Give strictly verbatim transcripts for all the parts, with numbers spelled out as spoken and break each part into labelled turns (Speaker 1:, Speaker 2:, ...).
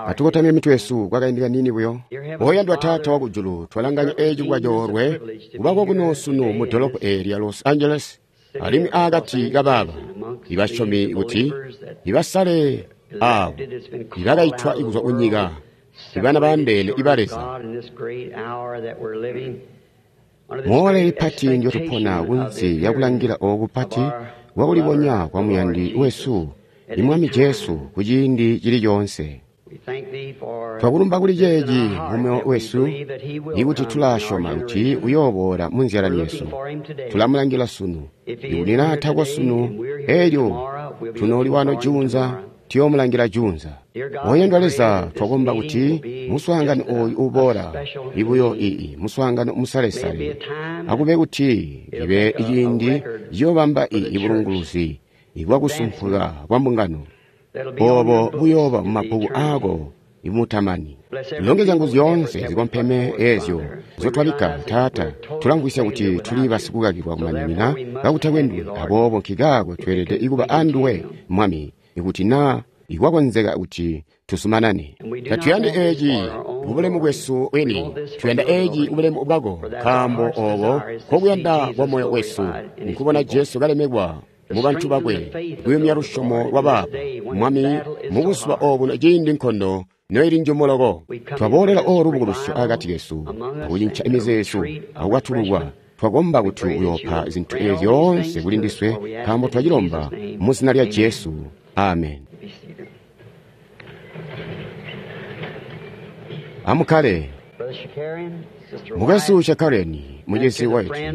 Speaker 1: Atukotamye mitwe yesu kwakaindi kaniini buyo. Oyandwa Taata wakujulu, twalanganya eeci kuba coolwe kubako kuno sunu mu dolopo eeli lya Los Angeles, alimwi aakati kabaaba ibasyomi kuti ibasale aabo ibakaitwa kuzwa kunyika, ibana baandeene iba Leza. Moole lipati ndyotupona kunsi lyakulangila ooku kupati kwakulibonya kwa muyandi wesu, Imwami Jesu, kuciindi cili coonse. Twakulumba kuli ceeci mumoyo wesu, ikuti tulasyoma kuti uyooboola munzyalani yesu. Tulamulangila sunu, ikuti naa tako sunu, elyo tunooli wano juunza, tuyoomulangila juunza. Oyandwa Leza, twakomba kuti muswaangano ooyu uboola ibuyo ii muswaangano musalesale, akube kuti ibe ciindi ciyoobamba ii bulunguluzi bwakusumpuka kwa mbungano. Oobo buyooba mumabbuku aako imutamani. Longezya nguzu zyoonse zikompeme eezyo nzyotwabikka, Taata. Tulamvwisya kuti tuli basikukakilwa kumaninina kakutakwe nduwe, aboobo nkikaako tweelede kuba anduwe, Mwami, ikuti naa ikwakonzeka kuti tuzumanane. Tatuyandi eeci kubulemu bwesu bwini, tuyanda eeci kubulemu bwako, nkaambo ooko nkokuyanda kwa moyo wesu, nkubona Jesu kalemekwa mu bantu bakwe, kuyumya lusyomo lwabaabo. Mwami, mubuzuba obuno ciindi nkondo noili njumu loko, twaboolela oolu lubukulusyo akati kesu, akucinca imizeezo akukwatululwa. Twakomba kuti uyoopa zintu eezi zyoonse kuli ndiswe, nkaambo twacilomba mu zina lya Jesu. Amen. Amukkale. Mukwesu Shakarian, mucizi White,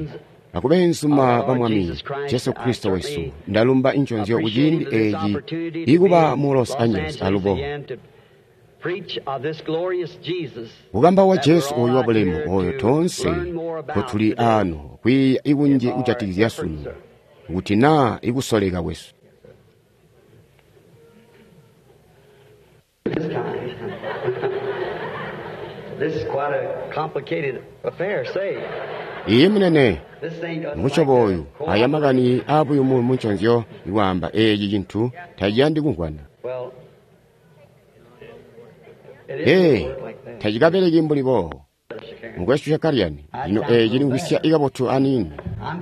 Speaker 1: akubenzuma ba Mwami Jesu Kristo wesu, ndalumba inconzyo kuciindi eeci ikuba mu Los Angeles alubo kukamba wa Jesu ooyu wabulemu ooyo toonse nkotuli aano kwiiya ikunji kujatikizya sunu kuti naa ikusoleka kwesu.
Speaker 2: This is quite a complicated affair, say.
Speaker 1: Iye munene,
Speaker 2: This ain't like
Speaker 1: musyobo oyu
Speaker 2: the
Speaker 1: aya makani aabuyumu munconzyo ikwaamba eeci cintu taciyandi kumvwana.
Speaker 2: Well, it
Speaker 1: Ee,
Speaker 2: isn't work like that.
Speaker 1: tacikabeleki mbuli boobo. Mukwesu Shakarian, lino eeci limvwisya ikabotu aniini.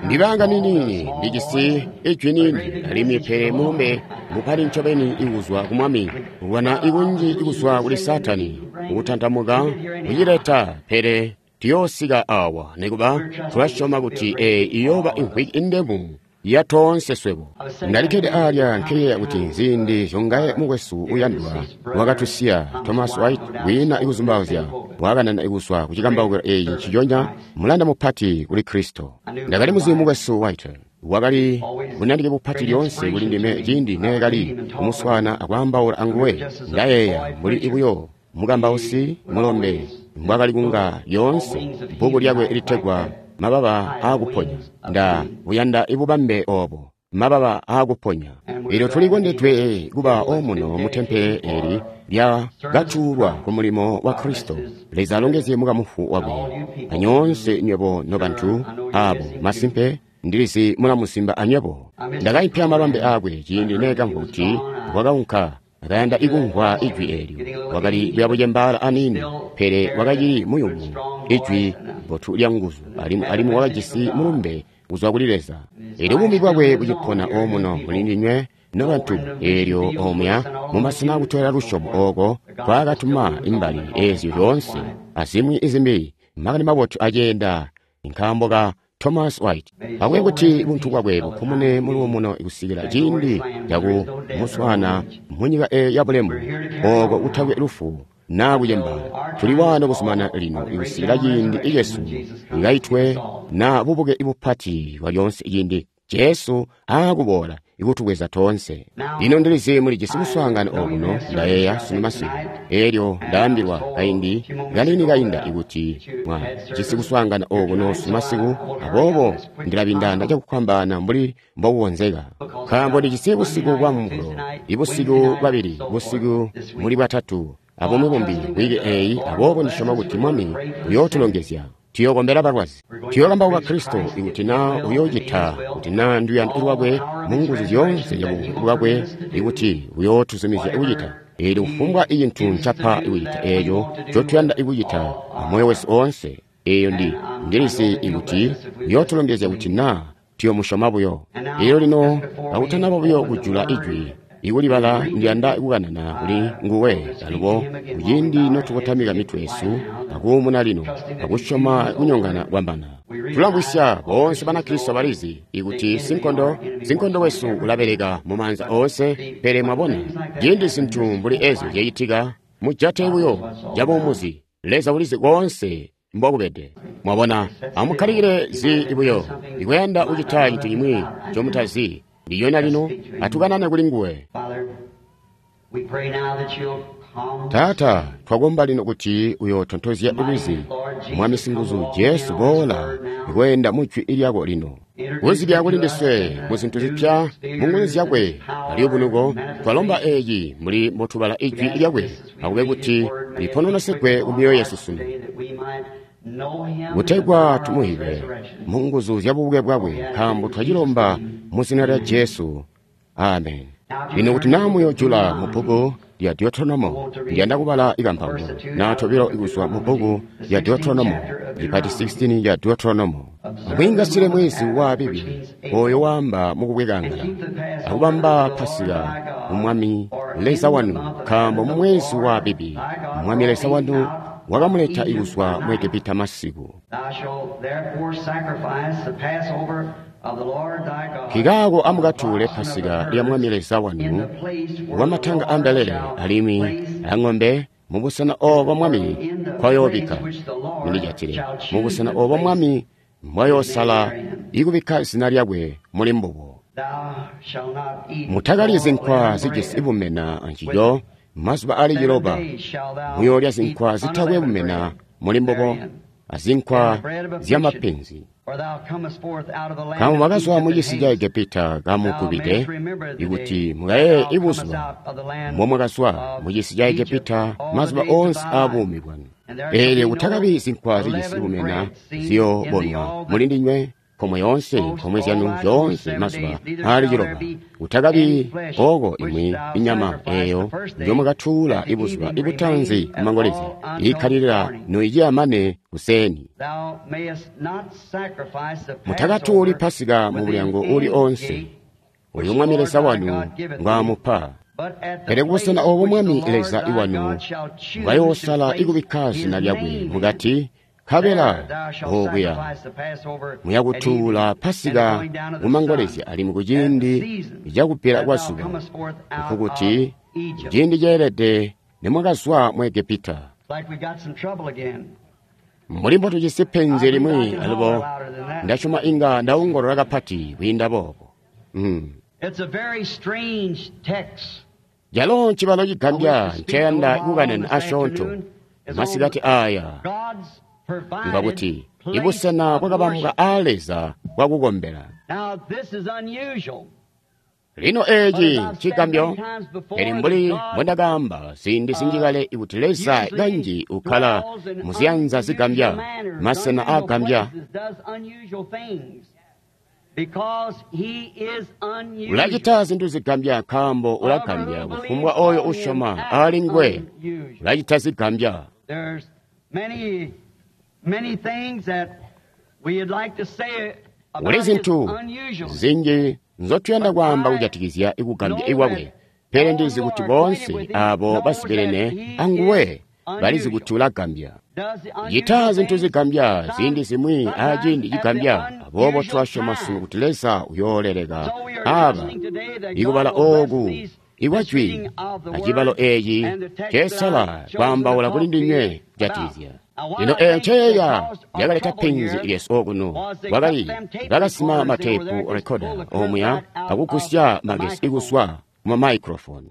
Speaker 1: Ndibanga niniini, ndijisi ijwi niini, alimwi pele mulumbe mupati ncobeni ikuzwa ku Mwami, kulwana ikunji ikuzwa kuli Saatani, ukutantamuka kucileta, pele tuyoosika awa nikuba tulasyoma kuti eeyi iyooba imvwiki indemu ya toonse swebo. Ndalikkede aalya nkeyeeya kuti nziindi zyongaye mukwesu uyandwa wakatusiya Thomas White wiina ikuzumbauzya wakanana ikuzwa kucikambaukilo eeci nciconya mulanda mupati kuli Kristo. Ndakali muzimu mukwesu White wakali bunandike bupati lyoonse kuli ndime ciindi neekali kumuswaana akwaambaula anguwe. Ndayeeya mbuli ibuyo mukambausi mulombe mbwakali kunga lyoonse bbuku lyakwe litegwa Mababa Aakuponya. Nda buyanda ibubambe oobo, mababa aakuponya. Elyo tulikondedwe kuba omuno mu tempele eli lya katuulwa ku mulimo wa Kristo. Leza alongezye mukamufu wakwe anyoonse nywebo nobantu aabo masimpe ndilizi mulamusimba anywebo. Ndakaipya mabambe aakwe ciindi neekamvwa kuti wakaunka akayanda ikumvwa ijwi eelyo. Wakali kuyabucembaala aniini, pele wakacili muyumu, ijwi bbotu lya nguzu, alimwi alimwi wakajisi mulumbe kuzwa kuli Leza. Eelyo buumi bwakwe bucipona omuno muli ndinywe nobantu, eelyo omuya mumasena akutwela lusyomo ooko kwaakatuma imbali eezyo zyoonse azimwi izimbi makani mabotu aceenda nkaambo ka Thomas White. Akube kuti buntu bwakwe bupumune muluumuno kusikila ciindi caku muswaana munyika eeyo yabulemu ooko kutakwe lufu naa kucembaala. Tuli waano kuzumana lino kusikila ciindi icesu ikaitwe na bubuke bupati bwa lyoonse ciindi Jesu aakuboola ikutubweza toonse. Lino ndilizi mulijisi muswaangano okuno, ndayeeya sunu masiku. Eelyo ndaambilwa kaindi kaniini kainda ikuti mwajisi kuswaangana okuno sunu masiku, aboobo ndilabindana cakufwambaana mbuli mbokukonzeka. Nkaambo ndijisi busiku bwa Mumulo, ibusiku bwabili, busiku muli bwatatu, abumwi bumbi wiki eeyi, aboobo ndisyoma kuti Mwami uyootulongezya. Tuyookombela balwazi, tuyookambauka Kristo ikuti naa uyoocita kuti naa nduyando lwakwe mu nguzu zyoonse zya bwakwe ikuti uyootuzumizya kucita. Eelyo kufumbwa cintu ncapa kucita eeco ncotuyanda kucita amoyo wesu oonse, eeyo ndi ndilizi kuti uyootulongezya kuti naa tuyomusyoma buyo. Eelyo lino kakutanaba buyo kujula ijwi ikulibala, ndiyanda kukanana kuli nguwe alubo kuciindi notukotamika mitwe yesu akuumuna lino akusyoma kunyongana kwambana. Tulamvwisya boonse Banakristo balizi ikuti sinkondo sinkondo wesu ulabeleka mumaanza oonse, pele mwabona ciindi zintu mbuli ezyo zyacitika, mujate buyo cabuumuzi. Leza ulizi koonse mbokubede. Mwabona, amukkalikile zi buyo ikuyanda kucita cintu cimwi ncomutazi. Ndiyona lino atukanane kuli nguwe. Taata, twakomba lino kuti uyotontozya lwizi. Mwami singuzu Jesu, boola kweenda mujwi lyako lino. Kuzibya kuli ndiswe mu zintu zipya mu nguzu zyakwe alyubunuko. Twalomba eeci muli mbotubala ijwi lyakwe, akube kuti lipononosegwe ku myoyo yesu sunu, kutegwa tumuhibe mu nguzu zya bubuke bwakwe, nkaambo twacilomba mu zina lya Jesu. Amen. Lino kuti naa muyojula mu bbuku lya Deuteronomo, ndiyanda kubala ikampango naa tobilo kuzwa mu bbuku lya Deuteronomo, lipati sixteen ya Deuteronomo. Amwiingasile mwezi wa Abibi, oyo waamba mukubwekangala, akubamba Pasika mu Mwami Leza wanu, nkaambo mu mwezi wa Abibi Mwami Leza wanu wakamuleta kuzwa mu Egepita masiku. Nkikaako amukatuule Pasika lya Mwami Leza wanu wamatanga ambelele alimwi ang'ombe mubusena oobo Mwami nkwayoobikka. Mundijatile mubusena oobo Mwami mbwayoosala ikubikka zina lyakwe muli mbubo. Mutakalyi zinkwa zijisi bumena ancico mazuba ali ciloba. Muyoolya zinkwa zitakwe bumena muli mbubo azinkwa zyamapenzi. Nkaambo mwakazwa mucisi ca Egepita kamugubide, ikuti mukayeeye ibuzuba mbomwakazwa mucisi ca Egepita mazuba oonse aabuumi bwanu. Eelyo kutakabi zinkwa zijisi bumena ziyoobonwa mulindinywe nkomwe yoonse nkomwe zyanu zyoonse mazuba aali ciloba. Kutakabi ooko imwi inyama eeyo njomwakatuula ibuzuba ibutaanzi kumangolezya iikkalilila noiciya mane kuseeni. Mutakatuuli Pasika mu bulyango uuli oonse oyo Mwami Leza wanu ngwaamupa, pele kubusena oobo Mwami Leza wanu mbwayoosala ikubikka zina lyakwe mukati, nkabela ookuya muyakutuula Pasika kumangolezya alimwi kuciindi cakubbila kwa zuba, nkukuti kuciindi ceelede nimwakazwa mu Egepita. Mbuli mbotujisi penzi limwi alubo, ndasyoma inga ndaongolola kapati kwiinda boobo. Mm. Calo ncibalo cigambya nceyanda kukanana asyoonto masikati aya, ngakuti ibusena bwakabambwa aa Leza bwakukombela. Lino eeci ncigambyo, pele mbuli mbondakaamba ziindi zinji kale kuti Leza kanji ukkala muziyanza zigambya, masena aagambya. Ulacita zintu zigambya nkaambo ulagambya kufumbwa oyo usyoma aali nguwe ulacita zigambya. Kuli zintu zinji nzotuyanda kwaamba kujatikizya ikugambya ikwakwe, pele ndizi kuti boonse aabo basibelene anguwe balizi kuti ulagambya. Cita zintu zigambya ziindi zimwi aciindi cigambya. Aboobo twasyoma sunu kuti Leza uyooleleka aaba ikubala ooku ikwajwi acibalo eeci cesala kwaambaula kuli ndinywe kujatikizya. Lino eeyo nceeya yakaleta penzi lyesu okuno, kwakali bakasima mateepu rekoda omuya akugusya magesi ikuzwa kuma microphone.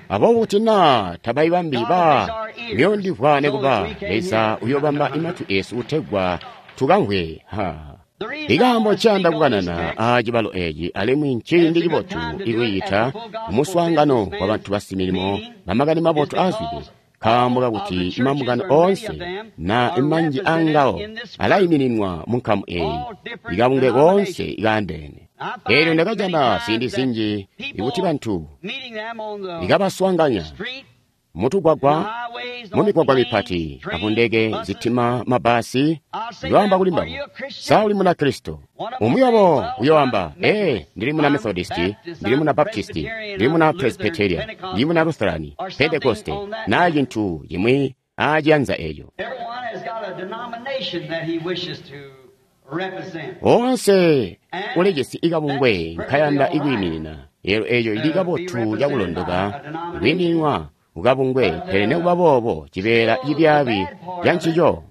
Speaker 1: Aboobo kuti naa tabayibambi ba muyondimvwa nekuba, Leza uyobamba imatwi esu kutegwa tukamvwe. Ha. Ikaambo ncayanda kukanana aacibalo eeci alimwi nciindi cibotu ikwiita muswaangano wabantu basimilimo bamakani mabotu aazwide, nkaambo kakuti imambungano oonse na imanji aangawo alaimininwa munkamu eeyi, ikabunge koonse ikaandeene. Eelyo ndakajana ziindi zinji ikuti bantu ikabaswaanganya mutugwagwa, mumigwagwa mipati, akundeke, zitima, mabasi, ndiyoamba kuli mbabo, sa uli muna Kristo? Umwi wabo uyoamba, ee, ndili muna Methodisti, ndili muna Baptisti, ndili muna Presbyteria, ndili muna Lutherani, Pentekoste, na cintu cimwi aaciyanza eeco. Onse ulijisi ikabungwe nkayanda ikwiiminina. Elo eeco ili kabotu cakulondoka ikwiimininwa kukabungwe, pele nekuba boobo cibeela cibyaabi ca ncico.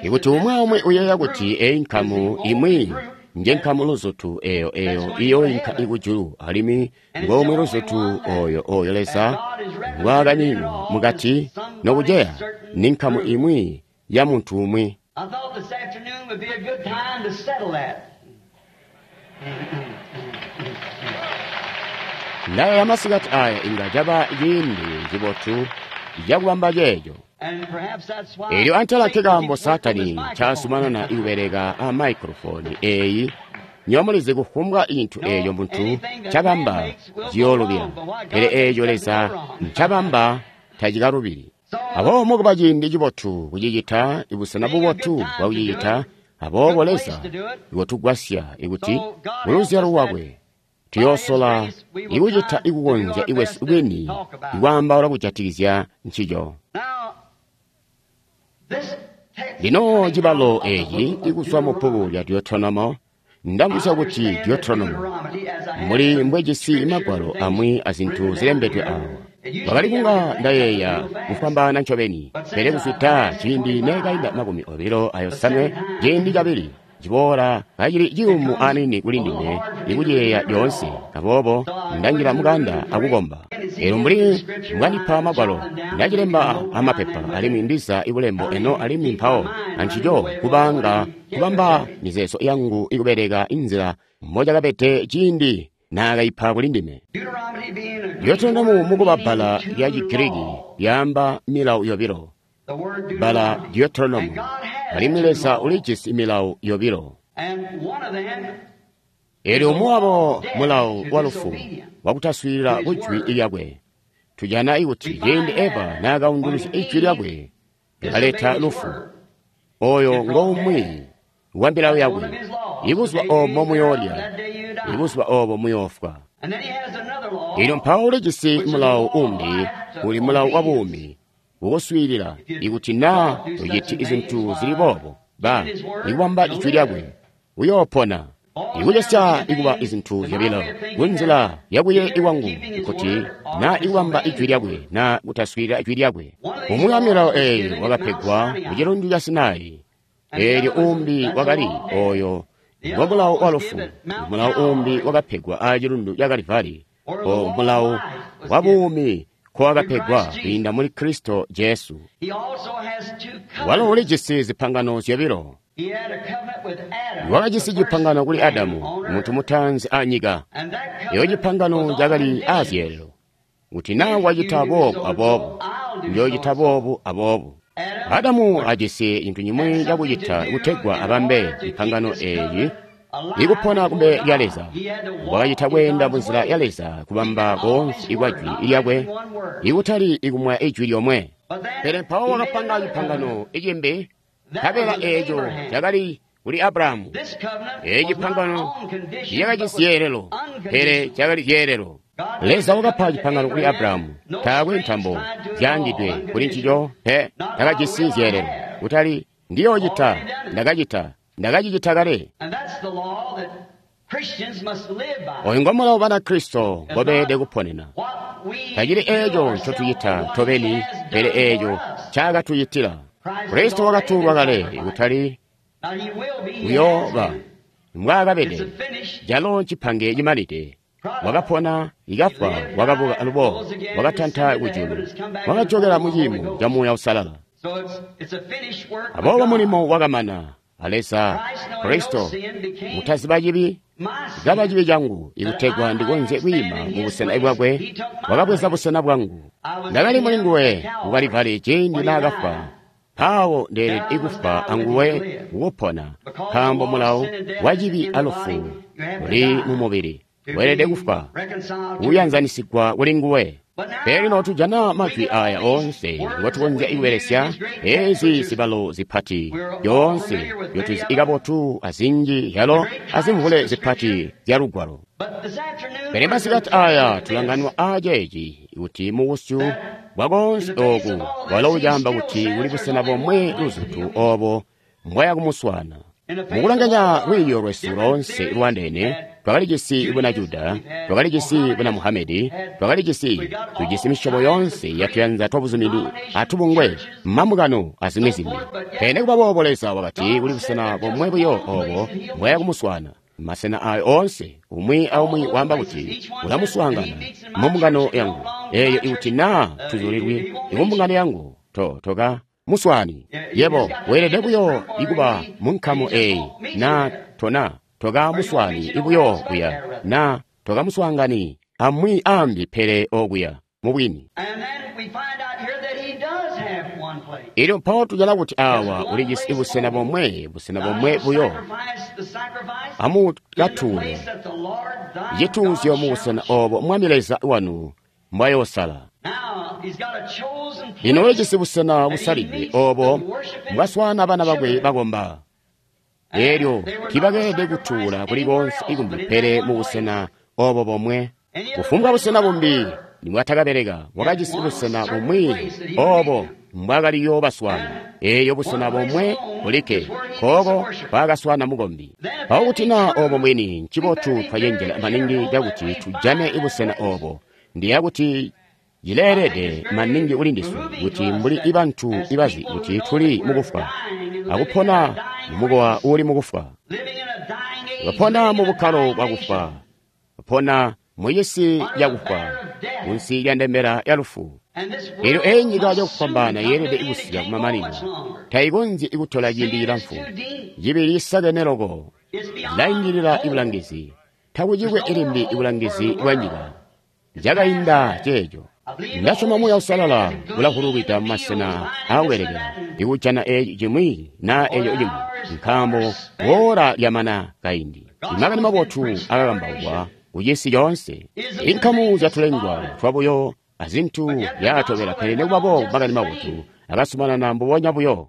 Speaker 1: Ikuti umwi aumwi uyeeya kuti eyi nkamu imwi nje nkamu luzutu eyo eyo iyoinka ikujulu, alimwi ngomwe luzutu oyo oyo Leza ngwaakanyinwa mukati nokuceya ni nkamu imwi ya muntu umwi.
Speaker 2: I thought this afternoon would be a good time to settle that.
Speaker 1: Ndayeeya masikati aya inga caba ciindi cibotu cakubamba ceeco.
Speaker 2: And perhaps that's why
Speaker 1: Eelyo antela
Speaker 2: Satan
Speaker 1: nkekaambo
Speaker 2: keeps working
Speaker 1: Saatani
Speaker 2: this microphone.
Speaker 1: ncaasumanana ikubeleka a microphone eeyi. Nyomulizi kufumbwa cintu eeco muntu ncabamba ciyoolubila, pele eeco Leza ncabamba tacikalubili. Aboobo mukuba ciindi cibotu kucicita, ibusena bubotu bwakucicita, aboobo Leza ikutugwasya ikuti muluzyalo lwakwe tuyoosola ikucita ikukonzya ikwesu kwini ikwaambaula kujatikizya ncico.
Speaker 2: Now, this text
Speaker 1: Lino cibalo eeci ikuzwa mu bbuku lya Deuteronomo, ndamvwisya kuti Deuteronomo muli mbwejisi magwalo amwi azintu zilembedwe awa. Wakali kunga ndayeeya kufwambaana ncobeni, pele kuzwida ciindi neekainda makumi obilo ayosanwe ciindi cabili ciboola kacili ciyumu aniini kuli ndime ikuciyeeya lyoonse. Aboobo ndanjila mukanda akukomba. Eelyo mbuli mbwandipa magwalo, ndacilemba amapepa alimwi ndiza ibulembo eno alimwi mpawo ancico kubanga kubamba mizeezo yangu ikubeleka inzila mbocakabede ciindi naakaipa kuli ndime.
Speaker 2: Deuteronomy being a Greek
Speaker 1: Deuteronomo
Speaker 2: word
Speaker 1: mukuba
Speaker 2: meaning
Speaker 1: bbala
Speaker 2: two
Speaker 1: lya Chigiriki
Speaker 2: laws.
Speaker 1: lyaamba milawo yobilo,
Speaker 2: The word
Speaker 1: bbala
Speaker 2: Deuteronomy.
Speaker 1: Deuteronomo,
Speaker 2: And God has
Speaker 1: alimwi
Speaker 2: two
Speaker 1: Leza
Speaker 2: laws.
Speaker 1: ulijisi milawo yobilo.
Speaker 2: And one of them
Speaker 1: Eelyo umwi wabo mulawo wa lufu wakutaswiilila kujwi lyakwe. Tujana ikuti ciindi Eva naakaunduluzya ijwi lyakwe lyakaleta lufu. Oyo ngomwe wa milawo yakwe. Ibuzuba oobo muyoolya, ibuzuba oobo muyoofwa.
Speaker 2: And then he has another law.
Speaker 1: Eelyo mpawo ulijisi mulawo umbi uli mulawo wa buumi ukuswiilila ikuti naa uciti zintu zili boobo ba ikubamba ijwi lyakwe uyoopona. Ikucesya ikuba izintu zyobilo kunzila yakuye ikwangu kuti naa ikubamba ijwi lyakwe naa kutaswiilila ijwi lyakwe. Umwi wa milawo eeyi wakapegwa ku cilundu ca Sinai. Eelyo umbi wakali oyo ngo mulawo wa lufu. Mulawo umbi wakapegwa a cilundu ca Kalivali, o mulawo wa buumi nkowakapegwa kwiinda muli Kristo Jesu.
Speaker 2: He also has two
Speaker 1: Walo
Speaker 2: covenants.
Speaker 1: ulijisi zipangano zyobilo.
Speaker 2: He had a covenant with Adam,
Speaker 1: Wakajisi
Speaker 2: the first
Speaker 1: cipangano kuli
Speaker 2: man
Speaker 1: Adamu,
Speaker 2: on earth.
Speaker 1: muntu mutaanzi anyika.
Speaker 2: And that
Speaker 1: Eyo
Speaker 2: covenant
Speaker 1: cipangano
Speaker 2: was on
Speaker 1: cakali
Speaker 2: conditions.
Speaker 1: aazyeelelo kuti naa wacita boobu aboobu, njoocita boobu aboobu. Adamu ajisi cintu cimwi cakucita kutegwa abambe ipangano eeyi ikupona kumbe lya Leza. Wakacita kweenda munzila ya Leza kubamba koonse ikwa jwi lyakwe, ikutali ikumwaya ijwi lyomwe. Pele mpawo wakapanga cipangano icimbi, nkabela eeco cakali kuli Abrahamu.
Speaker 2: This covenant
Speaker 1: Eeci
Speaker 2: was not
Speaker 1: cipangano
Speaker 2: on conditions,
Speaker 1: cakajisi
Speaker 2: but was
Speaker 1: zyeelelo, pele cakali zyeelelo. Leza wakapa cipangano kuli Abrahamu, taakwe ntambo zyaangidwe kuli ncico pe, takajisi zyeelelo. Kutali ndiyoocita, ndakacita, ndakacicita kale.
Speaker 2: And that's the law that Christians must live by.
Speaker 1: Oyu ngomulawo Banakristo ngobeelede kuponena.
Speaker 2: What we
Speaker 1: Tacili
Speaker 2: do
Speaker 1: eeco
Speaker 2: ourselves,
Speaker 1: ncotucita
Speaker 2: what
Speaker 1: tobeni,
Speaker 2: he has
Speaker 1: pele
Speaker 2: done
Speaker 1: eeco
Speaker 2: for us.
Speaker 1: ncaakatucitila. Kristo wakatuulwa kale, kutali
Speaker 2: Now he will be, he has
Speaker 1: uyooba
Speaker 2: been. It's
Speaker 1: mbwaakabede.
Speaker 2: a finished
Speaker 1: Calo ncipange cimanide. Wakapona, ikafwa, wakabuka alubo, wakatanta kujulu, wakajokela mu ciimo ca Muuya Uusalala.
Speaker 2: So it's, it's a finished work of
Speaker 1: Aboobo
Speaker 2: God.
Speaker 1: mulimo wakamana a Leza Kristo mutaziba cibi
Speaker 2: My
Speaker 1: kaba
Speaker 2: sin.
Speaker 1: cibi cangu ikutegwa ndikonzye kwiima mu busena bwakwe, wakabweza busena bwangu. Ndakali muli nguwe ku Kalivali ciindi naakafwa. Mpawo ndeelede ikufa anguwe kukupona, nkaambo mulawo wa cibi alufu Uli mu mubili. Weelede kufwa, kuyanzanisigwa kuli nguwe. Pele lino tujana majwi aya oonse ngotukonzya kubelesya ezi zibalo zipati zyoonse zyotuzi kabotu azinji yalo azimvule zipati zya Lugwalo. Pele masikati aya tulanganwa aaceeci kuti mubusyu bwakoonse oku walo ucaamba kuti kuli busena bomwe luzutu obo mbwaya kumuswaana. Mukulanganya lwiiyo lwesu loonse lwandeene, twakalijisi buna Juda, twakalijisi buna Muhamedi, twakalijisi tujisi misyobo yoonse yatuyanza twabuzumini atubungwe, mambungano azimwi zimbi. Pele nikuba boobo Leza wakati kuli busena bomwe buyo obo mbwaya kumuswaana. Masena ayo oonse, umwi aumwi waamba kuti ulamuswaangana mumbungano yangu. Eeyo ikuti naa tuzulilwi ikumbungano yangu, to toka muswaani. Yebo weelede buyo ikuba munkamu eeyi na tona toka muswaani ibuyo kuya na toka muswaangani amwi ambi pele okuya mubwini. Elyo mpawo tujana kuti awa ulijisi busena bomwe, busena bomwe buyo. Amukatuule cituuzyo mubusena obo Mwami Leza wanu mbwayoosala. Lino ulijisi busena busalidwe obo mbwaswaana bana bakwe bakomba. Elyo tiibakeelede kutuula kuli konse ikumbi pele mubusena obo bomwe. Kufumbwa busena bumbi nibwatakabeleka, wakajisi busena bumwi obo mbwakaliyo baswaana. Eeyo busena bomwe bulikke kooko mbwaakaswaana mukombi. Mpawo kuti naa obo mbwini, ncibotu twacenjela maningi cakuti tujane busena obo. Ndiya kuti cileelede maningi kuli ndiswe kuti mbuli ibantu ibazi kuti tuli mukufwa akupona mumukowa uuli mukufwa, bapona mu bukkalo bwakufwa, bapona mu cisi cakufwa, munsi lya ndembela ya lufu. Elyo eyi nyika cakufwambaana yeelede kusika kumamanino, tayikonzyi kutola ciindi cilamfu. Cibi cisakene loko, cilaindilila ibulangizi, takucikwe ilimbi ibulangizi bwa nyika. Cakainda ceeco. Ndasyoma Muuya Uusalala ulahululwida mumasena aakubelekela ikujana eeci cimwi naa eeco cimwi, nkaambo woola lyamana kaindi. Imakani mabotu akakambaukwa kucisi coonse. Inkamu zyatulengwa twabuyo azintu zyaatobela, pele nikuba boobo makani mabotu akasumanana mbubonya buyo.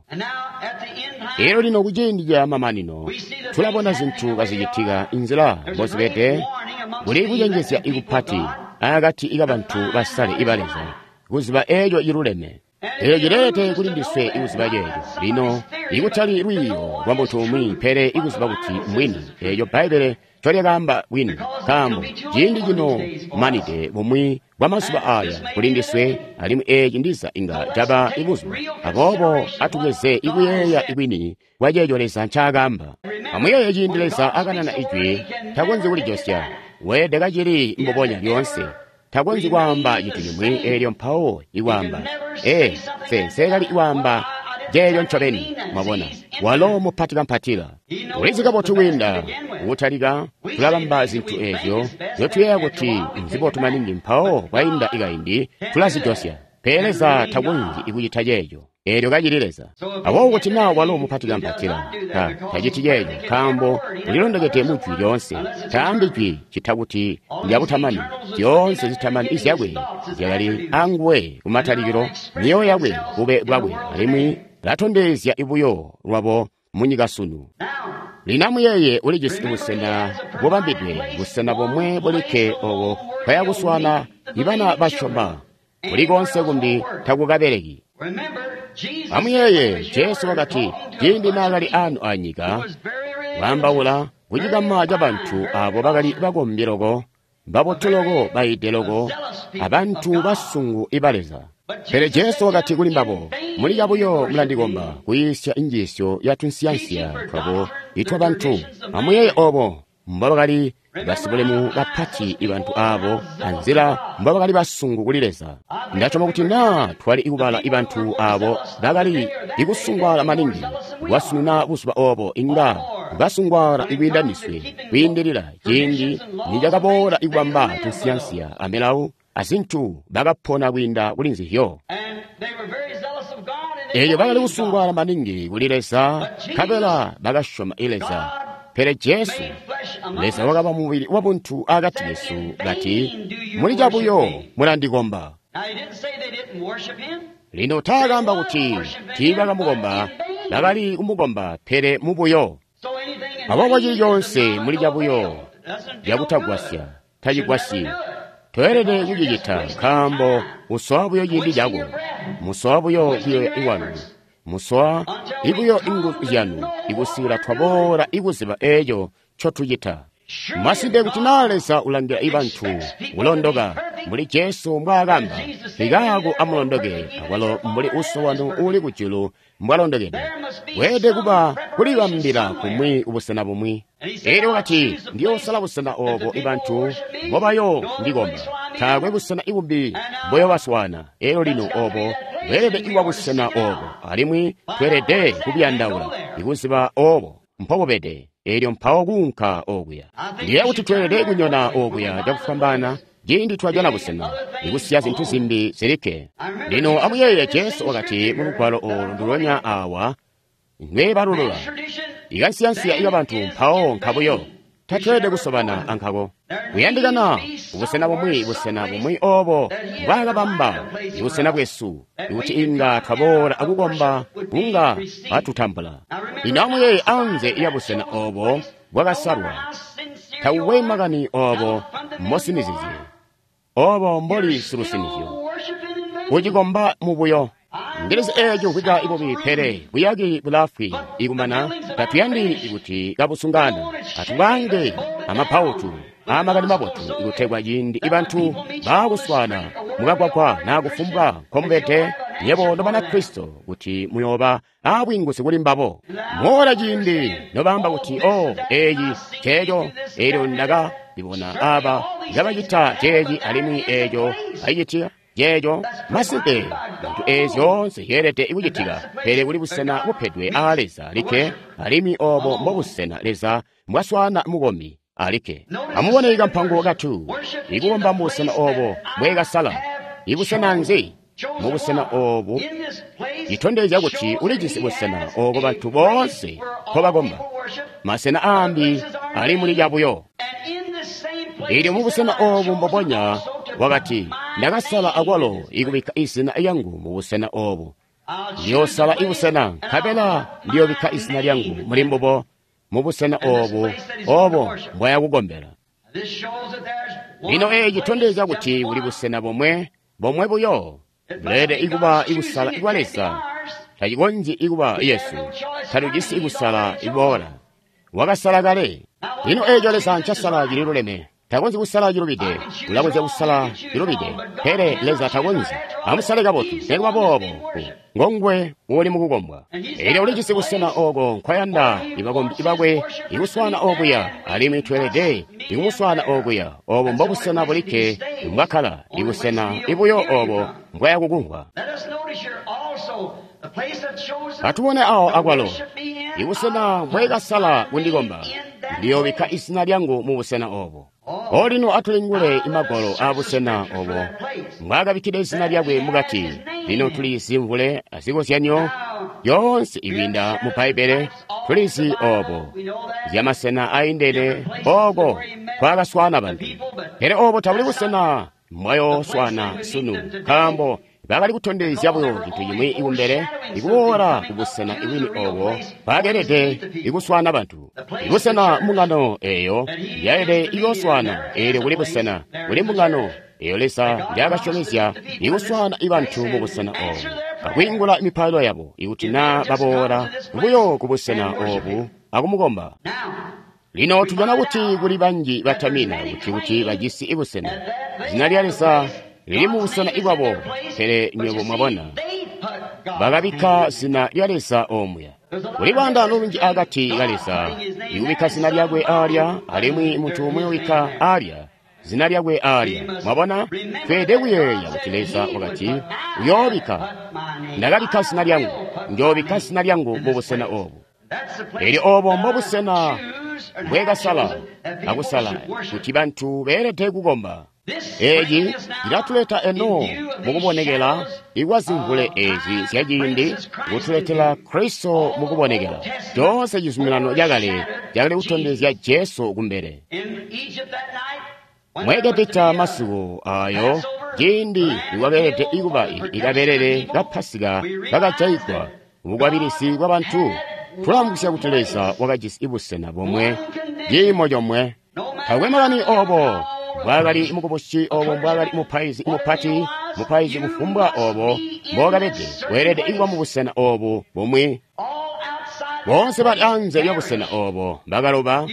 Speaker 1: Elyo lino kuciindi ca mamanino tulabona zintu kazicitika inzila mbozibede. Kuli kucenjezya ikupati akati kabantu basale iba Leza kuziba eeco ciluleme. Eeco cileelede kuli ndiswe ikuziba ceeco. Lino ikutali lwiiyo lwa muntu umwi, pele ikuziba kuti mbwini eeco Bbaibbele ncolyakaamba bwini, nkaambo ciindi cino manide bumwi bwa mazuba aya kuli ndiswe, alimwi eeci ndiza inga caba ibuzuba. Aboobo atubweze ikuyeeya ibwini bwa ceeco Leza ncaakaamba. Amuyeeye ciindi Leza akanana ijwi, takonzyi kulijosya. Weelede kacili mbubonya lyoonse. Takonzyi kwaamba cintu cimwi eelyo mpawo ikwaamba, ee, nse nseekali kwaamba ceeco ncobeni. Mwabona, walo mupati kampatila. Ulizi kabotu kwiinda kutalika. Tulabamba zintu eezyo nzyotuyeeya kuti nzibotu maningi, mpawo kwainda ikaindi tulazijosya. Pele Leza takonzyi kucita ceeco. Eelyo kacili Leza. Aboobo kuti naa walo mupati kampatila, ta taciti ceeco, nkaambo ulilondokede mu jwi lyoonse. Taambi jwi cita kuti ndyabutamani. Zyoonse zitamani izyakwe zyakali anguwe kumatalikilo, myoyo yakwe, bube bwakwe, alimwi latondezya ibuyo lwabo munyika sunu. Lino amuyeeye ulijisi busena bubambidwe, busena bomwe bulikke obo bwaya kuswaana ibana basyoma. Kuli konse kumbi takukabeleki. Amuyeeye Jesu wakati ciindi naakali aano anyika, waambaula kucikama cabantu aabo bakali bakombi loko, babotu loko, baide loko, abantu basungu iba Leza. Pele Jesu wakati kuli mbabo, muli cabuyo mulandikomba kuyiisya injiisyo ya tunsiyansiya twabo itwabantu. Amuyeeye obo mbobakali basibulemu bapati ibantu aabo anzila mbobakali basungu kuli Leza. Ndasyoma kuti naa twali ikubala ibantu aabo bakali ikusungwaala maningi kwasununa buzuba obo, inga basungwaala ikwiinda ndiswe kwiindilila ciindi nicakaboola ikubamba tunsiyansiya amilawu azintu bakapona kwiinda kuli nzizyo. Eelyo bakali kusungwaala maningi kuli Leza, nkabela bakasyoma i Leza. Pele Jesu, Leza wakaba mubili wabuntu akati kesu, kati, muli cabuyo mulandikomba. Lino taakamba kuti tiibakamukomba, bakali kumukomba, pele mubuyo. Aboobo cili coonse muli cabuyo cakutagwasya, tacigwasyi. Toelede kucicita nkaambo usowa buyo ciindi cako, musowa buyo kuyoya kwanu, musowa ibuyo inguzu zyanu ikusikila twaboola ikuziba eeco ncotucita. Masimpe kuti naa Leza ulangila ibantu kulondoka mbuli Jesu mbwaakamba, ikaako amulondoke akwalo mbuli Uso wanu uuli kujulu mbwalondokede. Weelede kuba kulibambila kumwi kubusena bumwi. Elyo wakati, ndiyoosala busena oobo ibantu mbobayo ndikomba. Taakwe busena ibumbi mboyobaswaana. Elyo lino oobo bweelede kuba busena oobo, alimwi tweelede kubuyandaula ikuziba oobo mpobubede. Elyo mpawo kuunka okuya. Ndiyeeya kuti tweelede kunyona okuya cakufwambaana ciindi twajana busena, ikusiya zintu zimbi zilikke. Lino amuyeeye Jesu wakati mu lugwalo oolu ndulonya awa, ndwebalulula ikansiyansiya ikabantu mpawo nkabuyo. Tatweelede kusobana ankako. Kuyandikana ubusena bumwi, busena bumwi oobo mbwaakabamba ibusena bwesu, ikuti inga twaboola akukomba kunga batutambula. Lino amuyeeye anze ya busena oobo bwakasalwa, takukwe makani oobo mbosinizizye, oobo mboli silusinizyo, ucikomba mubuyo. Ndilizi eeco mvwika ibubi, pele buyaki bulaafwi ikumana. Tatuyandi kuti kabusungana, atubange amapautu amakani mabotu ikutegwa ciindi ibantu baakuswaana mukagwagwa naa kufumbwa nkomubede nyebo Nobanakristo kuti muyooba aabwiinguzi kuli mbabo. Moola ciindi nobaamba kuti, oh, eeci ceeco, eelyo ndakabibona aaba kabacita ceeci alimwi eeco bacicita ceeco. Masimpe, zintu eezi zyoonse zyeelede kucitika, pele kuli busena bupedwe aa Leza alikke, alimwi oobo mbobusena Leza mbwaswaana mukombi alikke. Amubone kampango katu, ikukomba mubusena oobo mbweekasala. Ibusena nzi? Mubusena oobu citondezya kuti ulijisi busena ooko bantu boonse nkobakomba. Masena aambi ali muli cabuyo. Eelyo mubusena oobu mbobonya wakati, ndakasala akwalo ikubikka izina lyangu mubusena oobu. Ndiyoosala ibusena, nkabela ndiyoobikka izina lyangu muli mbubo mubusena oobu, oobo mbwayakukombela. Lino eeci citondezya kuti kuli busena bomwe, bomwe buyo, buleelede ikuba ikusala kwa Leza. Tacikonzyi ikuba Yesu, talujisi ikusala iboola. Wakasala kale. Lino eeco Leza ncasala cililuleme. Takonzyi kusala cilubide, ulakonzya kusala cilubide, pele Leza takonzyi. Amusale kabotu, nikuba boobo, ngongwe uuli mukukombwa. Elyo ulijisi busena ooko nkwayanda ibakombi bakwe ikuswaana okuya, alimwi tweelede ikumuswaana okuya. Oobo mbobusena bulikke mbwakkala, ibusena ibuyo oobo mbwayakukumvwa. Atubone awo akwalo, ibusena mbweekasala kundikomba, ndiyoobikka izina lyangu mubusena oobo. Olino atulingule imagwalo aabusena obo mbwaakabikkide izina lyakwe mukati. Lino tulizi mvule azikozyanyo yoonse ikwiinda mu Bbaibbele, tulizi oobo zyamasena aindene ooko nkwaakaswaana bantu. Pele oobo tabuli busena mbwayooswaana sunu, nkaambo bakali kutondezya buyo cintu cimwi ikumbele ikuboola kubusena ibwini oobo baakeelede ikuswaana bantu. Ibusena mbungano eeyo yaelede iyooswaana, eelyo kuli busena kuli mbungano eeyo Leza njaakasyomezya ikuswaana ibantu mubusena oobu, akwiingula mipailo yabo ikuti naa baboola buyo kubusena oobu akumukomba. Lino tujana kuti kuli banji batamina kuti kuti bajisi ibusena. Zina lya Leza lili mubusena ibwabo, pele nywebo mwabona, bakabikka zina lya Leza omuya. Kuli lwaandaano lunji akati ka Leza ikubikka zina lyakwe aalya, alimwi muntu umwi ubikka aalya zina lyakwe aalya. Mwabona, tweelede kuyeeya kuti Leza wakati, uyoobikka, ndakabikka zina lyangu, njoobikka zina lyangu mubusena oobu. Elyo oobo mbobusena mbweekasala akusala kuti bantu beelede kukomba. Eeci cilatuleta eno mukubonekela ikwa zimvule ezi zyaciindi kutuletela Kristo mukubonekela. Coonse cizuminano cakale cakali kutondezya Jesu kumbele. Mu Egepita masiku ayo ciindi nikwakeelede kuba ikabelele ka Pasika kakajayigwa mubukwabilizi bwabantu, tulamvwisya kuti Leza wakajisi busena bomwe, ciimo comwe. Taakwe makani obo mbwaakali mukubusi, obo mbwaakali mupaizi mupati, mupaizi kufumbwa obo mbookabede, weelede kuba mubusena obu bumwi. Boonse bali anze lyabusena obo bakaloba.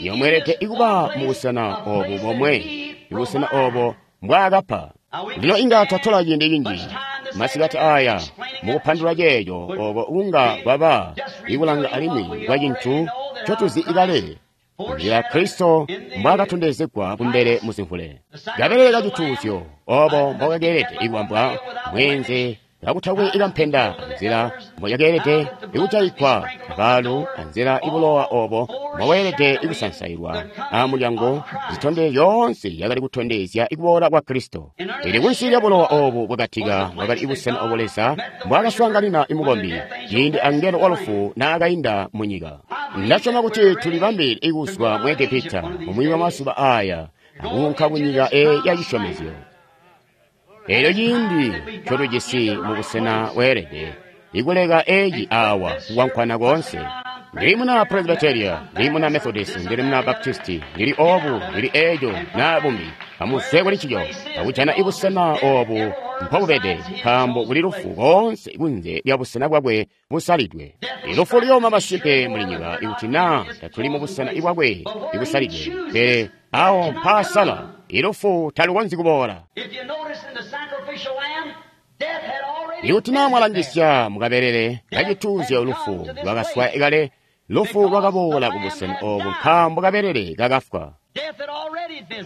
Speaker 1: Nyomweelede kuba mubusena obu bomwe, ibusena obo mbwaakapa. Lino inga twatola ciindi cinji masikati aya mukupandulula ceeco obo kunga kwaba ikulanga alimwi kwa cintu ncotuzi ikale, nzila Kristo mbwaakatondezegwa kumbele muzimvule. Kabelele kacituuzyo obo mbokakeelede ikubambwa mweenze kakutakwe ikampenda, nzila mbocakeelede ikujayigwa abaalu, anzila ibulowa obo mboweelede ikusansailwa amulyango, zitondezyo zyoonse yakali kutondezya ikuboola kwa Kristo. Ili kunsi lya bulowa obu bwakatika bwakali ibusena obo Leza mbwaakaswaanganina imukombi ciindi angelo wa lufu naakainda munyika. Ndasyoma kuti tulibambile ikuzwa mu Egepita mumwi wa mazuba aya akuunka kunyika eyi ya cisyomezyo. Eelyo ciindi ncotujisi mubusena weelede ikuleka eeci awa kukwankwana koonse. Ndili muna Presbyteria, ndili muna Methodist, ndili muna Baptisti, ndili obu, ndili eeco na bumbi. Amuzwe kuli ncico, akujana ibusena obu mpobubede, nkaambo kuli lufu koonse kunze lya busena bwakwe busalidwe. Ilufu luyooma masimpe muli nyika ikuti naa tatuli mubusena bwakwe ibusalidwe, pele awo mpaasala ilufu talukonzyi kuboola. Ikuti naa mwalangisya mukabelele kacituuzyo, lufu lwakaswa kale. Lufu lwakaboola kubusena obu nkaambo kabelele kakafwa.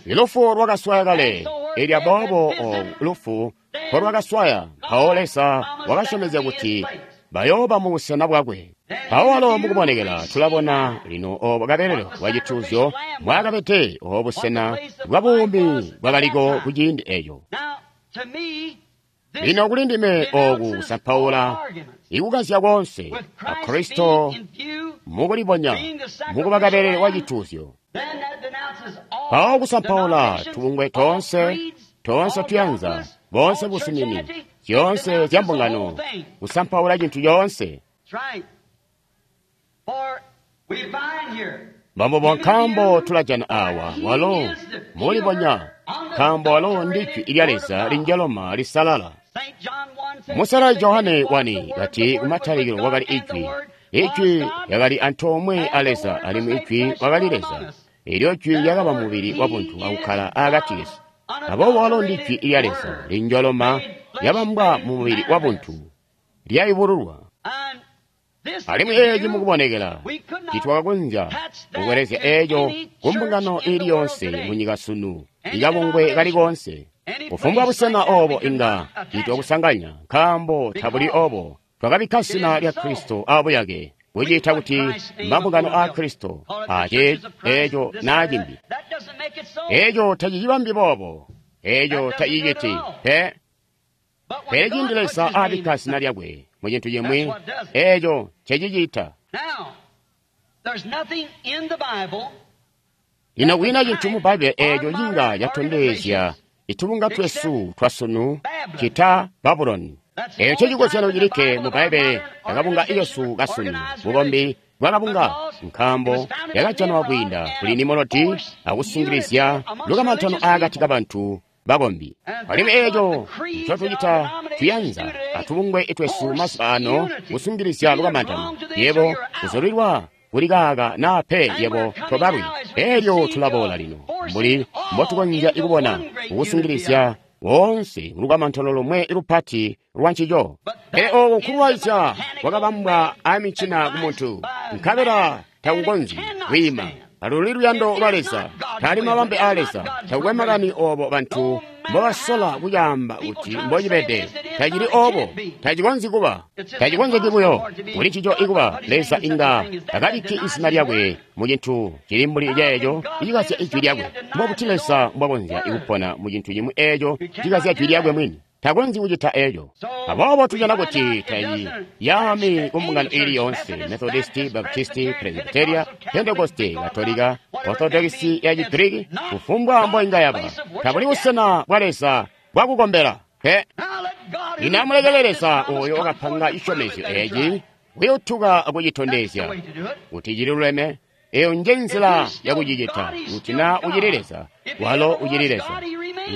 Speaker 1: Ilufu lwakaswaya kale, elya boobo obu lufu mpolwakaswaya. Mpawo Leza wakasyomezya kuti bayooba mubusena bwakwe. Mpawo walo mukubonekela tulabona lino obo kabelele bwacituuzyo mbwaakabede obo busena bwa buumi bwakaliko kuciindi eco. Lino kuli ndime oku kusampaula ikukazya koonse a Kristo mukulibonya mukuba kabelele wa cituuzyo. Mpawo kusampaula tubungwe toonse, toonse tuyanza, boonse busumini, zyoonse zya mbungano, kusampaula cintu coonse. Mbambobo nkaambo tulajana awa walo mulibonya, nkaambo walo ndi Jwi lya Leza linjaloma lisalala. Musalali Johane wani kati kumatalikilo wakali Ijwi, Ijwi lyakali antoomwe a Leza, alimwi Ijwi wakali Leza. Elyo Jwi lyakaba mubili wabuntu akukkala akati kesu. Aboobo walo ndi Jwi lya Leza linjoloma lyabambwa mumubili wabuntu, lyayubululwa. Alimwi eeci mukubonekela titwakakonzya kukwelezya eeco kumbungano ili yonse munyika sunu, ikabungwe kali koonse. Kufumbwa busena obo inga titwakusanganya, nkaambo tabuli obo. Twakabikka zina lya Kristo abuyake, kuciita kuti mabungano a Kristo, ace eeco naa cimbi. Eeco tacicibambi boobo, eeco taciciti pe. Pele ciindi Leza abikka zina lyakwe mu cintu cimwi, eeco ncecicita. Lino kwiina cintu mu Bbaibbele eeco cinga catondezya itubunga twesu twasunu cita Babuloni. Eeco ncecikozyano cilikke mu Bbaibbele akabunga kesu kasunu, bukombi bwakabunga, nkaambo yakajanwa kwiinda kuli Nimurodi akusungilizya lukamantano akati kabantu bakombi. Alimwi eeco ncotucita tuyanza atubungwe twesu mazuba ano kusungilizya lukamantano. Yebo kuzulilwa kuli kaaka naa pe, yebo tobalwi. Elyo tulaboola lino mbuli mbotukonzya kubona kukusungilizya woonse mulukamantano lomwe lupati lwa ncico. Pele ooko nkulwaizya kwakabambwa amicina kumuntu, nkabela takukonzyi kwiima. Aluli luyando lwa Leza, taali mabambe a Leza, takukwe makani obo bantu mbobasola kucaamba kuti mbocibede, tacili obo, tacikonzyi kuba, tacikonzeki buyo kuli ncico ikuba. Leza inga takabikki izina lyakwe mu cintu cili mbuli ceeco icikazya ijwi lyakwe. Mbobuti Leza mbwakonzya kupona mu cintu cimwi eeco cikazya jwi lyakwe mwini? Takonzyi kucita eeco. Aboobo tujana kuti tayi yaami ku mbungano ili yoonse, Methodisti, Baptisti, Presbyteria, Pentekoste, Katolika, Orthodoxi ya Chigiriki, kufumbwa mboinga yaba, tabuli busena bwa Leza bwakukombela pe. Lino amulekele Leza oyo wakapanga cisyomezyo eeci kuyutuka akucitondezya kuti cililuleme. Eyo nje nzila yakucicita. Kuti na ucili Leza, walo ucili Leza.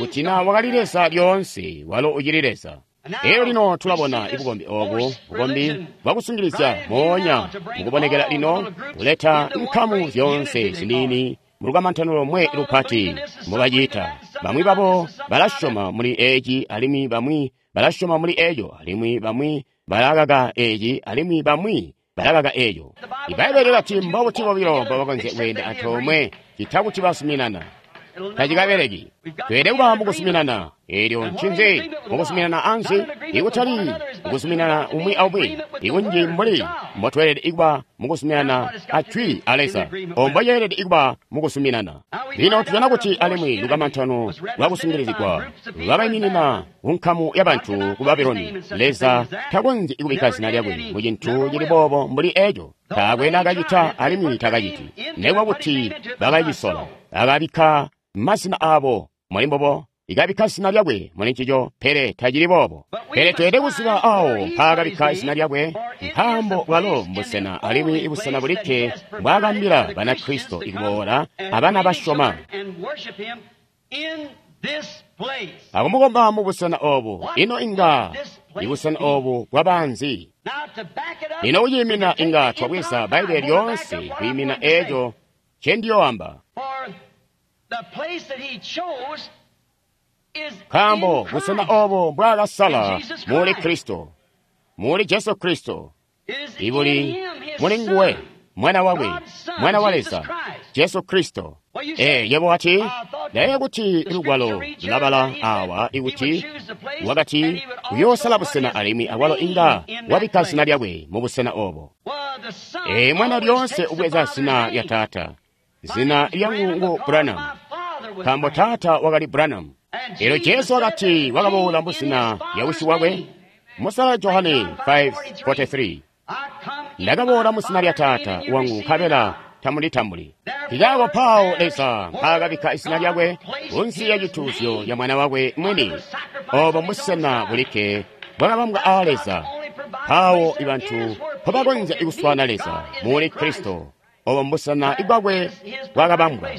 Speaker 1: Kuti na wakali Leza lyoonse, walo ucili Leza. Eyo lino tulabona ibukombi obu, bukombi bwakusungilizya moonya mukubonekela lino kuleta nkamu zyoonse ziniini mulukamantano lomwe lupati mbobacita. Bamwi babo balasyoma muli eci, alimwi bamwi balasyoma muli eco, alimwi bamwi balakaka eci, alimwi bamwi balakaka eco. Ibbaibbele lilati mbobuti bobilo mbobakonzya kweenda antoomwe cita kuti basuminana. Tacikabeleki. Tweelede kuba mukusuminana. Eelyo ncinzi mukusuminana ansi? Ikutali mukusuminana umwi aumwi, ikunji mbuli mbotweelede kuba mukusuminana a jwi a Leza, omboceelede kuba mukusuminana. Lino tujana kuti alimwi lukamantano lwakusungilizigwa lwabaiminina kunkamu yabantu ku Babuloni. Leza takonzyi kubikka zina lyakwe mu cintu cili boobo mbuli eco. Taakwe naakacita alimwi takaciti. Nekuba kuti bakacisola, akabikka mazina aabo muli mbobo, ikabikka zina lyakwe muli ncico, pele tacili boobo. Pele tweelede kuziba awo mpaakabikka zina lyakwe, nkaambo bwalo mbusena alimwi ibusena bulikke mbwaakambila Banakristo ikuboola abana basyoma akumukomba mubusena obu. Ino inga ibusena obu bwabanzi? Lino kuciimina inga twabweza Bbaibbele lyoonse kwiimina eeco ncendiyoamba. Nkaambo busena obo mbwaakasala muli Kristo, muli Jesu Kristo, ibuli muli nguwe, Mwana wakwe, Mwana wa Leza, Jesu Kristo. Ee, yebo wati, ndayeeya kuti lugwalo lulabala awa ikuti wakati uyoosala busena alimwi awalo inga wabikka zina lyakwe mu busena obo. Ee, mwana lyoonse ubweza zina lya taata. Zina lyangu ngu Branham, nkaambo taata wakali Branham. Elyo Jesu wakati wakaboola muzina lya wisi wakwe. Musala Johane five forty-three. Ndakaboola muzina lya taata wangu nkabela tamulitambuli. Nkaako pawo Leza mpaakabikka izina lyakwe kunsi ya cituuzyo ya mwana wakwe mwini. Obo mbusena bulikke bwakabambwa aa Leza. Pawo ibantu mpobakonzya kuswaana Leza muli Kristo. Obo mbusena bwakwe bwakabambwa.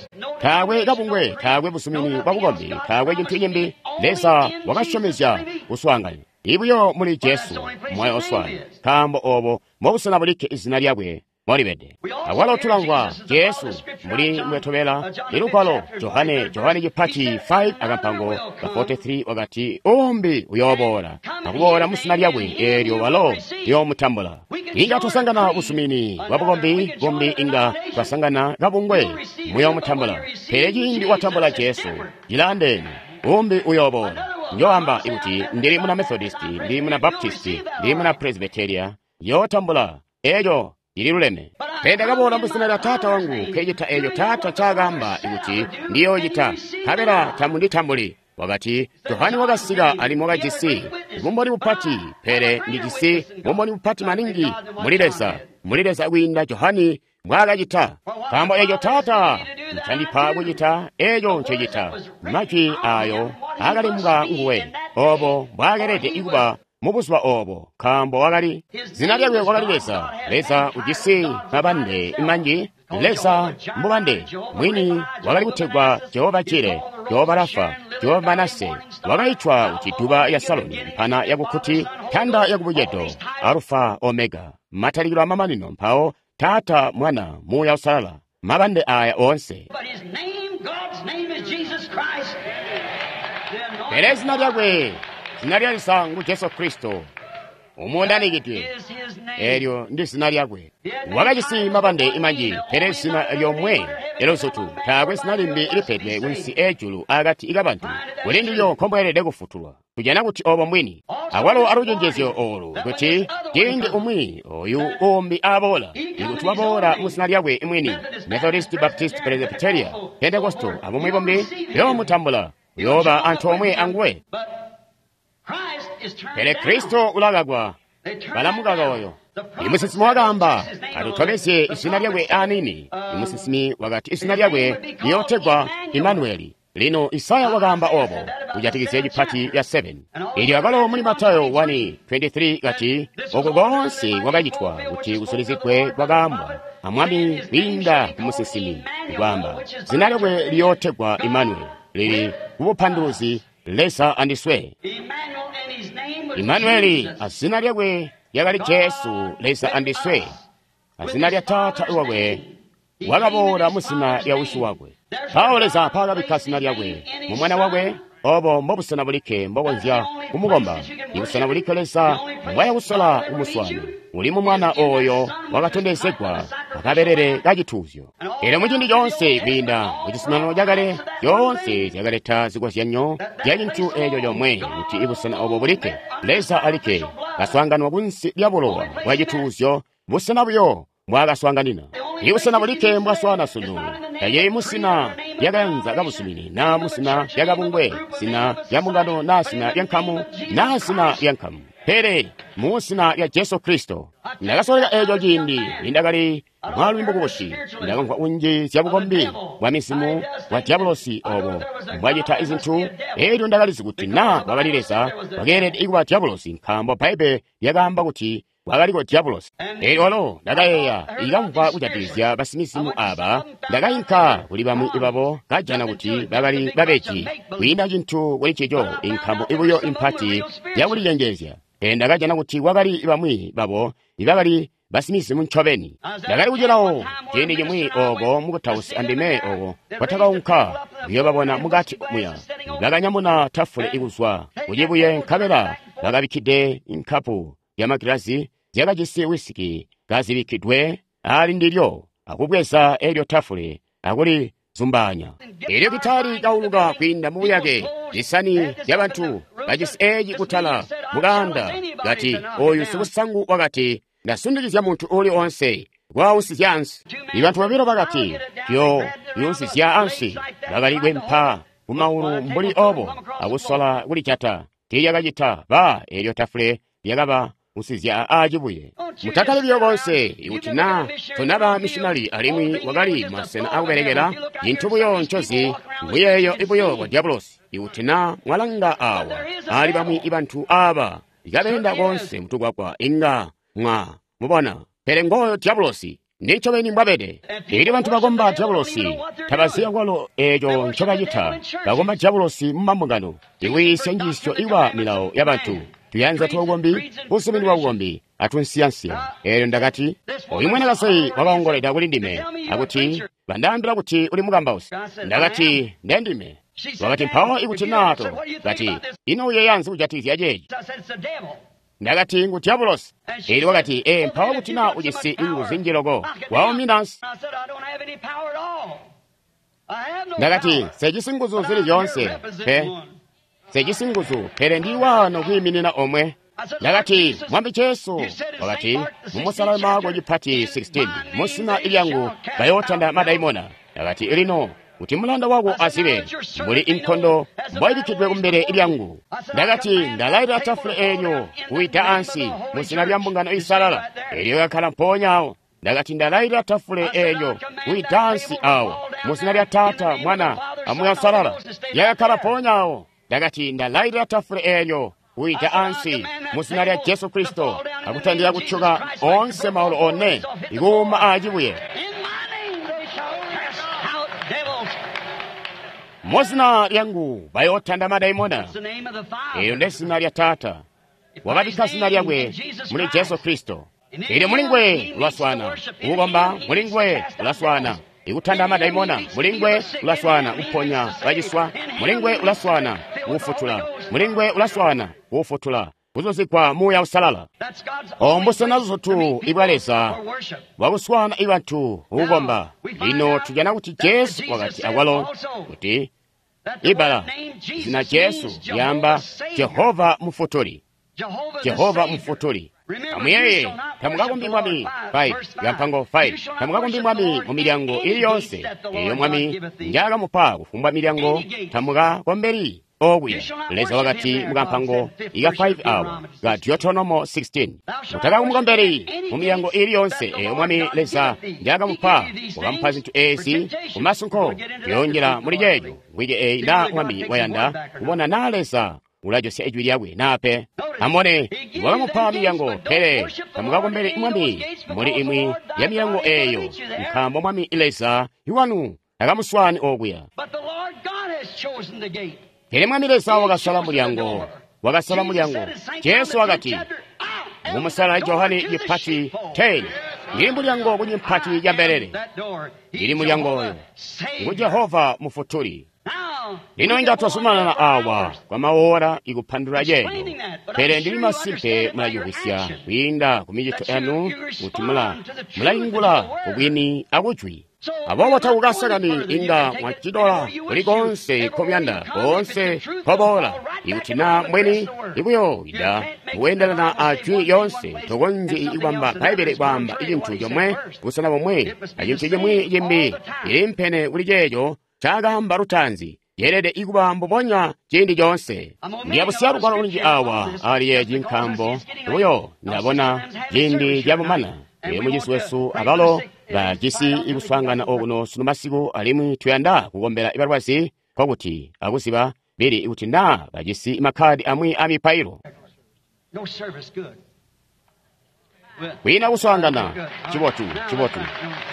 Speaker 1: Taakwe kabungwe, taakwe busumini bwabukombi, taakwe cintu cimbi. Leza wakasyomezya kuswaanganya ibuyo muli Jesu moyo oswaana, nkaambo obo mbobusena bulikke izina lyakwe molibede. Awalo tulamvwa Jesu mbuli mbwetobela ilugwalo Johane Johane cipati five akampango ka forty-three wakati umbi uyooboola akuboola muzina lyakwe eelyo walo liyoomutambula. Inga twasangana busumini bwabukombi bumbi, inga twasangana kabungwe muyoomutambula, pele ciindi watambula Jesu cilaandeene, umbi uyooboola. Njoamba kuti ndili muna Methodisti, ndili muna Baptisti, ndili muna Presbyteria, yootambula eeco ililuleme. Pele ndakaboola muzina lya taata wangu nkecita eeco taata ncaakaamba kuti ndiyoocita, nkabela tamunditambuli. Wakati Johane wakasika alimwi wakajisi bumboni bupati, pele ndijisi bumboni bupati maningi muli Leza, muli Leza kwiinda Johane mbwaakacita. Nkaambo eeco taata ncandipa kucita, eeco ncecita. Majwi aayo aakalimbwa nguwe, obo mbwaakelede kuba mubuzuba obo, nkaambo wakali zina lyakwe wakali Leza. Leza ujisi mabande manji. Leza mbubande mwini wakali kutegwa Jehova Jire, Jehova Rafa, Jehova Manase. Wakaitwa kuti duba ya Saloni, mpana yakukuti, tanda yakubucedo, Alufa Omega, matalikilo amamanino, mpawo Taata, Mwana, Muuya Usalala, mabande aya oonse. Pele zina lyakwe, zina lya Leza ngu Jesu Kristo, umundanikidwe. Eelyo ndi zina lyakwe. Wakajisi mabande manji, pele zina lyomwe Eluzutu taakwe zina limbi lipedwe kunsi ejulu akati kabantu kuli ndilyo nkombweelede kufutulwa. Tujana kuti obo mbwini. Akwalo alucenjezyo olu kuti ciindi umwi oyu umbi aboola, ikuti waboola mu zina lyakwe mwini, Methodist, Baptist, Presbyteria, Pentecostal, abumwi bumbi, yoomutambula, uyooba antoomwe anguwe. Pele Kristo ulakakwa, balamukaka oyo. Imusinsimi wakaamba, atutobezye izina lyakwe anini. Imusinsimi wakati izina lyakwe liyootegwa Imanueli. Lino Isaya wakaamba obo kujatikizya cipati ya seven. Elyo akalo muli Matayo one twenty-three kati oko konse kwakacitwa kuti kusulizigwe kwakaambwa amwami kwiinda ku musinsimi kwaamba zina lyakwe liyootegwa Imanueli, lili kubupanduluzi Leza andiswe. Imanueli azina lyakwe lyakali Jesu, Leza andiswe. Azina lya Taata wakwe wakaboola mu zina lya Wisi wakwe. Mpawo Leza mpaakabikka zina lyakwe mu Mwana wakwe. Obo mbobusena bulikke mbokonzya kumukomba. Ibusena bulikke Leza mbwaya kusola kumuswaana uli mu Mwana oyo wakatondezegwa akabelele kacituuzyo. Elyo muciindi coonse kwiinda mucizuminano cakale, zyoonse zyakaleta zikozyanyo zya cintu eeco comwe, kuti ibusena obo bulikke Leza alikke kaswaanganwa kunsi lya bulowa bwa cituuzyo, busena buyo mbwaakaswaanganina. Ibusena bulikke mbwaswaana sunu tacili musina lyakayanza kabuzumini, naa musina lyakabungwe, zina lya mbungano, naa zina lya nkamu, naa zina lya nkamu, pele mu zina lya Jesu Kristo. Ndakasoleka eeco ciindi nindakali mwaalumi mukubusi. Ndakamvwa kunji zya bukombi bwa mizimu bwa dyabulosi obo mbwacita izintu. Elyo ndakalizi kuti naa kwakali Leza, wakeelede kuba dyabulosi, nkaambo Bbaibbele lyakaamba kuti kwakaliko dyabulosi. Elyo walo ndakayeeya ikamvwa kujatikizya basimizimu aba, ndakainka kuli bamwi babo, kajana kuti bakali babeji kwiinda cintu kuli ncico, inkamu ibuyo impati yakulicengeezya. Pele ndakajana kuti kwakali bamwi babo ibakali basimizimu ncobeni. Ndakali kucilawo ciindi cimwi oko mukutausi andime oko kwatakaunka kuyoobabona mukati muya. Bakanyamuna tafule ikuzwa kucibuye, nkabela bakabikkide inkapu yamagilazi zyakajisi wisiki kazibikkidwe ali ndilyo, akubweza elyo tafule akulizumbaanya. Elyo gitali kauluka kwiinda mu buyake, zisani zyabantu bajisi eci kutala mukaanda, kati oyu sikusangu wakati, ndasundikizya muntu uli onse kwausizya ansi. Ibantu babilo bakati, yo yusizya ansi, bakali kwempa kumaulu mbuli obo akusola kulijata. Tiilyakacita ba elyo tafule lyakaba usizya acibuye. Mutakali buyo konse ikuti naa tonaba missionary alimwi wakali masena akubelekela, cintu buyo ncozi muyeeyo ibuyo kwa dyabulosi. Ikuti naa mwalanga awa ali bamwi ibantu aba ikabeenda konse mutukwakwa, inga mwa mubona. Pele ngoyo dyabulosi nincobeni mbwabede. Elyo bantu bakomba dyabulosi tabaziya kwalo eeco ncobacita. Bakomba dyabulosi mu mambungano, ikwiisya njiisyo iwa milawo yabantu, tuyanza twabukombi, busumini bwa bukombi, atunsiyansiya. Elyo ndakati, oyu mwanakazi wakaongoleda kuli ndime akuti bandaambila kuti uli mukambausi. Ndakati, ndendime. Wakati, mpawo ikuti nato, kati, ino uyeeyanzi kujatikizya ceeci? Ndakati, ngu dyabulosi. Elyo wakati, ee, mpawo kuti naa ujisi inguzu zinji loko, waumina ansi. Ndakati, sejisi nguzu zili zyoonse, pe sejisi nguzu, pele ndi wano kwiiminina omwe. Ndakati, Mwami Jesu, wakati, mumusala Marko cipati sixteen, musina ilyangu bayootanda madaimona. Ndakati, lino kuti mulanda wako azibe mbuli inkondo mbwayibikkidwe kumbele lyangu. Ndakati, ndalailila tafule eelyo kuwida ansi mu zina lya mbungano isalala. Elyo yakkala mpoonya awo. Ndakati, ndalailila tafule eelyo kuwida ansi awo mu zina lya Taata, Mwana, aMuuya Uusalala. Yakakkala mpoonya awo. Ndakati, ndalailila tafule eelyo kuwida ansi mu zina lya Jesu Kristo, akutandila kutyoka onse maulu one ikuuma acibuye. Mu zina lyangu bayootanda madaimona. Eyo nde zina lya Taata. Wakabikka zina lyakwe muli Jesu Kristo. Elyo mulingwe ulaswana kukomba, mulingwe ulaswana ikutanda madaimona, mulingwe ulaswana kuponya baciswa, mulingwe ulaswana kufutula, mulingwe ulaswana kufutula, Kuzuzikwa Muuya Uusalala. Obo mbusena buzutu ibwa Leza bwakuswaana ibantu kukukomba. Lino tujana kuti Jesu wakati akwalo kuti ibala zina Jesu lyaamba Jehova Mufutuli. Jehova Mufutuli. Amuyeeye, tamukakombi Mwami five, kampango five. Tamukakombi Mwami mu milyango ili yonse eyo Mwami njaakamupa kufumbwa milyango tamukakombeli okuya. Leza wakati mukampango ika five awa ka Deuteronomo sixteen. Mutakamukombeli mu milyango ili yonse eyo Mwami Leza njaakamupa, wakamupa zintu ezi kumasunko. Tuyonjela muli ceeco wiki eyi na Mwami wayanda kubona na Leza ulajosya ijwi lyakwe nape. Amone wakamupa milyango, pele tamukakombeli Mwami muli imwi ya milyango eyo, nkaambo Mwami Leza iwanu takamuswaani okuya. Pele Mwami Leza wakasala mulyango, wakasala mulyango. Jesu wakati mumusala Johane cipati ten, ndili mulyango kunyimpati ya mbelele, ndili mulyango oyo ngu Jehova Mufutuli. Lino inga twazumanana awa kwa maora ikupandula ceeco, pele ndili masimpe mulacimvwisya kwiinda ku micito yanu kuti mula mulaingula kubwini akujwi. Aboobo takukasakani inga mwacitola kuli konse nkomuyanda, koonse nkoboola. Ikuti na mbweni ikuyoida kuendelana a jwi lyonse, tokonzyi ikubamba Bbaibbele kwaamba cintu comwe busena bomwe acintu cimwi cimbi ilimpene kuli ceeco cakaamba lutaanzi. Yeelede ikuba mbubonya ciindi coonse. Ndiyabusiya lugwalo lunji awa ali yeeci nkaambo buyo ndabona ciindi cabumana. Ee, mucizi wesu abalo bajisi ikuswaangana okuno sunu masiku, alimwi tuyanda kukombela ibalwazi, nkokuti akuziba bili ikuti naa bajisi makkadi amwi a mipailo. Kwiina kuswaangana. Cibotu, cibotu,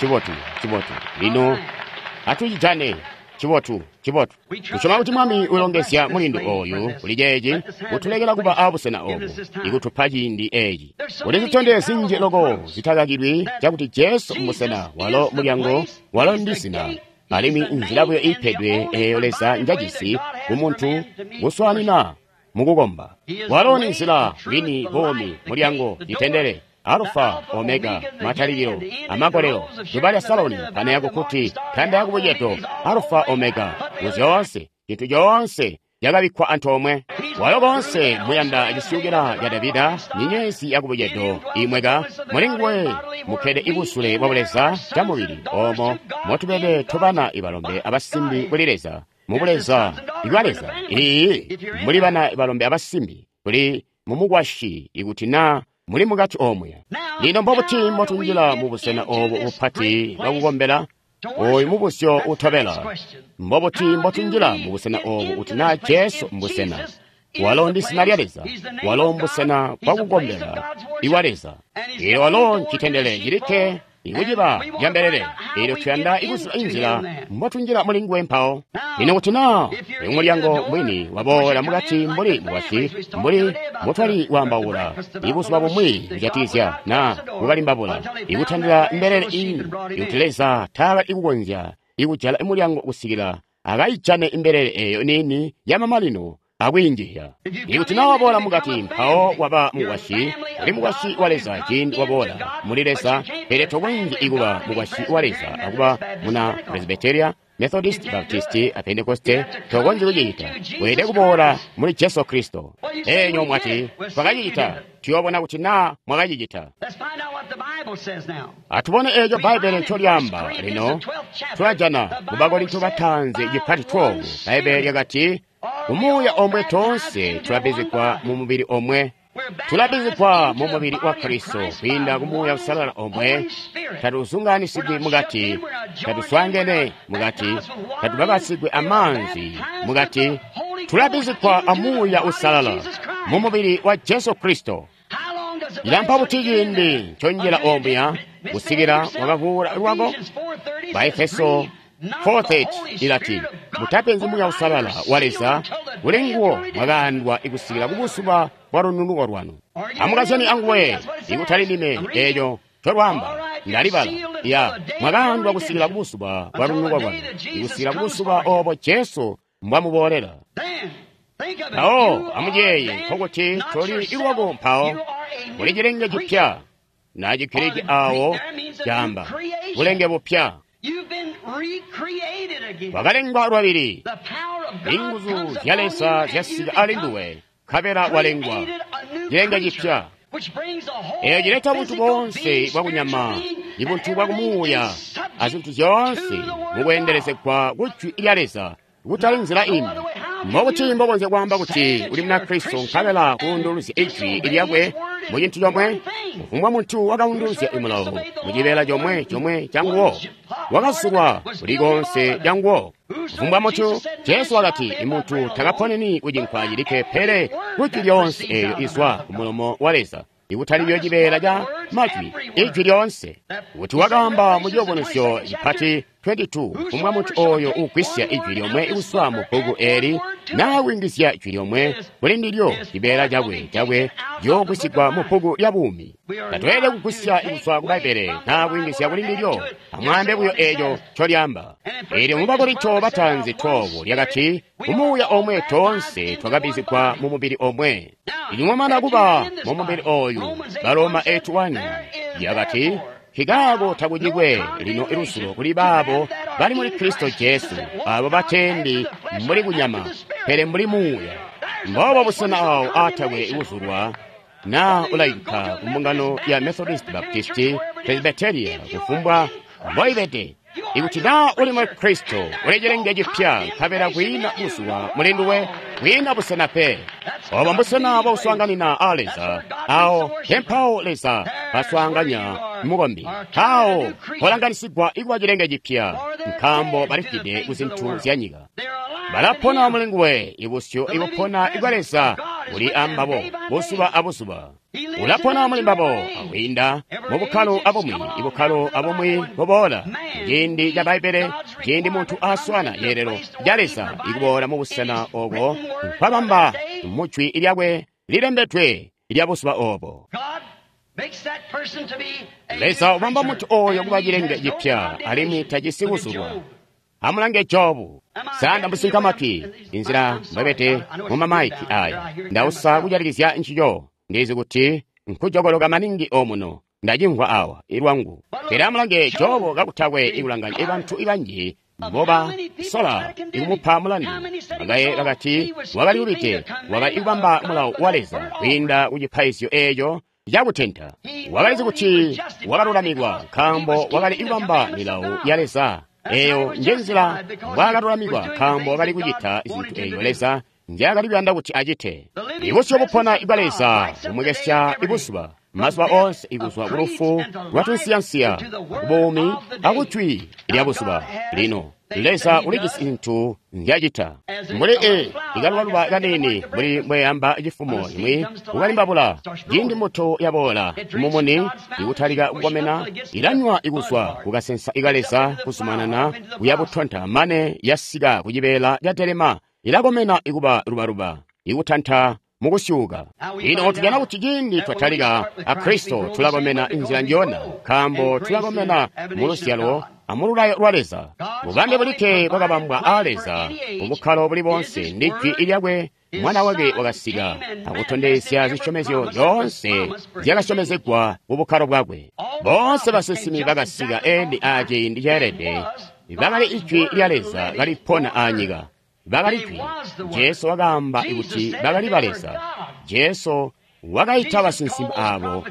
Speaker 1: cibotu, cibotu. Lino atucijane. Cibotu, cibotu. Tusyoma kuti Mwami ulongezya mulindu oyu kuli ceeci, kutulekela kuba abusena obu, ikutupa ciindi eeci. Kuli zitondezyo zinji loko zitakakilwi cakuti Jesu mbusena, walo mulyango, walo ndi zina, alimwi nzila buyo iipedwe eeyo Leza njajisi kumuntu kuswaanina mukukomba. Walo ni nzila, bwini, buumi, mulyango, citendele, Alfa, Omega, matalikilo, amakolelo, zuba lya Saloni, pana yakukuti, tanda yakubucedo, Alfa, Omega, muzyoonse, cintu coonse cakabikkwa antoomwe. Walo koonse muyanda cisyukila ca Davida, nyenyezi yakubucedo imweka, muli nguwe mukkede ibusule bwa Buleza camubili, oomo motubede tobana ibalombe abasimbi kuli Leza, mu Buleza ibwa Leza. Iiyi, muli bana ibalombe abasimbi kuli mumukwasyi ikuti naa muli mukati omuya. Lino mbobuti mbotunjila mu busena obu bupati bwakukombela? Oyu mubuzyo utobela. Mbobuti mbotunjila mu busena obu kuti naa Jesu mbusena? Walo ndi zina lya Leza. Walo mbusena bwakukombela iwa Leza. Eelyo walo ncitendele cilikke ikuciba ca mbelele. Eelyo tuyanda ikuziba inzila mbotunjila muli nguwe mpawo. Lino kuti naa uyu mulyango mwini waboola mukati mbuli mukwasyi, mbuli mbotwali kwaambaula ibuzuba bumwi kujatikizya naa kukalimbabula, ikutandila mbelele iini, ikuti Leza taakali kukonzya ikujala mulyango kusikila akayijane imbelele eeyo niini yamamanino akwiinjizya. Ikuti naa waboola mukati mpawo waba mukwasyi, uli mukwasyi wa Leza ciindi waboola muli Leza, pele tokonzyi ikuba mukwasyi wa Leza akuba muna Presbyteria, Methodist, Baptist, a Pentecoste, tokonzyi kucicita. Weelede kuboola muli Jesu Kristo. Enyo mwati, twakacicita. Tuyoobona kuti naa mwakacicita. Atubone eeco Bbaibbele ncolyaamba. Lino tulajana mu Bakorinto bataanzi cipati twelve. Bbaibbele lyakati, Umuuya omwe toonse tulabizigwa mu mubili omwe. Tulabizigwa mu mubili wa Kristo kwiinda ku Muuya Uusalala omwe. Tatuzunganisigwi mukati, tatuswaangene mukati, tatubabatsigwi amaanzi mukati. Tulabizigwa a Muuya Uusalala mu mubili wa Jesu Kristo. Ilampa buti ciindi nconjila omuya kusikila wakavuula lwako? Baefeso four thirty ilati, mutapenzi Muuya Uusalala wa Leza, kuli nguwo mwakaandwa ikusikila kubuzuba bwa lununuko lwanu. Amukazyani anguwe, ikutali ndime, eeco ncolwaamba ndalibala. Ya, mwakaandwa kusikila kubuzuba bwa lununuko lwanu, ikusikila kubuzuba oobo Jesu mbwamuboolela. Mpawo amuyeeye, nkokuti toli ilwako mpawo, muli cilenge cipya. Na Chigiriki awo caamba bulenge bupya. Wakalengwa lwabili. Inguzu zya Leza zyasika ali nduwe, nkabela walengwa cilenge cipya. Eeyo cileta buntu boonse bwakunyama, ibuntu bwakumuuya, azintu zyoonse mukweendelezegwa ku Jwi lya Leza, kutali nzila imbi. Mbokuti mbokonzya kwaamba kuti uli Munakristo nkabela kuunduluzya Ijwi lyakwe mu cintu comwe? Kufumbwa muntu wakaunduluzya mulawo mu cibeela comwe comwe canguwo, wakazulwa kuli koonse canguwo. Kufumbwa muntu, Jesu wakati, imuntu takaponeni kucinkwa cilikke pele kujwi lyoonse eeyo izwa kumulomo wa Leza, ikutali buyo cibeela ca majwi, ijwi lyoonse. Kuti wakaamba mu Ciyubunuzyo cipati makumi abili aabili, kufumbwa muntu ooyo ugwisya ijwi lyomwe kuzwa mu bbuku eeli naa kuyungizya jwi lyomwe kuli ndilyo, cibeela cakwe cakwe ciyoogwisigwa mu bbuku lya buumi. Tatweelede kugwisya kuzwa ku Bbaibbele naa kuyungizya kuli ndilyo. Amwaambe buyo eeco ncolyaamba. Eelyo mu Bakorinto bataanzi khumi lyakati, kumuuya omwe toonse twakabbizigwa mu mubili omwe. Inyuma kuba mu mubili ooyu, Baroma eight one yakati, nkikaako takucikwe lino iluzulo kuli baabo bali muli Kristo Jesu, abo batendi mbuli kunyama, pele mbuli muuya. Mboobo busena awo aatakwe kuzulwa naa ulainka ku mbungano ya Methodist, Baptist, Presbyteria, kufumbwa mboibede. Ikuti naa uli muli Kristo, uli cilenge cipya, nkabela kwiina kuzulwa muli nduwe, kwiina busena pe. Obo mbusena bwakuswaanganina a Leza. Awo tempawo Leza baswaanganya mukombi. Awo polanganisigwa ikuba cilenge cipya, nkaambo balifwide ku zintu zya nyika. Balapona muli nguwe, ibusyu ibupona ibwa Leza buli ambabo buzuba abuzuba. Ulapona muli mbabo akwiinda mu bukkalo abumwi, ibukkalo abumwi buboola. Ciindi ca Bbaibbele, ciindi muntu aswana yeelelo ca Leza ikuboola mu busena obo nkwabamba mu Jwi lyakwe lilembedwe lya buzuba obo. Leza ubamba muntu oyo kuba cilenge cipya, alimwi tajisi kuzulwa. Amulange Jobu. Sanda musinka matwi inzila mbwebete mu mamaiki aya. Ndausa kujatikizya ncico. Ndizi kuti nkujokoloka maningi omuno. Ndacimvwa awa ilwangu. Pele amulange Jobu kakutakwe ikulanganya ibantu ibanji mboba sola ikumupa mulandu. Bakaye bakati wakali lubide, wakali kubamba mulawo wa Leza kwiinda ku cipaizyo eeco cakutenta. Wakalizi kuti wakalulamikwa nkaambo wakali kubamba milawo ya Leza. Eeyo njenzila mbwaakalulamikwa, nkaambo wakali kucita zintu eeyo Leza nzyaakali kuyanda kuti acite. Ibusyu bupona ibwa Leza bumwekesya ibuzuba mazuba oonse ikuzwa ku lufu lwa tunsiyansiya kubuumi akujwi lya buzuba. Lino Leza ulijisi zintu nzyacita mbuli e ikalubaluba kaniini mbuli mbweyamba cifumo imwi kukalimbabula. Ciindi mbuto yaboola mumuni ikutalika kukomena, ilanywa ikuzwa kukasensa ika Leza kuzumanana kuya butonta mane yasika kucibeela ca delema, ilakomena ikuba lubaluba ikutanta mukusyuuka. Lino tujana kuti ciindi twatalika a Kristo, tulakomena inzila njona, nkaambo tulakomena mu luzyalo amululayo lwa Leza. Bubambe bulikke bwakabambwa a Leza mubukkalo buli boonse ndi Jwi lyakwe. Mwana wake wakasika akutondezya zisyomezyo zyoonse zyakasyomezegwa mu bukkalo bwakwe. Boonse basinsimi bakasika eeni aciindi ceelede, bakali Ijwi lya Leza kalipona anyika. Bakali Jwi. Jesu wakaamba kuti bakali ba Leza. Jesu wakaita basinsimi abo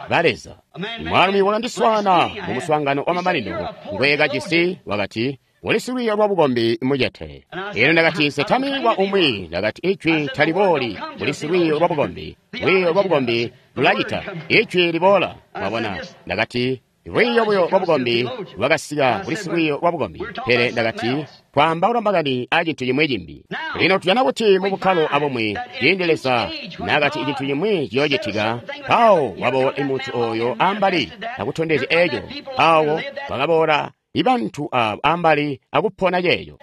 Speaker 1: ba Leza. Mwaalumi wakandiswaana mu muswaangano wa mamanino ngweekajisi wakati, uli silwiiyo lwa bukombi mucete. Elyo ndakati, nsetami wa umwi. Ndakati, Ijwi talibooli kuli silwiiyo lwa bukombi. Lwiiyo lwa bukombi lulacita. Ijwi liboola. Mwabona? Ndakati, lwiiyo buyo lwa bukombi lwakasika kuli silwiiyo lwa bukombi. Pele ndakati, twaambaula makani a cintu cimwi cimbi. Lino tujana kuti mu bukkalo abumwi, ciindi Leza naakati cintu cimwi ciyoocitika, mpawo waboola muntu oyo ambali akutondezya eco. Mpawo wakaboola ibantu abo ambali akupona ceeco.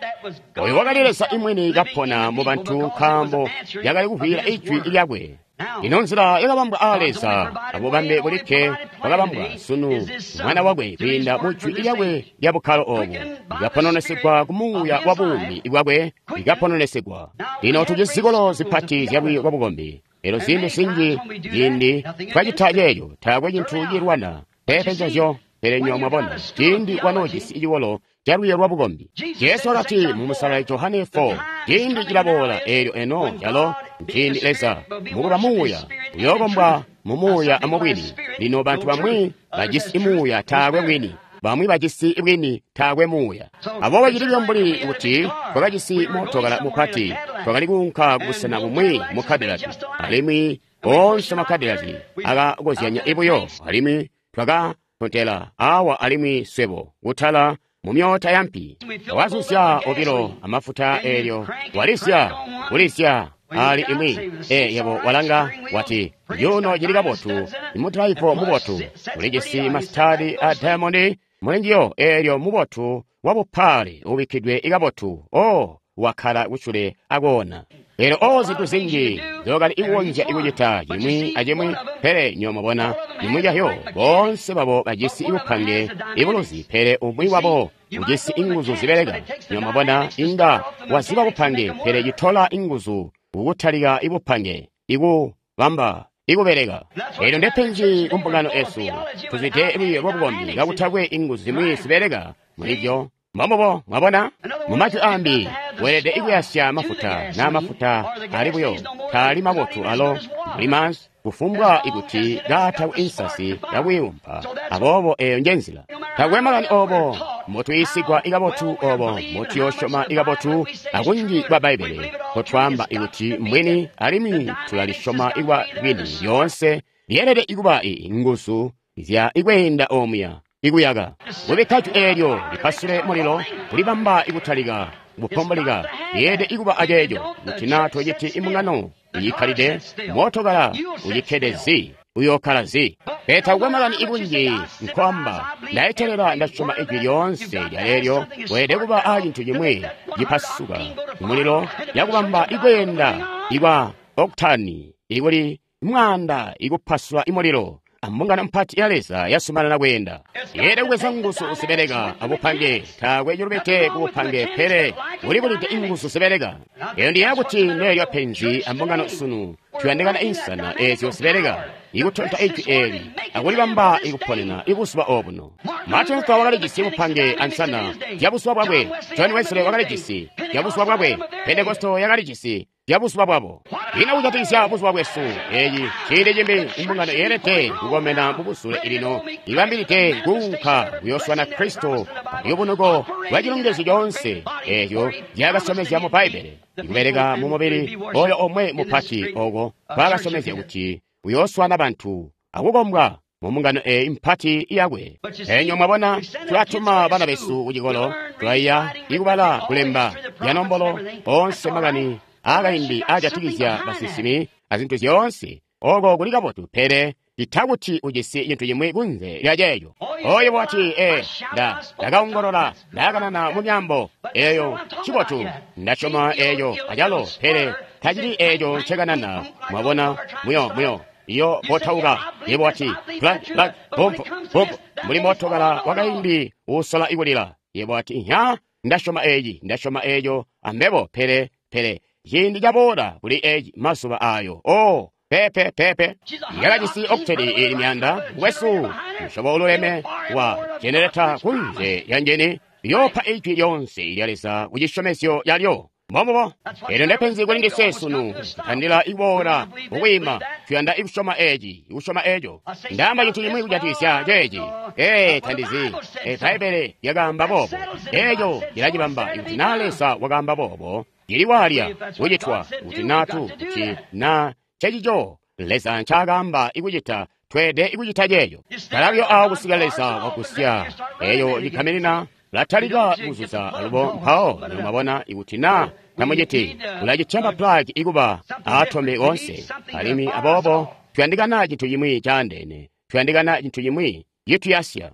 Speaker 1: Oyo wakali Leza imwini kapona mu bantu nkaambo yakali kuvwiila ijwi lyakwe. Ino nzila yakabambwa aa Leza abubambe bulikke bwakabambwa sunu mwana wakwe kwiinda mu jwi lyakwe lya bukkalo obu likapononesegwa ku muuya wa buumi bwakwe likapononesegwa. Lino tujisi zikolo zipati zyalwiiyo lwa bukombi. Elyo ziindi zinji ciindi twacita ceeco taakwe cintu cilwana peepe nzezyo. Pele nywebo mwabona ciindi wanoojisi cikolo calwiiyo lwa bukombi. Jesu wakati mu Musalali Johane four, ciindi cilaboola eelyo eno calo nciindi Leza mukuba muuya uyookombwa mu muuya amubwini. Lino bantu bamwi bajisi muuya taakwe bwini, bamwi bajisi bwini taakwe muuya. Aboobo cili mbuli kuti twakajisi mootokala mupati, twakali kuunka kubusena bumwi mu Cadillac, alimwi oonse ma Cadillac akakozyanya buyo, alimwi twaka tontela awa alimwi swebo kutala mu myoota yampi wazuzya obilo amafuta eelyo walizya kulizya ali imwi. E yebo walanga wati yuno cili kabotu, imudalaivo mubotu ulijisi masitadi a diamond mulinjiyo, eelyo mubotu wabupaale ubikkidwe ikabotu. O wakkala kucule akoona. Elyo o zintu zinji zyokali ikukonzya ikucita cimwi acimwi, pele nywebo mwabona cimwi cahyo boonse babo bajisi ibupange ibuluzi, pele umwi wabo ujisi inguzu zibeleka. Nywebo mwabona inga waziba bupange, pele citola inguzu kukutalika ibupange ikubamba ikubeleka. Elyo ndepenzi kumbungano esu, tuzwide lwiiyo lwa bukombi kakutakwe inguzu zimwi zibeleka mulibyo. Mbombubo, mwabona? Mu majwi ambi, weelede ikuyasya mafuta na mafuta ali buyo taali mabotu alo mbuli maanzi kufumbwa ikuti kaatakwe insasi yakuyumpa. Aboobo eyo njenzila. Takwe makani obo mbotuyiisigwa ikabotu, obo mbotuyoosyoma ikabotu akunji kwa Bbaibbele kotwaamba ikuti mbwini, alimwi tulalisyoma ikwa bwini lyoonse lyeelede ikuba inguzu zya ikweenda omuya ikuyaka kubikka jwi eelyo lipasule mulilo kulibamba ikutalika kupomboleka. Yeelede ikuba aceeco kuti naa tociti imbungano iyikkalide mootokala ucikkede zi uyookkala zi. Pele takukwe makani ikunji nkoamba ndayetelela ndasyoma ijwi lyoonse lyaleelyo. Weelede kuba a cintu cimwi cipasuka mulilo yakubamba ikweenda ikwa oktani ikuli mwaanda ikupasula imulilo. Ambungano mpati ya Leza yasumanana kweenda. Yeelede kubweza nguzu zibeleka abupange. Taakwe cilubide kubupange, pele ulibulide inguzu zibeleka. Eyo ndiyeeya kuti ndeelyo penzi ambungano sunu. Tuyandikana insana eezyo zibeleka ikutonta ijwi eeli akulibamba ikuponena ibuzuba obuno. Martin Luther wakalijisi bupange ansana zyabuzuba bwakwe. John Wesley wakalijisi zyabuzuba bwakwe. Pentekosto yakalijisi zyabuzuba bwabo. Ino kujatikizya buzuba bwesu, eeci ciindi cimbi imbungano yeelede kukomena mubusule ilino ibambilide kuunka kuyooswana Kristo paluyubunuko lwa cilongezyo coonse eeco nzyaakasyomezya mu Bbaibbele, ikubeleka mu mubili oyo omwe mupati oko kwaakasyomezya kuti uyooswana bantu akukombwa mu mbungano eeyi mpati yakwe. Enyo mwabona, tulatuma bana besu kucikolo, tulaiya ikubala kulemba yanombolo onse makani aakaindi aajatikizya basinsimi azintu zyoonse. Oko kuli kabotu, pele citakuti ujisi cintu cimwi kunze lya ceeco. Oyo wati, e nda ndakaongolola ndakanana mu myaambo eyo cibotu, ndasyoma eyo acalo, pele tacili eeco ncekanana. Mwabona, muyo muyo iyo botauka. Yebo wati, plug plug bump bump, mbuli mootokala wakaindi uusola ikulila. Yebo wati, nya ndasyoma eeci, ndasyoma eeco ambebo, pele pele ciindi caboola kuli eeci mazuba ayo. Oh, pepe pepe yakajisi okuteli ili myanda wesu musyobo ululeme wa jenereta kunze ya njeni liyoopa ijwi lyonse lya Leza ku cisyomezyo lyalyo. Mbombubo. Elyo ndepenzi kuli ndiswe sunu, tutandila ikuboola mukwiima, tuyanda ikusyoma eeci, ikusyoma eeco. Ndaamba cintu cimwi kujatikizya ceeci. Ee, tandizi. E, Bbaibbele lyakaamba boobo. Eeco cilacibamba ikuti naa Leza wakaamba boobo, cili waalya kucitwa kuti naa tu kuti naa cecico Leza ncaakaamba ikucita, tweelede ikucita ceeco. Kalabyo awo kusika Leza wagusya eyo cikaminina latalika kuzuza alubo mpawo mwabona ikuti naa tamuciti ulacitya maplagi ikuba aatombe onse. Alimwi aboobo tuyandikana cintu cimwi caandeene, tuyandikana cintu cimwi cituyasya.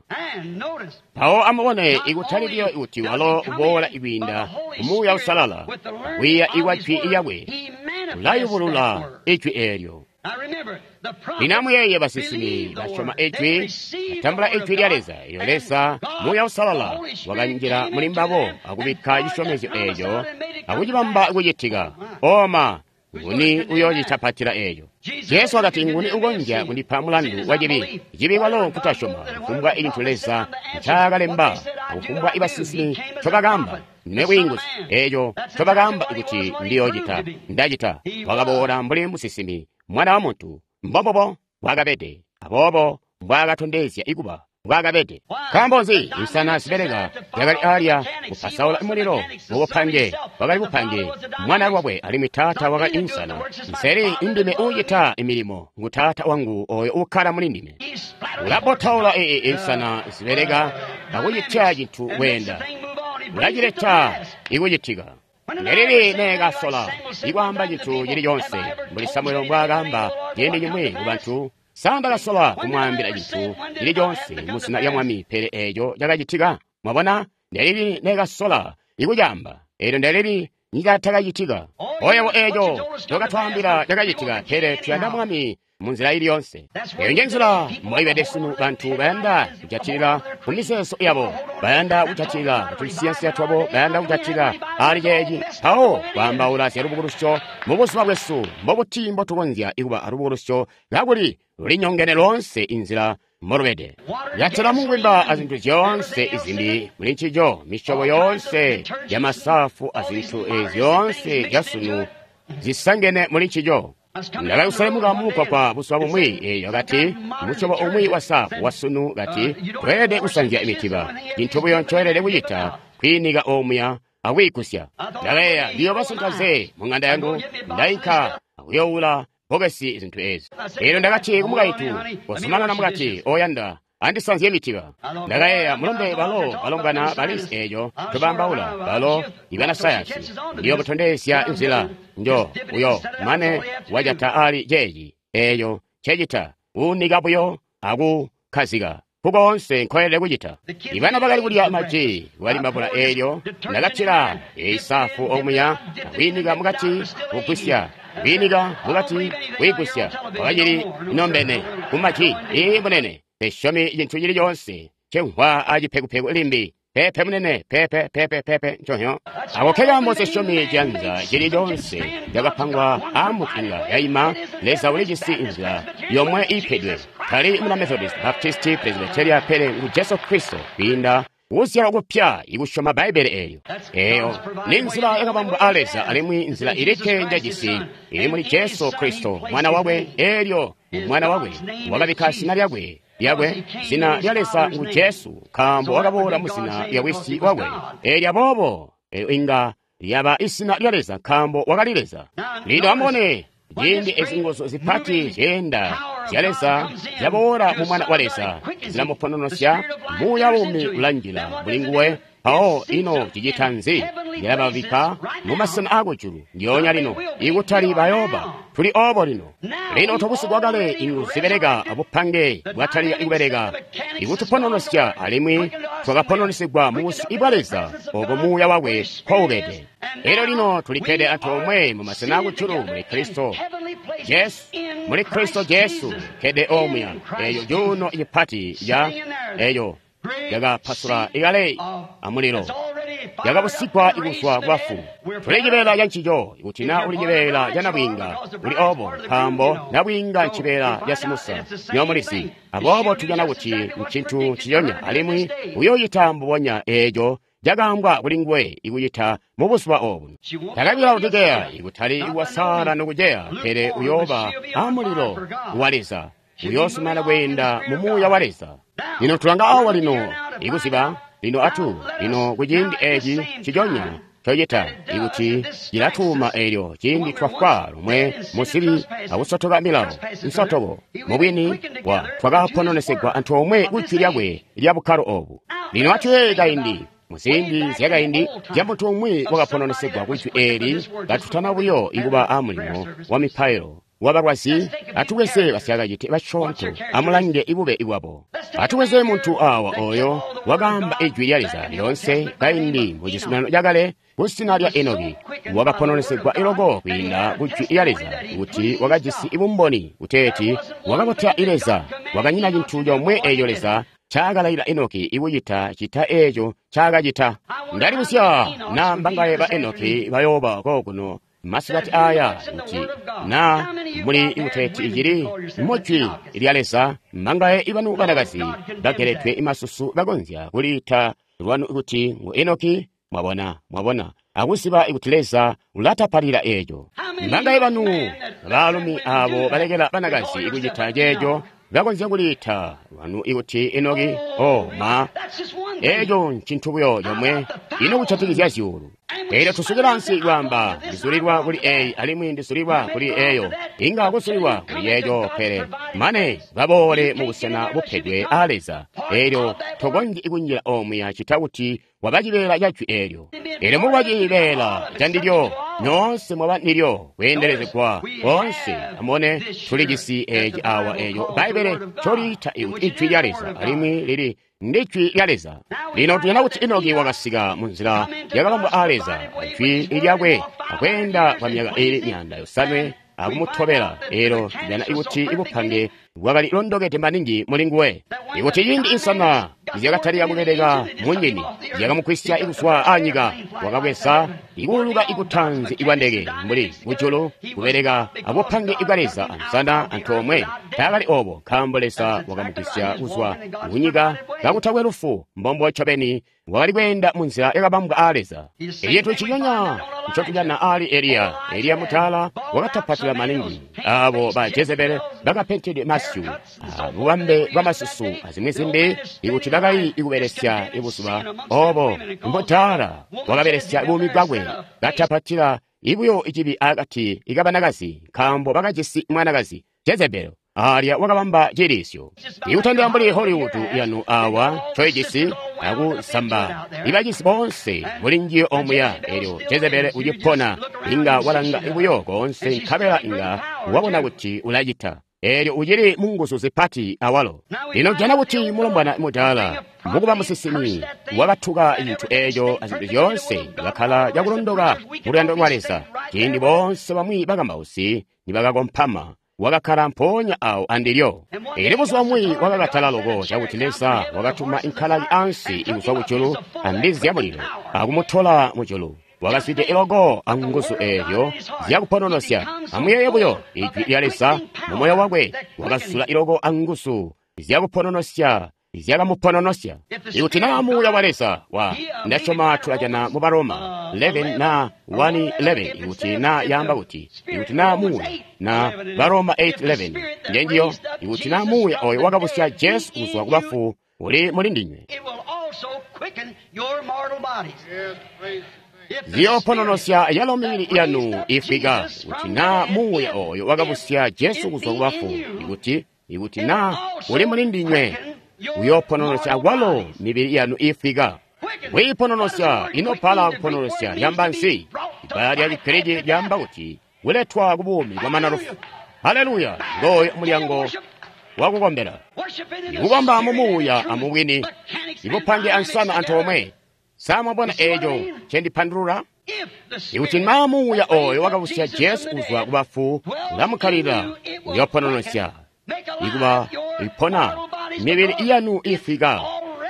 Speaker 1: Mpawo amubone, ikutali buyo kuti walo uboola kwiinda Muuya Uusalala, kwiiya ikwa Jwi lyakwe, ulayubulula Ijwi eelyo. Lino amuyeeye, basinsimi basyoma Ijwi, batambula Ijwi lya Leza. Eyo Leza, Muuya Uusalala, wakanjila muli mbabo akubikka cisyomezyo eeco akucibamba kucitika. Oma, nguni uyoocitapatila eeco? Jesu wakati, nguni ukonzya kundipa mulandu wa cibi? Cibi kwalo nkutasyoma. Kufumbwa icintu Leza ncaakalemba, kufumbwa ibasinsimi ncobakaamba, ndime bwiinguzi. Eeco ncobakaamba kuti ndiyoocita, ndacita. Wakaboola mbuli musinsimi, Mwana wa Muntu. Mbombubo mbwaakabede, aboobo mbwaakatondezya ikuba mbwaakabede. Nkaambo nzi? Insana zibeleka zyakali alya kupasaula mulilo mubupange, wakali bupange mwana lwakwe, alimwi Taata wakali insana. Nseli indime uucita milimo, ngu Taata wangu oyo uukkala muli ndime. Ulabotaula ee insana zibeleka akucitya cintu kweenda, ulacileta ikucitika. Nelili neekasola ikwaamba cintu cili coonse mbuli Samuele mbwaakaamba ciindi cimwi ku bantu, sa ndakasola kumwaambila cintu cili coonse mu zina lya Mwami, pele eeco cakacitika? Mwabona, nelili neekasola ikucaamba, eelyo nelili nicatakacitika. Oyewo eeco ncokatwaambila cakacitika, pele tuyanda Mwami munzila ili yonse. Eyo nje nzila mboibede sunu. Bantu bayanda kujatilila ku mizeezo yabo, bayanda kujatilila kutunsiyansiya twabo, bayanda kujatilila ali ceeci, mpawo kwaambaula zya lubukulusyo mubuzuba bwesu. Mbobuti mbotukonzya ikuba alubukulusyo kakuli lulinyongene loonse inzila mbolubede? Yatela mungwimba azintu zyoonse izimbi muli ncico, misyobo yoonse yamasafu azintu ezi zyoonse zyasunu zisangene muli ncico. Ndakali kuselemuka mumugwagwa buzuba bumwi, eeyo kati musyobo umwi wa safu wasunu kati tweelede kusanzya imitiba. Cintu buyo ncoelede kucita kwiinika omuya akwiikusya. Ndakayeeya, ndiyooba mu ng'anda yangu, ndainka akuyoowula bbokesi zintu ezi. Eelyo ndakati kumukaintu, kozumanana mukati oyanda andisanzye mitiba. Ndakayeeya, mulombe balo balombwana balizi eeco ncobambaula, balo ibanasayansi. Ndiyobutondezya nzila njo uyo mane wajata ali ceeci eeco ncecita, kuunika buyo akukkazika kukoonse nkoelede kucita. Ibana bakali kulya maji bwali mabula eelyo ndakatila eisafu omuya akwiinika mukati kugwisya, kwiinika mukati kwiigwisya. Wakacili inombene kumaji. Ii munene, tesyomi cintu cili coonse ncemvwa acipekupeku limbi. Pepe munene, pepe pepe pepe nconyo. Ako kekaambo sesyomi ciyanza cili coonse cakapangwa aamukunga yaima. Leza ulijisi inzila yomwe iipedwe, tali muna Methodist, Baptist, Presbyteria, pele ngu Jesu Kristo kwiinda kuzyalwa kupya ikusyoma Bbaibbele eelyo. Eeyo ni nzila yakabambwa a Leza, alimwi nzila ilikke njajisi ili muli Jesu Kristo mwana wakwe. Eelyo mwana wakwe wakabikka zina lyakwe lyakwe, zina lya Leza ngu Jesu, nkaambo wakaboola mu zina lya Wisi wakwe. Eelyo aboobo eelyo inga lyaba izina lya Leza, nkaambo wakali Leza. Lino amubone, ciindi ezi nguzu zipati zyeenda zya Leza zyaboola mu Mwana wa Leza, zilamupononosya, Muuya wumi ulanjila muli nguwe. Mpawo ino cicita nzi? Yalababikka mu masena aakujulu ndyoonya lino, ikutali bayooba, tuli oobo lino. Lino twabusigwa kale, inguzu zibeleka abupange bwatalika kubeleka ikutupononosya, alimwi twakapononesigwa mu busyu bwa Leza obo Muuya wakwe nkoubede. Elyo lino tulikkede antoomwe mu masena aakujulu muli Kristo Jesu, muli Kristo Jesu kkede omuya. Eeyo cuuno cipati ca eeyo yakapasula ikale amulilo, yakabusigwa ikuzwa kubafu. Tuli cibeela ca ncico. Ikuti na uli cibeela ca nabwiinga, uli obo, nkaambo nabwiinga ncibeela ca simusa, nyomulizi. Aboobo tujana kuti ncintu nciconya, alimwi uyoocita mbubonya eeco cakaambwa kuli nguwe ikucita mu buzuba obu. Takabi Laodikeya, ikutali kuwasaala nokuceya, pele uyooba amulilo wa Leza, uyoosumana kweenda mu Muuya wa Leza. Lino tulanga awa lino ikuziba lino atu lino kuciindi eci nciconya cocita ikuti cilatuuma eelyo ciindi twafwa lumwe musibi akusotoka milawo nsotoko mubwini wa twakapononesegwa antoomwe kujwi lyakwe lya bukkalo obu. Lino atuyeeye kaindi muziindi zyakaindi zya muntu umwi wakapononesegwa kujwi eeli katutana buyo ikuba amulimo wa mipailo wabalwazi, atubweze basyakacite basyoonto, amulange ibube bwabo. Atubweze muntu awa oyo wakaamba ijwi lya Leza lyoonse kaindi mu cizuminano cakale kusina lya Enoki, wakapononesegwa iloko kwiinda ku jwi lya Leza kuti wakajisi ibumboni kuteeti wakabotya Leza, wakanyina cintu comwe eeco Leza ncaakalailila Enoki ikucita cita eeco ncaakacita. Ndalibuzya na mbangaye ba Enoki bayooba kokuno masikati aya kuti na muli ikuteeti icili mujwi lya Leza, mbangaye ibanu banakazi bageledwe imasusu bakonzya kuliita lwanu kuti ngu Enoki. Mwabona, mwabona, akuziba kuti Leza ulatapalila eeco. Mbangaye banu baalumi abo balekela banakazi kucita ceeco bakonzya kuliita lwanu ikuti Enoki. Oh ma, eeco ncintu buyo comwe ino kujatikizya zyuulu. Eelyo tusukila ansi kwaamba ndizulilwa kuli eyi alimwi ndizulilwa kuli eyo, inga kuzulilwa kuli yeeco, pele mane baboole mu busena bupedwe a Leza. Eelyo tokonzyi kunjila omuya cita kuti waba cibeela ca jwi eelyo. Eelyo mukuba cibeela candilyo, nyoonse mwaba ndilyo kweendelezegwa koonse. Amubone, tulijisi eeci awa eeco Bbaibbele ncoliita ikuti ijwi lya Leza, alimwi lili ndi jwi lya Leza. Lino tuyanda kuti Enoki wakasika munzila yakabambwa a Leza, jwi lyakwe, akweenda kwa myaka iili myaanda yosanwe akumutobela. Eelyo tujana ikuti ibupange bwakali londokede maningi mulinguwe, ikuti ciindi insana zyakatalika kubeleka munyini zyakamugwisya ikuzwa anyika, wakabweza ikuuluka ikutanzi ikwa ndeke mbuli kujulu kubeleka abupange bwa Leza ansana antoomwe. Taakali obo nkaambo Leza wakamugwisya kuzwa kunyika kakutakwe lufu. Mbombo ncobeni wakali kweenda munzila yakabambwa a Leza. Ecintu nciconya ncotujana ali Eliya. Eliya mutala wakatapatila maningi abo ba Jezebele bakapentedwe masyu abubambe bwa masusu azimwi zimbi ikuti bakali ikubelesya ibuzuba obo. Mutala wakabelesya buumi bwakwe katapatila ibuyo icibi akati ikabanakazi, nkaambo bakajisi mwanakazi Jezebelo. Alya wakabamba cilisyo ikutandila mbuli Hollywood yanu awa ncoijisi akusamba ibajisi boonse muli njiyo omuya. Elyo Jezebele ucipona, inga walanga buyo koonse nkabela inga wabona kuti ulacita. Elyo ucili munguzu zipati awalo. Lino jana kuti mulombwana mudaala mukuba musinsimi wakatuka cintu eeco azintu zyoonse, bakkala cakulondoka mu luyando lwa Leza. Ciindi boonse bamwi bakambausi nibakakompama, wakakkala mpoonya awo andilyo. Elyo buzuba bumwi wakakatala loko cakuti Leza wakatuma inkalaki ansi ikuzwa kujulu ambizi zyamulilo akumutola mujulu. Wakazwide iloko anguzu eezyo zyakupononosya. Amuyeeye buyo ijwi lya Leza mu moyo wakwe, wakazula iloko anguzu zyakupononosya zyakamupononosya. Ikuti naa muuya wa Leza wa ndasyoma tulajana mu Baroma eleven na one eleven, ikuti naa yaamba kuti ikuti naa muuya na Baroma eight eleven njenjiyo, ikuti naa muuya oyo wakabusya Jesu kuzwa ku bafu uli muli ndinywe, ziyopononosya yalo mibili yanu ifwika. Kuti naa muuya oyo wakabusya Jesu kuzwa ku bafu, ikuti ikuti naa uli muli ndinywe, uyopononosya awalo mibili yanu ifwika. Kuipononosya inopala kupononosya lyamba nsi. Ibbala lya Chigiriki lyamba kuti kuletwa ku buumi bwamana lufu. Haleluya! Ngoyo mulyango wakukombela, ikukomba mu muuya amubwini, ikupange ansana antoomwe. Sa mwabona eeco ncendipandulula? Ikuti naa muuya oyo wakabusya Jesu kuzwa ku bafu ulamukkalila, uyopononosya ikuba ipona mibili yanu ifwika,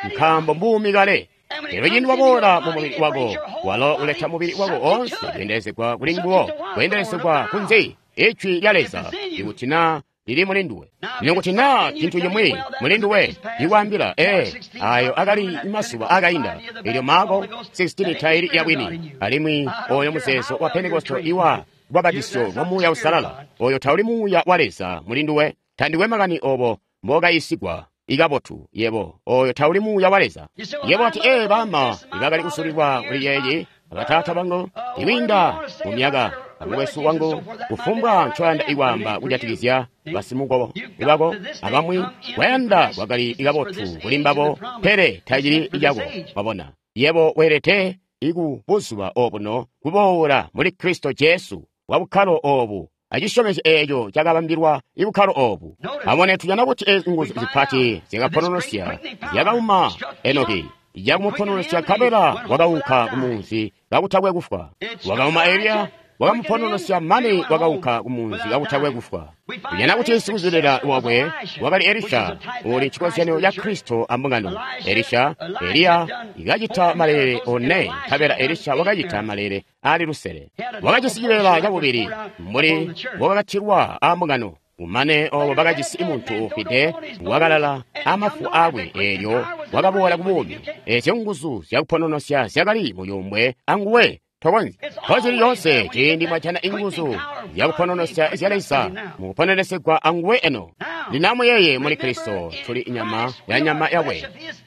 Speaker 1: nkaambo mbuumi kale. Elyo ciindi waboola mu mubili wako, walo uleta mubili wako onse kweendelezegwa kuli nguwo, kweendelezegwa kunzi ijwi lya Leza, ikuti naa lili muli nduwe. Lino kuti naa cintu cimwi muli nduwe ikwaambila, ee, ayo akali masuba akainda. Elyo Marko sixteen taili yabwini, alimwi oyo muzeezo wa Pentekoste iwa lubapatizyo lwa Muuya Uusalala, oyo tauli Muuya wa Leza muli nduwe. Tandikwe makani obo mbokayisigwa ikabotu yebo, oyo tauli Muuya wa Leza. Yebo ati, ee, bama ibakali kusulilwa kuli yeeyi, abataata bangu ikwiinda mu myaka, amukwesu wangu, kufumbwa ncoyanda ikwaamba kujatikizya basimukobo bako abamwi, kwayanda kwakali ikabotu kuli mbabo, pele tacili icako. Wabona, yebo weelede iku buzuba obuno kuboola muli Kristo Jesu wa bukkalo obu acisyomezyo eeco cakabambilwa ibukkalo oobu. Amubone, tujana kuti ezi nguzu zipati zyakapononosya zyakauma Enoki, yakumupononosya nkabela wakaunka kumunzi kakutakwe kufwa. Wakauma Eliya, wakamupononosya mane wakaunka kumunzi kakutakwe kufwa. Tujana kuti sikuzwelela wakwe wakali Elisha, uli cikozyanyo ca Kristo ambungano. Elisha, Eliya ikacita malele one, nkabela Elisha wakacita malele ali lusele. Wakajisi cibeela cabubili mbuli mbokakatilwa ambungano. Kumane obo bakajisi muntu ufwide wakalala amafu akwe, eelyo wakaboola kubuumi. Ezyo nguzu zyakupononosya zyakali muyumbwe anguwe. Tokonzyi kozili yoonse ciindi mwajana inguzu zyakupononosya zya Leza mukupononesegwa anguwe eno. Lino amuyeye, muli Kristo tuli inyama ya nyama yakwe,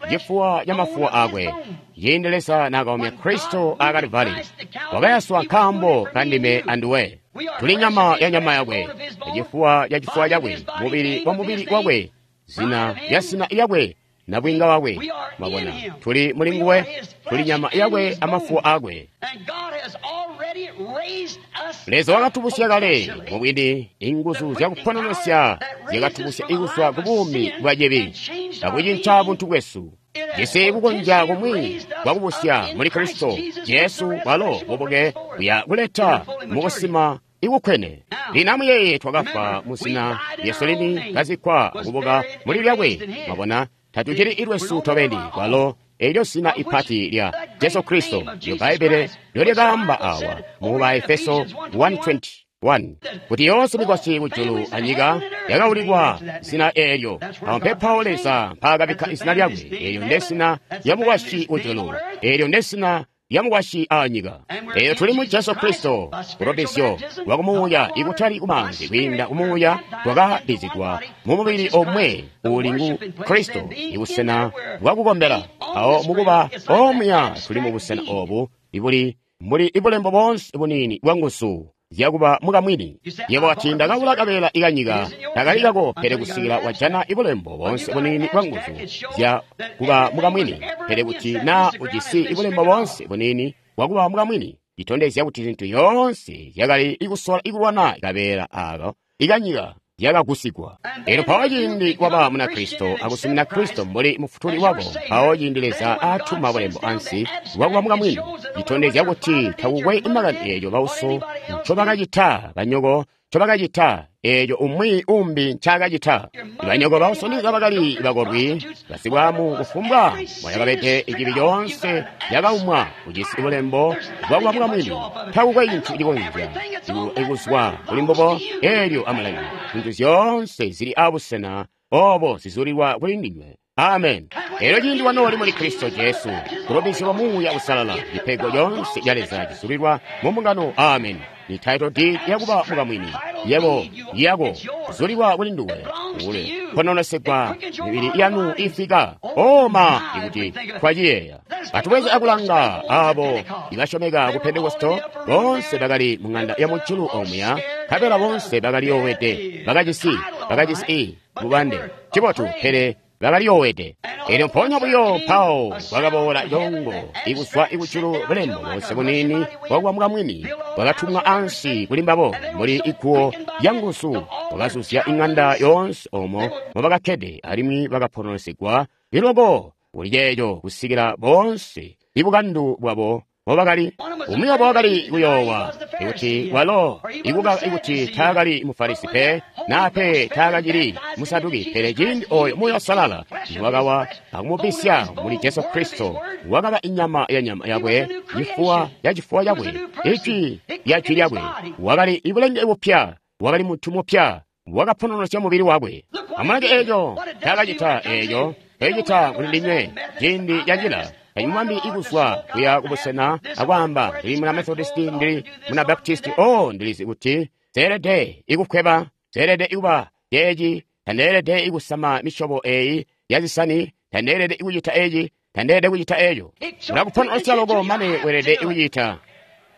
Speaker 1: cifuwa ca mafuwa akwe. Ciindi Leza naakaumya Kristo a Kalivali, wakayaswa nkaambo kandime anduwe. Tuli nyama ya nyama yakwe, cifuwa ca cifuwa cakwe, mubili wa mubili wakwe, zina lya zina lyakwe, nabwinga wakwe. Mwabona, tuli muli nguwe, tuli nyama yakwe amafuwa akwe. Leza wakatubusya kale mubwini, inguzu zyakupononosya zyakatubusya ikuzwa ku buumi bwa cibi akucinca buntu bwesu. Jisi kukonzya kumwi kwakubusya muli Kristo Jesu, walo bubuke buya kuleta mukusima ikukwene. Lino amuyeye, twakafwa muzina lyesu lini, kazikkwa akubuka muli lyakwe. Mwabona, tatucili ilwesu tobeni, kwalo elyo zina ipati lya Jesu Kristo lyo Bbaibbele lyolikaamba awa mu Baefeso one twenty-one kuti yoonse mikwasyi kujulu anyika yakaulikwa zina eelyo. Awo mpepawo Leza mpaakabikka izina lyakwe. Eelyo ndezina lya mukwasyi kujulu, eelyo ndezina lya mukwasyi anyika. Eyo tuli mu Jesu Kristo, kulobezyo lwa kumuuya, ikutali kumaanzi, kwiinda kumuuya twakabbizigwa mu mubili omwe uli ngu Kristo, ibusena bwakukombela. Awo mukuba omuya tuli mu busena obu ibuli mbuli ibulembo boonse buniini bwa nguzu zyakuba mukamwini. Yebo wati, ndakabula kabeela ikanyika, takali kako, pele kusikila wajana ibulembo boonse buniini bwa nguzu zya kuba mukamwini. Pele kuti na ujisi ibulembo boonse buniini bwakuba mukamwini, itondezya kuti zintu yoonse zyakali ikusola ikulwana kabeela ako ikanyika zyakagusigwa. Elyo mpawo ciindi waba muna Kristo akusumina Kristo mbuli mufutuli wako, mpawo ciindi Leza atuma bulembo ansi bwakuba mukamwini, itondezya kuti takukwe makani eeco bauso ncobakacita, banyoko ncobakacita, eeco umwi umbi ncaakacita. Banyoko bauso ndiza bakali bakolwi, basibwamu, kufumbwa mwayakabede, icibi coonse yakaumwa. Ujisi bulembo bwakuba mukamwini, takukwe cintu cikonzya ikuzwa kuli mbubo. Eelyo amulangi, zintu zyoonse zili abusena obo zizulilwa kuli ndinywe. Amen. Elyo ciindi wanooli muli Kristo Jesu, kulobezyo lwa Muuya Uusalala, cipego coonse ca Leza cizulilwa mu mbungano. Amen. Ni title deed yakuba mukamwini, yebo yako kuzulilwa kuli nduwe, ule pononesegwa mibili yanu ifika oma ikuti twaciyeeya. Atubweze akulanga abo ibasyomeka ku Pentekosto, boonse bakali mu ng'anda ya mujulu omuya, nkabela boonse bakali yoowede, bakajisi bakajisi i mubande cibotu, pele bakali yoowede. Elyo mpoonya buyo mpawo kwakaboola congo ikuzwa ikujulu, bulembo boonse buniini bwakuba mukamwini bwakatumwa ansi kuli mbabo muli iguwo lya nguzu, bwakazuzya ing'anda yoonse omo mobakakkede, alimwi bakapononesegwa iloko kuli ceeco kusikila boonse ibukandu bwabo mobakali. Umwi wabo wakali kuyoowa ikuti walo ikuka ikuti taakali Mufarisi pe, naa pe taakacili Musaduki, pele ciindi oyo Muuya Uusalala niwakawa akumubisya muli Jesu Kristo, wakaba inyama ya nyama yakwe, cifuwa ya cifuwa cakwe, ijwi lya jwi lyakwe. Wakali ibulenge bupya, wakali muntu mupya, wakapononosya mubili wakwe. Amulange eeco ncaakacita, eeco ncecita kuli ndinywe ciindi canjila. Kanyimwambi ikuzwa kuya kubusena akwaamba, ndili muna Methodist, ndili muna Baptist, oh, ndilizi kuti seelede ikukweba, seelede ikuba ceeci, tandeelede ikusama misyobo eyi ya zisani, tandeelede ikucita eci, tandeelede kucita eco. Ulakupononosya loko mane weelede ikucita.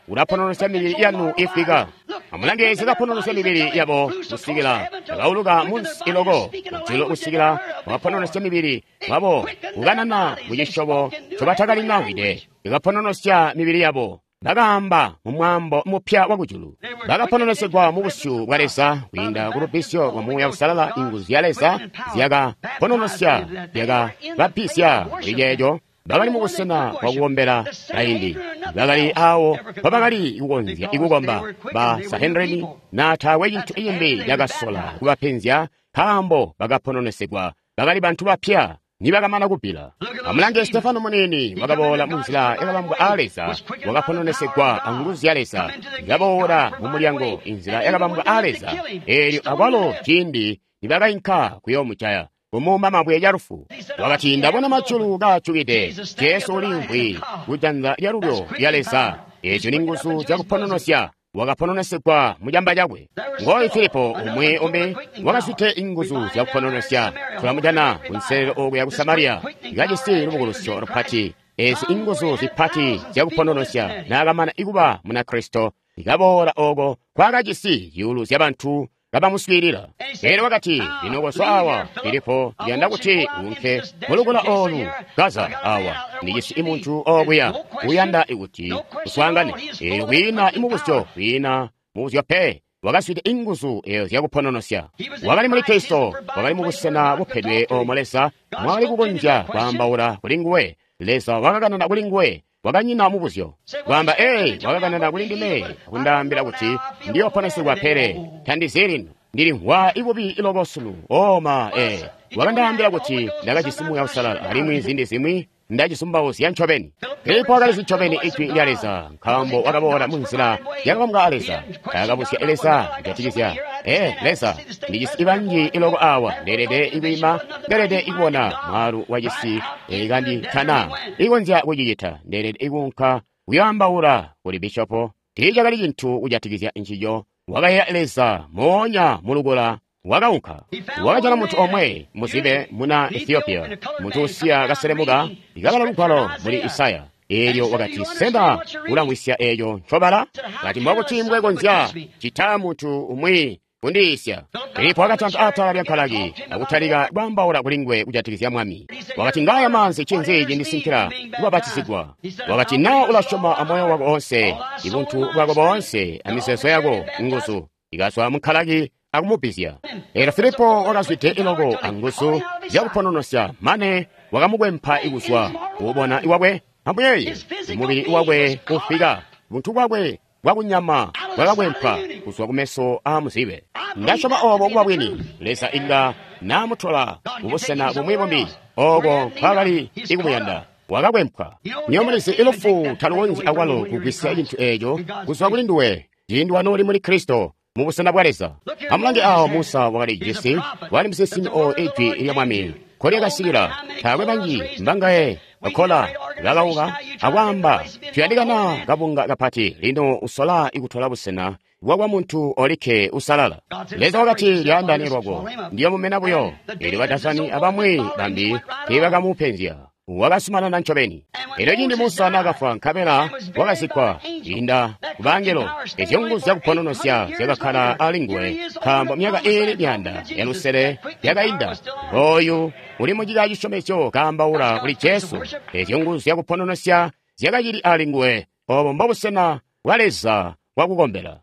Speaker 1: Ulapononosya mibili yanu ifika. Amulange zikapononosya mibili yabo kusikila bakauluka munsi iloko kujulu, kusikila bakapononosya mibili wabo kukanana mucisyobo ncobatakalinawide. Ikapononosya mibili yabo. Bakaamba mu mwaambo mupya wa kujulu. Bakapononesegwa mu busyu bwa Leza kwiinda ku lubbizyo lwa Muuya Uusalala. Inguzu ya Leza zyaka pononosya, zyaka babbizya kuli ceeco. Bakali mu busena bwa kukombela kaindi. Bakali awo mpobakali kukonzya ikukomba ba Sanhedrini na taakwe cintu cimbi cakasola kubapenzya, nkaambo bakapononesegwa. Bakali bantu bapya nibakamana kubbila. Amulange Stefano muniini wakaboola munzila yakabambwa aa Leza, wakapononesegwa anguzu zya Leza, kaboola mu mulyango inzila yakabambwa aa Leza. Eelyo akwalo ciindi nibakainka kuyoomujaya, kumuuma mabwe calufu, wakati, ndabona majulu kaajukide, Jesu uliimvwi kujanza lyalulyo lya Leza. Eeco ni nguzu zyakupononosya. Wakapononesegwa mucamba cakwe. Ngoyu Filipo umwi umbi wakazwide inguzu zyakupononesya. Tulamujana kunselelo okuya ku Samariya, kajisi lubukulusyo lupati. Ezi inguzu zipati zyakupononosya naakamana ikuba Munakristo, ikaboola oko kwakajisi zyuulu zyabantu kabamuswiilila. Elyo wakati, lino kozwa awa, Filipo, ndiyanda kuti uunke mulukula olu Gaza awa. Ndijisi imuntu okuya uyanda kuti uswaangane. Elyo kwiina imubuzyo, kwiina mubuzyo pe. Wakazwide inguzu eyo zyakupononosya. Wakali muli Kristo, wakali mu busena bupedwe omo Leza mwakali kukonzya kwaambaula kuli nguwe. Leza wakakanana kuli nguwe. Wakanyina mubuzyo. Kwaamba, ee, wakakanana kuli ndime kundaambila kuti ndiyoponesegwa, pele tandizi lino. Ndilimvwa ibubi iloko sunu. Oma, ee. Wakandaambila kuti ndakajisi Muuya Uusalala, alimwi ziindi zimwi ndacisumbauzya ncobeni. Filipo wakalizi ncobeni ijwi lya Leza, nkaambo wakaboola munzila yakabambwa a Leza. Taakabuzya Leza kujatikizya, ee, Leza, ndijisi ibanji iloko awa, ndeelede ikwiima, ndeelede ikubona mwaalu wacisi kanditana ikonzya kucicita, ndeelede ikuunka kuyoambaula kuli bishopo. Tiicakali cintu kujatikizya ncico. Wakayeeya Leza moonya mulukula. Wakaunka, wakajana muntu omwe muzibe muna Ethiopia, muntu usiya kaselemuka ikabala lugwalo muli Isaya. Eelyo wakati, sena ulamwisya eeco ncobala? Kati, mbokuti mbwekonzya cita muntu umwi kundiisya. Filipo wakatanta atala lya nkalaki akutalika kwaambaula kuli nguwe kujatikizya Mwami. Wakati, ngaya maanzi, ncinzi cindisinkila kubabatizigwa? Wakati, na ulasyoma amoyo wako oonse, ibuntu bwako boonse, amizeezo yako, nguzu ikazwa munkalaki akumubbizya. Elyo Filipo wakazwide iloko anguzu zyakupononosya, mane wakamukwempa ikuzwa kuubona iwakwe. Ambuyeeye, mubili wakwe kufika, buntu bwakwe bwakunyama bwakakwempwa kuzwa kumeso aa muzibe. Ndasyoma obo kuba bwini. Leza inga naamutola kubusena bumwi bumbi oko nkwakali ikumuyanda. Wakakwempwa. Nywebo mulizi ilufu talukonzyi akwalo kugwisya cintu eeco kuzwa kuli nduwe ciindi wanooli muli Kristo mu busena bwa Leza. Amulange awo Musa wakali jisi, wali musinsimi o ijwi lya Mwami kolyakasikila. Taakwe banji mbangaye bakola bakauka akwaamba, tuyandikana kabunga kapati. Lino usola ikutola busena bwakwa muntu olikke usalala. Leza wakati, lyaandane lwako, ndiyomumena buyo. Elyo Badasani abamwi bambi teebakamupenzya. Wakasumanana ncobeni. Elyo ciindi Musa naakafwa nkabela wakazikkwa inda kubangelo, ezyo nguzu zyakupononosya zyakakkala ali nguwe, nkaambo myaka iili myaanda ya lusele yakainda. Ngooyu uli mucika cisyomezyo kaambaula kuli Jesu. Ezyo nguzu zyakupononosya zyakacili ali nguwe. Obo mbobusena bwa Leza bwakukombela.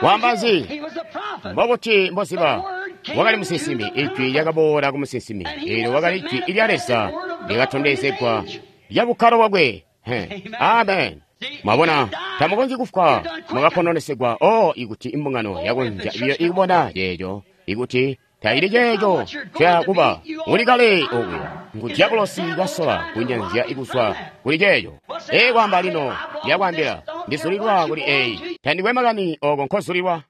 Speaker 1: Waamba nzi? Mbobuti mboziba? Wakali musinsimi. Ijwi lyakaboola ku musinsimi. Eelyo wakali ijwi lya Leza lyakatondezegwa lya bukkalo bwakwe. Amen. Mwabona, tamukonzyi kufwa, mwakapononesegwa. Oh, ikuti imbungano yakonzya biyo ikubona ceeco, ikuti taili ceeco cakuba uli kale okuya. Ngu dyabulosi kasola kunyanzya ikuzwa kuli ceeco. Ee, kwaamba lino, ndiyakwaambila, ndizulilwa kuli eyi. Tandikwe makani oko nkozulilwa.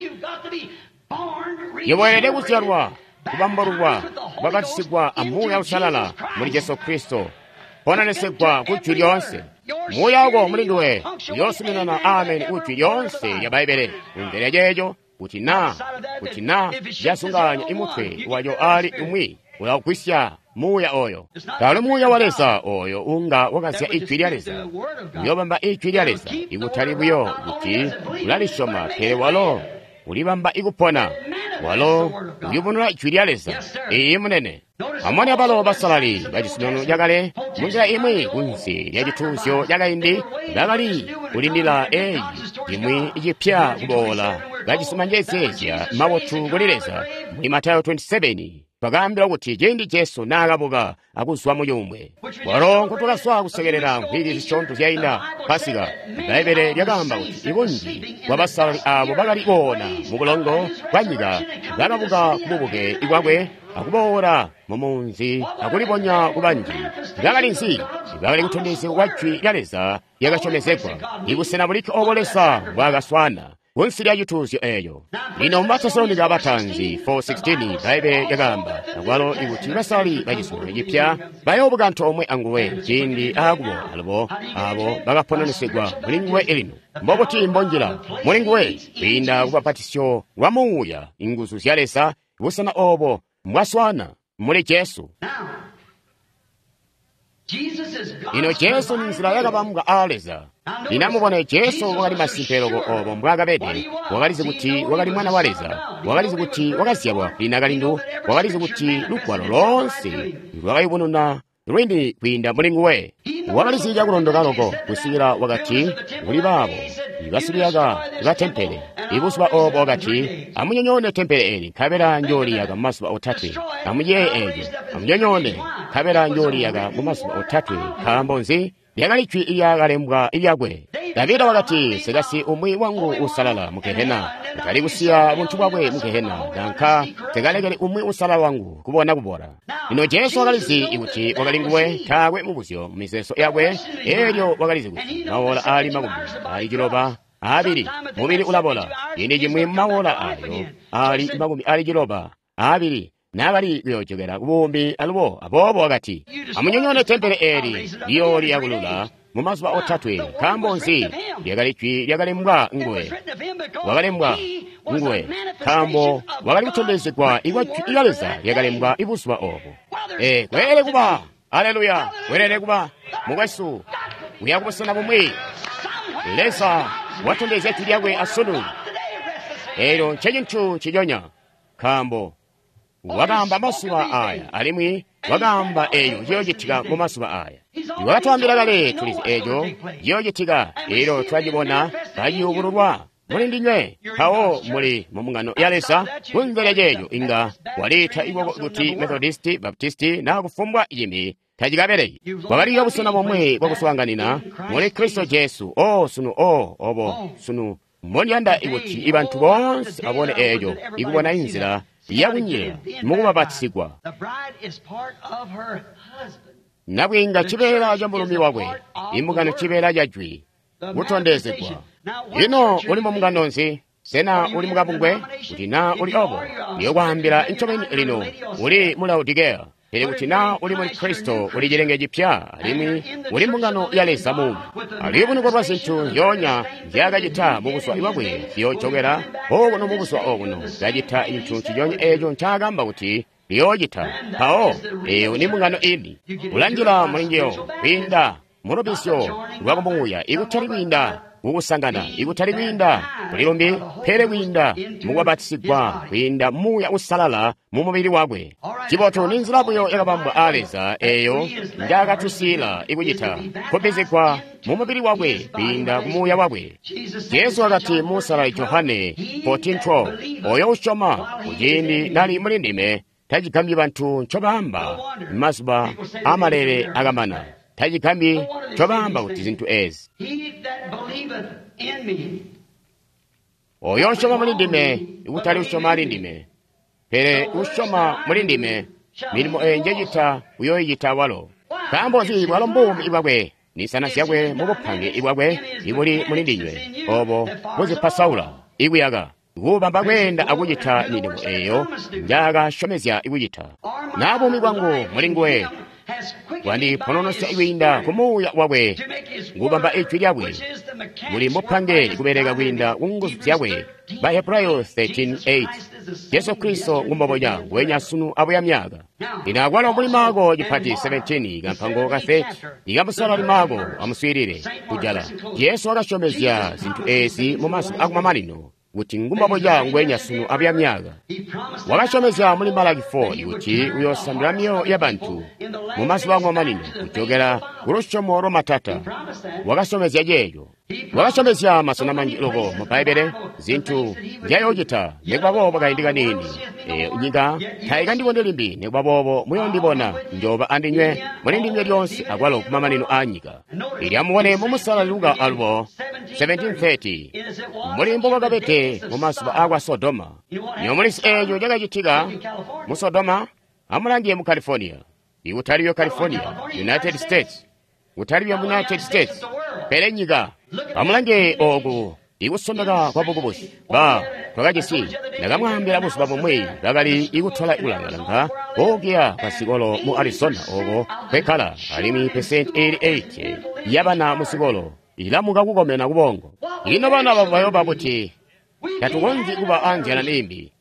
Speaker 1: Yebo weelede kuzyalwa, kubambalulwa, kubapatisigwa a Muuya Uusalala muli Jesu Kristo, ponanesegwa ku jwi lyoonse. Muuya wako muli nduwe uyoosuminana ameni ku jwi lyoonse lya Bbaibbele. Kunze lya ceeco, kuti na kuti na lyasunganya imutwe waco ali umwi, ulagwisya Muuya oyo. Talo Muuya wa Leza oyo unga wakazya ijwi lya Leza. Uyobamba ijwi lya Leza, ikutali buyo kuti ulalisyoma, pele walo ulibamba ikupona. Walo uyubununa Jwi lya Leza. Iiyi, munene. Amone abalo basalali ba cizuminano cakale munzila imwi kunsi lya cituuzyo cakaindi bakali kulindila eyi imwi icipya kuboola bajisi manjezeezya mabotu kuli Leza. Muli Matayo makumi abili asanu twakaambilwa kuti ciindi Jesu naakabuka akuzwa mu cuumbwe, walo nkutwakazwa kusekelela mvwiki zisyoonto zyainda Pasika, Bbaibbele lyakaamba kuti ibunji bwa basalali aabo bakali koona mu bulongo bwa nyika bakabuka ku bubuke bwakwe akuboola mu munzi akulibonya ku banji. Bakali nzi? Bakali kutondezya kwa Jwi lya Leza lyakasyomezegwa, ibusena bulikke obo Leza mbwaakaswaana kunsi lya cituuzyo eeyo. Lino mu Batesalonika bataanzi four sixteen Bbaibbele lyakaamba akwalo ikuti basalali ba cizuminano cipya bayoobuka antoomwe anguwe ciindi aakuboola alubo aabo bakapononesegwa muli nguwe lino. Mbobuti mbonjila muli nguwe? Kwiinda kubapatisyo lwa Muuya, inguzu zya Leza, busena oobo mbwaswaana muli Jesu. Lino Jesu ni nzila yakabambwa aa Leza. Lino amubone, Jesu wakali masimpe loko obo mbwaakabede. Wakalizi kuti wakali Mwana wa Leza. Wakalizi kuti wakazyalwa kuli nakalindu. Wakalizi kuti lugwalo loonse lwakayubununa lwini kwiinda muli nguwe. Wakalizi cakulondoka loko kusikila wakati kuli baabo basikuyaka ba tempele ibuzuba oobo wakati, amunyonyoone tempele eli nkabela njooliyaka mumazuba otatwe. Amuyeeye eeco, amunyonyoone nkabela njooliyaka mumazuba otatwe. Nkaambo nzi? Lyakali jwi lyakalembwa lyakwe. Davida wakati, nsekasi umwi wangu uusalala mu Gehena, kutali kusiya buntu bwakwe mu Gehena, nanka nsekalekeli umwi uusalala wangu kubona kubola. Lino Jesu wakalizi kuti wakali nguwe, taakwe mubuzyo mu mizeezo yakwe, eelyo wakalizi kuti mawola aali makumi aali ciloba aabili mubili ulabola, ciindi cimwi mawola aayo aali makumi aali ciloba aabili naakali kuyoojokela kubuumbi alubo. Aboobo wakati, amunyonyoone tempele eli liyooliyakulula mu mazuba otatwe. Nkaambo nzi? Lyakali jwi lyakalembwa nguwe. Wakalembwa nguwe nkaambo wakali kutondezegwa ikwa jwi lya Leza lyakalembwa ibuzuba obo. E, kweelede kuba, aleluya, kweelede kuba mukwesu kuya kubusena bumwi. Leza watondezya jwi lyakwe asunu. Eelyo ncecintu nciconya, nkaambo wakaamba mazuba aya alimwi wakaamba eeyo ciyoocitika mu mazuba aya. Wakatwaambila kale, tulizi eeco ciyoocitika, eelyo twacibona kaciyubululwa muli ndinywe. Mpawo muli mu mbungano ya Leza. Kunze lya ceeco inga waliita ikoko kuti Methodisti, Baptisti naa kufumbwa cimbi tacikabeleki. Kwakaliyo busena bomwe bwakuswaanganina muli Kristo Jesu. O sunu, o obo sunu mbondiyanda kuti ibantu boonse babone eeco, ikubona inzila yakunjila mukubabatizigwa. Nabwiinga cibeela ca mulumi wakwe, imbungano cibeela ca jwi kutondezegwa. Ino uli mu mbungano nzi? Sena uli mukabungwe? Kuti naa uli obo, ndiyokwaambila ncobeni lino, uli mu Laodikeya. Pele kuti naa uli muli Kristo, uli cilenge cipya, alimwi uli mbungano ya Leza muumi. Aluyubunuko lwa zintu nzyoonya nzyaakacita mubuzuba bwakwe ziyoojokela okuno mubuzuba obuno, kacita cintu nciconya eeco ncaakaamba kuti liyoocita. Mpawo eeyo ni mbungano ini. Ulanjila muli njiyo kwiinda mulubisyo lwa kumuuya, ikutali kwiinda kukusangana, ikutali kwiinda kuli lumbi, pele kwiinda mukubabatizigwa kwiinda Muuya Uusalala mu mubili wakwe. Cibotu ni nzila buyo yakabambwa aa Leza eeyo njaakatusiila ikucita, kubbizigwa mu mubili wakwe kwiinda ku Muuya wakwe. Jesu wakati mu Musalali Johane fourteen twelve, oyo usyoma kuciindi nali muli ndime tacigambyi bantu ncobaamba mazuba amalele akamana. Tacigambyi ncobaamba kuti zintu ezi. Oyo usyoma muli ndime, ikutali usyoma ali ndime, pele usyoma muli ndime, milimo eyi njecita uyoyicita walo. Nkaambo nzi? Bwalo mbuumi bwakwe, nisana zyakwe mubupange bwakwe ibuli muli ndinywe, obo buzipasaula ikuyaka kubamba kweenda akucita milimo eyo njaakasyomezya kucita. Na buumi bwangu muli nguwe bwandipononosya kwiinda ku Muuya wakwe, kubamba ijwi lyakwe muli mupange kubeleka kwiinda ku nguzu zyakwe. Bahebrayo thirteen eight. Jesu Kristo ngumbobonya nguwenya sunu abuya myaka. Lino akwalo muli Maako cipati seventeen kampango ka thirty ikamusalali Maako amuswiilile kujala. Jesu wakasyomezya zintu ezi mu mazuba akumamanino kuti ngumbaboca ngwenya sunu abuya myaka. Wakasyomezya muli Malaki four kuti uyoosandula myoyo ya bantu mu mazuba amamanino kujokela ku lusyomo lwa matata. Wakasyomezya ceeco. Wakasyomezya masena manji loko mu Bbaibbele zintu nzyayoocita nikuba boobo kaindi kaniini. Eeyo nyika taikandiboni limbi, nikuba boobo muyoondibona, njooba andinywe muli ndinywe lyoonse akwalo kumamanino aanyika. Ili amubone mu Musalali Luka alubo seventeen thirty, mbuli mbokwakabede mu mazuba aakwa Sodoma. Nywebo mulizi eeco cakacitika mu Sodoma? Amulange mu California. Ikutali California, United States. Kutali mu United States, pele nyika. Amulange ooku ikusondeka kwa bukubusi. Ba twakajisi ndakamwaambila buzuba bumwi bakali ikutola kulangalanga okuya kwa sikolo mu Arizona oko kwekkala alimwi percent eighty-eight yabana mu sikolo ilamuka kukomena kubongo. Ino bana babo bayoba kuti tatukonzyi kuba anzyala imbi.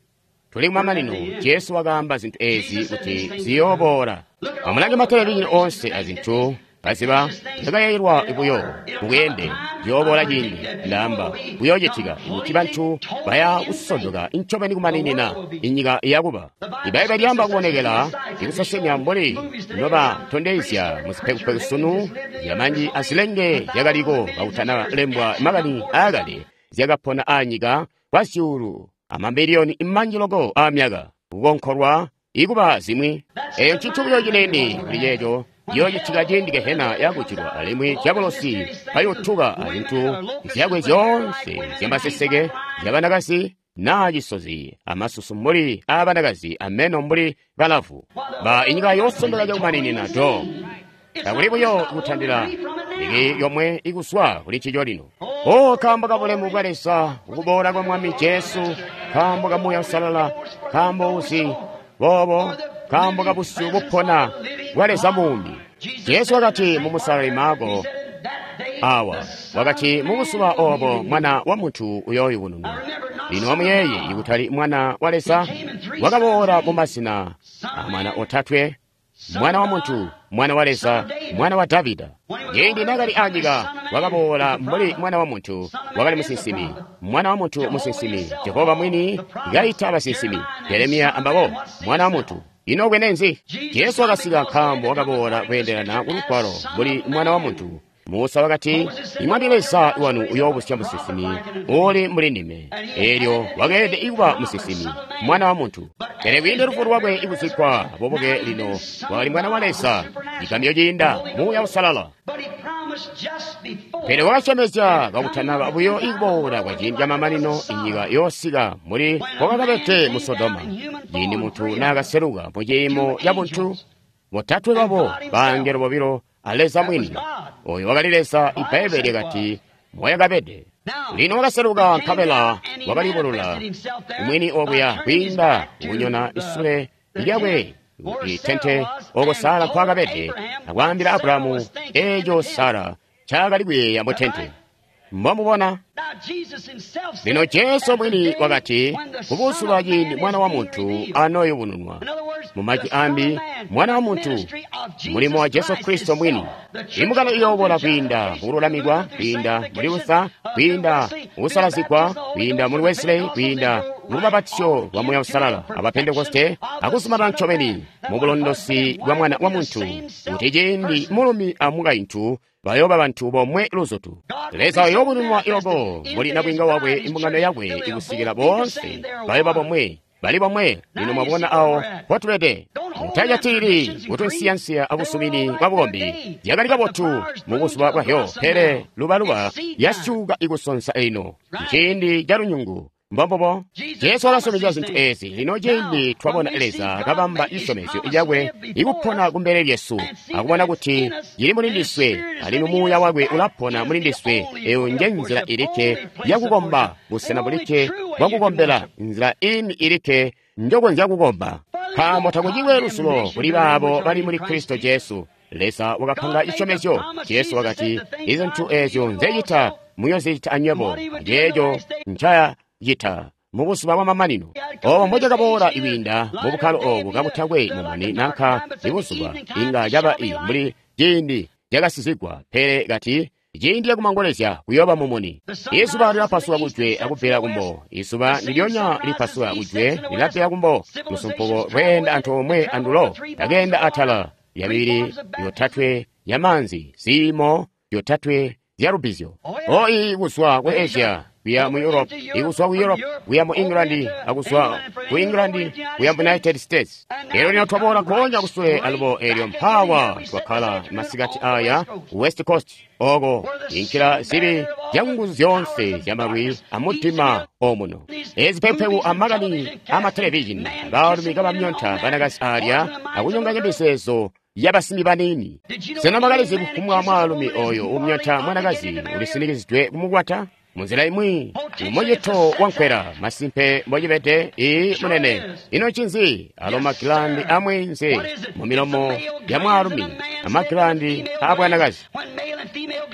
Speaker 1: Tuli kumamanino. Jesu wakaamba zintu ezi kuti ziyooboola. Amulange matelevizhini onse azintu kaziba zyakayailwa buyo mubweende ziyooboola ciindi ndaamba kuyoocitika kuti bantu baya kusondoka ncobeni kumaninina inyika iyakuba. Ibbaibbele lyaamba kubonekela ikusesemya mbuli nobatondezya muzipekupeku sunu zyamanji azilenge zyakaliko kakutana lembwa makani aakale zyakapona aanyika kwa zyuulu amamiliyoni manji loko aamyaka kukonkolwa ikuba zimwi. Eeyo ncintu buyo cinene kuli ceeco yoocitika ciindi gehena yakucilwa alimwi diabolosi kayotuka azintu zyakwe zyoonse zyamaseseke zyabanakazi naa cisozi amasusu mbuli aabanakazi ameno mbuli balavu. Ba inyika yoosondeka cakumaninina do. Takuli buyo kutandila iki yomwe ikuswa kuli ncico lino. O kaambo ka bulemu bwa Leza, ukuboola kwa Mwami Jesu, kaambo ka Muuya Uusalala, kaambo uzi boobo, kaambo ka busyu bupona bwa Leza muumi. Jesu wakati mu Musalali Marko awa, wakati mu buzuba obo Mwana wa Muntu uyooyubununwa. Lino amuyeeye ikutali Mwana wa Leza wakaboola mu mazina a mwana otatwe, Mwana wa Muntu, Mwana wa Leza, Mwana wa Davida. Ciindi naakali anyika wakaboola mbuli Mwana wa Muntu, wakali musinsimi, Mwana wa Muntu musinsimi, Jehova mwini kaita basinsimi, Jeremiya ambabo, Mwana wa Muntu. Ino bwene nzi? Jesu wakasika nkaambo wakaboola kweendelana ku Lugwalo mbuli Mwana wa Muntu. Musa wakati, Imwami Leza wanu uyoobusya musinsimi uuli mbuli ndime. Eelyo wakeelede kuba musinsimi, Mwana wa Muntu. Pele kwiinda lufu lwakwe ikuzikkwa bubuke lino wakali Mwana wa Leza, cigamyo ciinda Muuya Uusalala. Pele wakasyomezya kakutanaba buyo ikuboola kwa ciindi camamanino inyika yoosika mbuli kwakakabede mu Sodoma. Ciindi muntu naakaseluka mu ciimo ca buntu, botatwe babo bangelo bobilo a Leza mwini. Oyo wakali Leza, Ibbaibbele lyakati moyakabede. Lino wakaseluka nkabela wakalibulula mwini okuya kwiinda kunyona isule lyakwe itente oko Sara nkwakabede akwaambila Abrahamu eeco Sara ncaakali kuyeeya mu tente. Mbomubona? Lino Jesu mwini wakati kubuzuba ciindi Mwana wa Muntu anoyubununwa. Mu majwi ambi, Mwana wa Muntu, mulimo wa Jesu Kristo mwini. Imbungano iyoobola kwiinda mukululamikwa, kwiinda muli Luther, kwiinda mukusalazigwa, kwiinda muli Wesley, kwiinda mulubapatizyo lwa Muuya Uusalala aba Pentekoste, akuzumana ncobeni mu bulondosi bwa Mwana wa Muntu, kuti ciindi mulumi amukaintu bayooba bantu bomwe luzutu. Leza uyoobununwa iloko muli nabwiinga wakwe imbungano yakwe ikusikila boonse bayooba bomwe. Bali bomwe. Lino mwabona awo mpotubede. Mutajatilili kutunsiyansiya abusumini bwa bukombi. Zyakali kabotu mu buzuba bwahyo, pele lubaluba yasyuka ikusonsa ino. Ciindi ca lunyungu. Mbombubo Jesu wakasyomezya zintu ezi. Lino ciindi twabona Leza kabamba cisyomezyo cakwe ikupona kumbele lyesu, akubona kuti cili muli ndiswe, alimwi Muuya wakwe ulapona muli ndiswe. Eyo nje nzila ilikke yakukomba, busena bulikke bwakukombela, nzila ini ilikke njokonzya kukomba. Nkaambo takucikwe lusulo kuli baabo bali muli Kristo Jesu. Leza wakapanga cisyomezyo. Jesu wakati, izintu ezyo nzecita muyozicita anywebo, aceeco ncaya cita mu buzuba bwamamanino. Obo mbocakaboola ikwiinda mu bukkalo obu kakutakwe mumuni nanka ibuzuba, inga caba i mbuli ciindi cakasizigwa, pele kati Ciindi cakumangolezya kuyooba mumuni. Izuba lilapasuka kujwe akubbila kumbo. Izuba ndilyonya lipasuka kujwe lilabbila kumbo. Lusumpuko lweenda antoomwe andulo lakeenda atala lya mibili yotatwe ya maanzi, ziimo yotatwe zya lubbizyo. Oi kuzwa ku Asia kuya mu Europe, ikuzwa ku Europe kuya mu England, akuzwa ku England kuya mu United States. Elyo lino twaboola nkoonya kusule alubo elyo mpaawa twakkala masikati aya ku West Coast oko inkila zibi zyanguzu zyoonse zyamalwi amutima omuno. Ezi pekupeku amakani amatelevizhini baalumi kabamyonta banakazi alya akunyonganya mizeezo yabasimbi baniini. Sena mwakalizi kufumbwa mwaalumi oyo umyonta mwanakazi ulisinikizidwe kumukwata? Munzila imwi umucito wankwela masimpe mbocibede ii munene. Ino ncinzi? Alo magilandi amweenze mu milomo ya mwaalumi amagilandi aabwanakazi.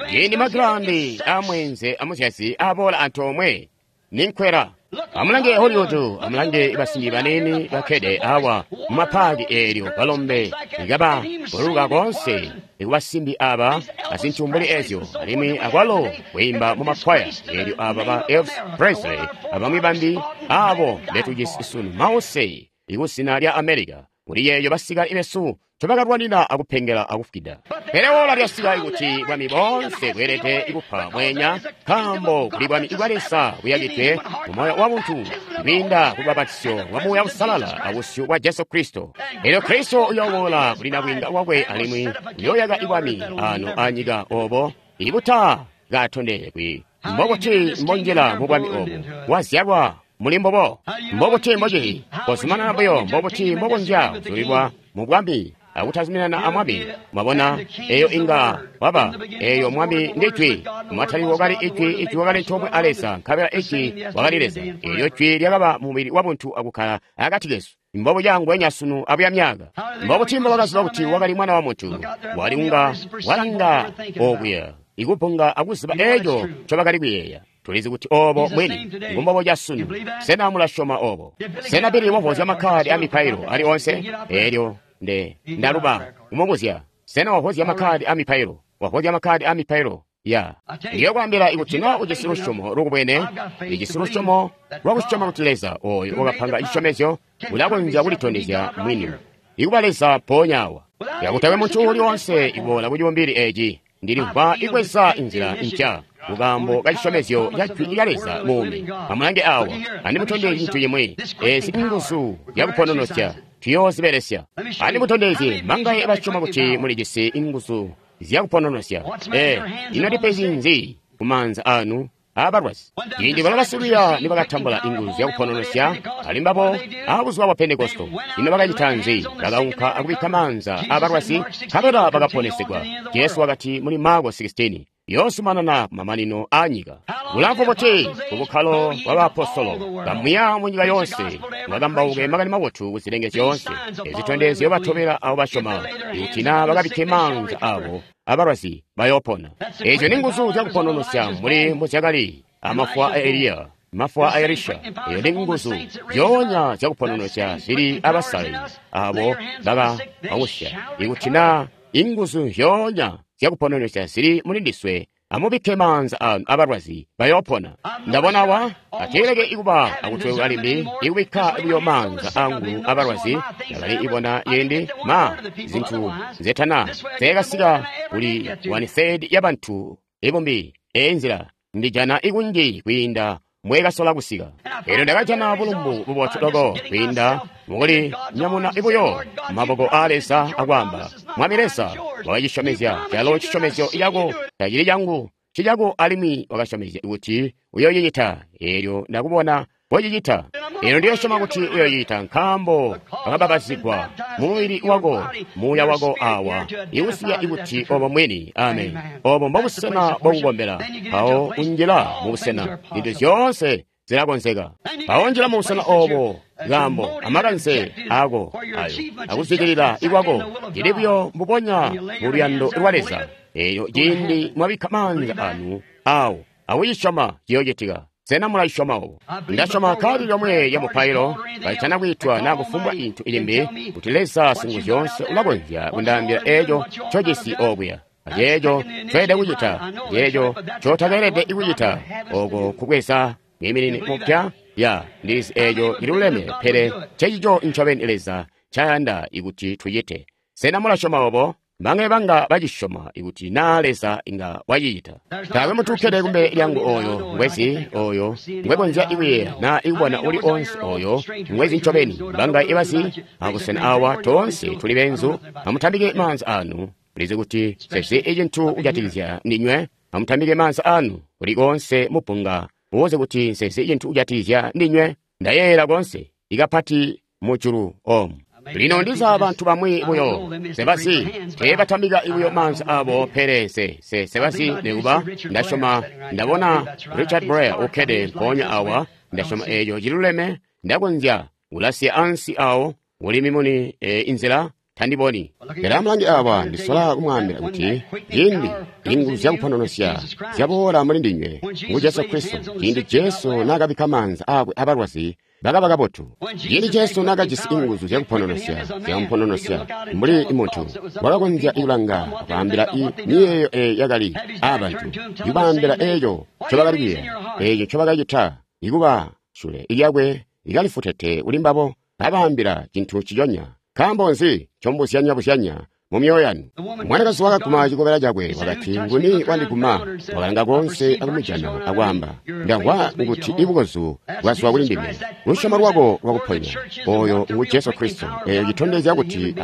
Speaker 1: Ciindi magilandi amweenze amuzyazi aboola antoomwe ninkwela. Amulange Hollywood, amulange basimbi baniini bakkede awa mumapaaki eelyo balombe ikaba buluka koonse ikubasimbi aba azintu mbuli ezyo, alimwi akwalo kwiimba mumakwaya eelyo aba ba Elvis Presley abamwi bambi abo betujisi sunu mause ikusina lya America kuli yeeyo basikale besu tobakalwanina akupengela akufukida. Pele ola lyasika ikuti bwami boonse bweelede ikupa mwenya, nkaambo kuli bwami bwa Leza buyakidwe mu moyo wa buntu kwiinda ku lubbapatizyo lwa Muuya Uusalala abusyu bwa Jesu Kristo. Elyo Kristo uyooboola kuli nabwiinga wakwe alimwi uyooyaka ibwami ano anyika obo ibuta katondekwi. Mbobuti mbonjila mu bwami obu wazyalwa muli mbobo? Mbobuti mbocili kozumanana buyo? Mbobuti mbokonzya kuzulilwa mu bwami akutazuminana amwami? Mwabona, eyo inga waba eyo mwami ndi jwi. Mataliko wakali ijwi, ijwi wakali antoomwe a Leza, nkabela ijwi wakali Leza. Elyo jwi lyakaba mubili wabuntu akukkala akati kesu. Mbobu cangwenya sunu abuya myaka. Mbobuti mbobakaziba kuti wakali mwana wa muntu? Wali unga walanga okuya ikupunga akuziba eco ncobakali kuyeeya. Tulizi kuti obo mwini ngumbobo ca sunu. Sena mulasyoma obo? Sena Bili wavozya makkadi a mipailo ali onse? Elyo nde ndaluba kumubuzya. Sena wavozya makkadi a mipailo? Wavozya makkadi a mipailo? Ya. Ndiyo kwaambila ikuti na ujisi lusyomo lukubwene, ijisi lusyomo lwakusyoma kuti Leza oyo wakapanga cisyomezyo ulakonzya kulitondezya mwini ikuba Leza mpoonya awa. Yakutakwe muntu uuli wonse iboola ku cibumbili eci, ndilimvwa ikweza inzila mpya kukaambo ka cisyomezyo ca jwi lya Leza muumi. Amulange awa, andimutondezye cintu cimwi. Ezi nguzu zyakupononosya tuyoozibelesya. Andimutondezye mangaye basyoma kuti mulijisi inguzu zyakupononosya. Eh, ino ndipezi nzi kumaanza anu abalwazi? Ciindi balo basikwiiya nibakatambula inguzu zyakupononosya ali mbabo abuzuba bwa Pentekosto, ino bakacita nzi? Bakaunka akubikka maanza abalwazi, nkabela bakaponesegwa. Jesu wakati muli Marko sixteen, yoozumanana kumamanino aanyika. Bulamfu buti kubukkalo bwa baapostolo bamwiya mu nyika yoonse bakambauke makani mabotu kuzilenge zyoonse. Ezitondezyo batobela abo basyoma, ikuti naa bakabikke maanza abo abalwazi bayoopona. Ezyo ni nguzu zyakupononosya mbuli mbuzyakali amafwa a Eliya, mafwa a Elisha. Eyo ni nguzu zyoonya zyakupononosya zili abasale abo bakababusya. Ikuti naa inguzu zyoonya zyakupononosya zili muli ndiswe, amubikke maanza anu abalwazi bayoopona. Ndabona wa ateeleke ikuba akutweka limbi ikubikka buyo maanza angu abalwazi. Ndakali ibona yindi ma zintu zetana zekasika kuli one third ya bantu ibumbi. Eyi nzila ndijana ikunji kwiinda mwekasola kusika. Elyo ndakajana bulumbu bubotu loko kwiinda mukuli nyamuna ibuyo maboko a Leza akwaamba, Mwami Leza wakacisyomezya calo cisyomezyo cako tacili cangu, cicako, alimwi wakasyomezya kuti uyoocicita. Elyo ndakubona mbocicita. Elyo ndiyosyoma kuti uyoocicita, nkaambo wakababazigwa mu mubili wako, muuya wako awa iusiya ikuti obo mwini. Amen. Obo mbobusena bwakukombela. Mpawo unjila mubusena, zintu zyoonse zilakonzeka. Mpawo njila mubusena obo, nkaambo amakanze ako ayo akuzwidilila ikwako cili buyo mbubonya mu luyando lwa Leza. Eyo ciindi mwabikka maanza anu awo akucisyoma ciyoocitika. Sena mulasyoma obo? Ndasyoma kali lyomwe lya mupailo kalitana kwiitwa naa kufumbwa intu ilimbi, kuti Leza Singuzyoonse ulakonzya kundaambila eco ncojisi okuya, Aceeco ncoelede kucita, ceeco ncotakeelede kucita, oko kubweza mwiiminini mupya. Ya, ndizi eeco ciluleme, pele ncecico ncobeni Leza ncayanda ikuti tucite. Sena mulasyoma obo? Mbangaye banga bacisyoma ikuti naa Leza inga wacicita? Taakwe muntu ukkede kumbele lyangu oyo ngwezi oyo ngwekonzya ikuyeeya naa ikubona uli onse oyo ngwezi ncobeni. Mbangaye ibazi abusena awa toonse tuli benzu. Amutambike maanza anu. Mulizi kuti sezi icintu kujatikizya ndinywe. Amutambike maanza anu kuli konse mupunga mubuze kuti nsezi icintu kujatikizya ndinywe. Ndayeeyela konse ikapati mujulu omu. Lino ndiza bantu bamwi buyo sebazi teebatambika buyo maanza abo, pele se se sebazi nekuba ndasyoma ndabona Richard Blair ukkede mpoonya awa. Ndasyoma eeco ciluleme. Ndakonzya kulasiya ansi awo uli mimuni e, inzila tandiboni. Pele amulange awa, ndisola kumwaambila kuti ciindi inguzu zyakupononosya zyaboola muli ndinywe ngu Jesu Kristo. Ciindi Jesu naakabikka maanza aakwe abalwazi bakaba kabotu. Ciindi Jesu naakajisi inguzu zyakupononosya zyamupononosya mbuli muntu wakakonzya kulanga akwaambila miyeeyo eyo yakali aabantu, ikubaambila eeco ncobakali kuyeeya, eeco ncobakacita, ikuba sule lyakwe ikalifutete kuli mbabo, kabaambila cintu nciconya. Nkaambo nzi ncomubuzyanya-buzyanya mumyoyo yanu? Mwanakazi wakaguma cikobela cakwe wakati, nguni wandiguma? Wakalanga konse akumujana akwaamba, ndamvwa kuti ibukozu bwazwa kuli ndime. Lusyomo lwako lwakuponya. Oyo ngu Jesu Kristo. Eyo citondezya kuti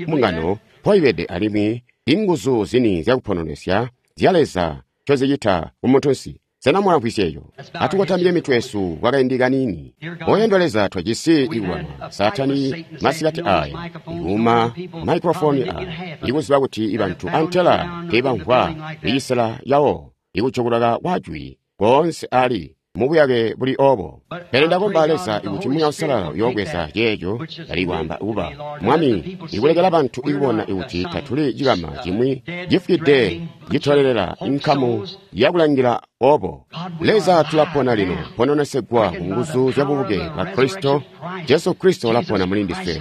Speaker 1: mbungano mpoibede alimwi inguzu zini zyakupononesya zya Leza ncozicita kumuntunsi. Sena mulamvwisya eco? Atukotamike mitwe yesu kwakaindi kaniini. Oyandwa Leza, twajisi ikulwana Saatani masikati aya, ikuuma maikrofoni aya, ikuziba kuti ibantu antela teebamvwa icisela yawo, ikujokolaka kwajwi koonse ali mubuyake buli obo. Pele ndakomba Leza ikuti Muuya Uusalala uyoobweza ceeco cali kwaamba kuba Mwami, ikulekela bantu ikubona ikuti tatuli cikama cimwi cifwide citolelela inkamu yakulangila obo. Leza, tulapona lino, pononesegwa ku nguzu zya bubuke bwa Kristo. Jesu Kristo ulapona muli ndiswe.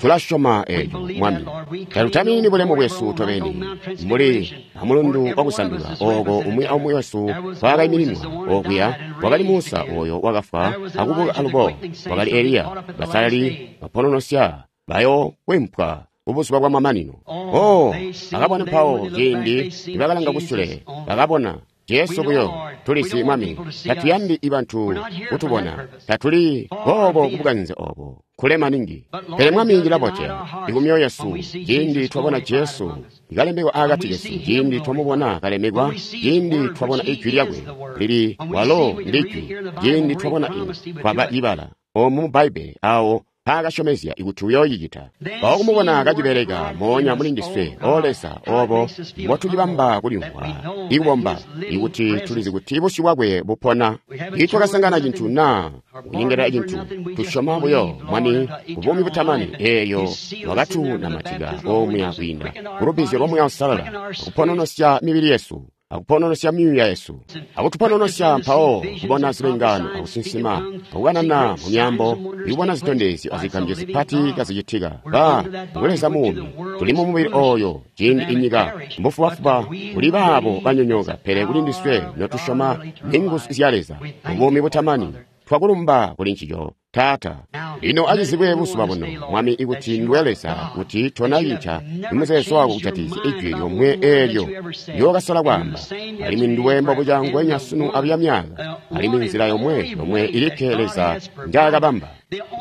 Speaker 1: Tulasyoma eco, Mwami. Tatutamini bulemu bwesu tobeni mbuli amulundu wakusandula oko umwi aumwi wesu kwaakaimininwa. Okuya wakali Musa oyo wakafwa akubuka alubo, wakali Eliya, basalali bapononosya bayokwempwa kubuzuba bwa mamanino. Oh, bakabona mpawo ciindi nibakalanga kusule, bakabona Jesu buyo. Tulizi Mwami, tatuyandi ibantu kutubona, tatuli boobo kubukanze obo kule maningi. Pele Mwami cilabotya ikumyoyo yesu ciindi twabona Jesu ikalemekwa akati kesu, ciindi twamubona kalemekwa, ciindi twabona ijwi lyakwe lili walo ndijwi, ciindi twabona twaba ibala omu mu Bbaibbele awo paakasyomezya ikuti uyoocicita. Mpawo kumubona kacibeleka moonya muli ndiswe, O Leza, obo mbotucibamba kulimvwa ikubomba ikuti tulizi kuti busyu bwakwe bupona. Itwakasangana cintu naa kunyengelela cintu, tusyoma buyo Mwami kubuumi butamani eeyo wakatunamatika omuya kwiinda kulubizyo lwa Muuya Uusalala, akupononosya mibili yesu, akupononosya myuuya yesu, akutupononosya mpawo kubona zilengano, akusinsima, akukanana mu myambo, ikubona zitondezyo azigambyo zipati kazicitika. Ba ngu Leza muumi, tuli mu mubili oyo ciindi inyika mbufubafuba kuli baabo banyonyoka, pele kuli ndiswe notusyoma ninguzu zya Leza mubuumi butamani. Twakulumba kuli ncico, Taata. Lino acizibwe buzuba buno, Mwami, ikuti nduwe Leza, kuti tonacinca imuzeezo wako kujatikizya ijwi lyomwe eelyo lyokasala kwaamba, alimwi nduwe mbobuca ngwenya sunu abuya myaka, alimwi nzila yomwe yomwe ilikke Leza njaakabamba.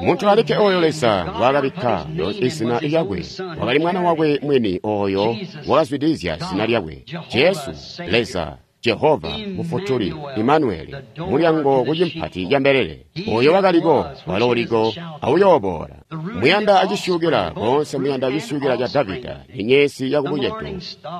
Speaker 1: Muntu alikke oyo Leza ngwaakabikka izina lyakwe wakali Mwana wakwe mwini oyo wakazwidilizya zina lyakwe, Jesu, Leza, Jehova, Mufutuli, Imanueli, mulyango kucimpati ca mbelele, oyo wakaliko, walo uliko, auyooboola. Muyanda acisyukila, koonse muyanda acisyukila ca Davida, nyenyezi yakubucedo,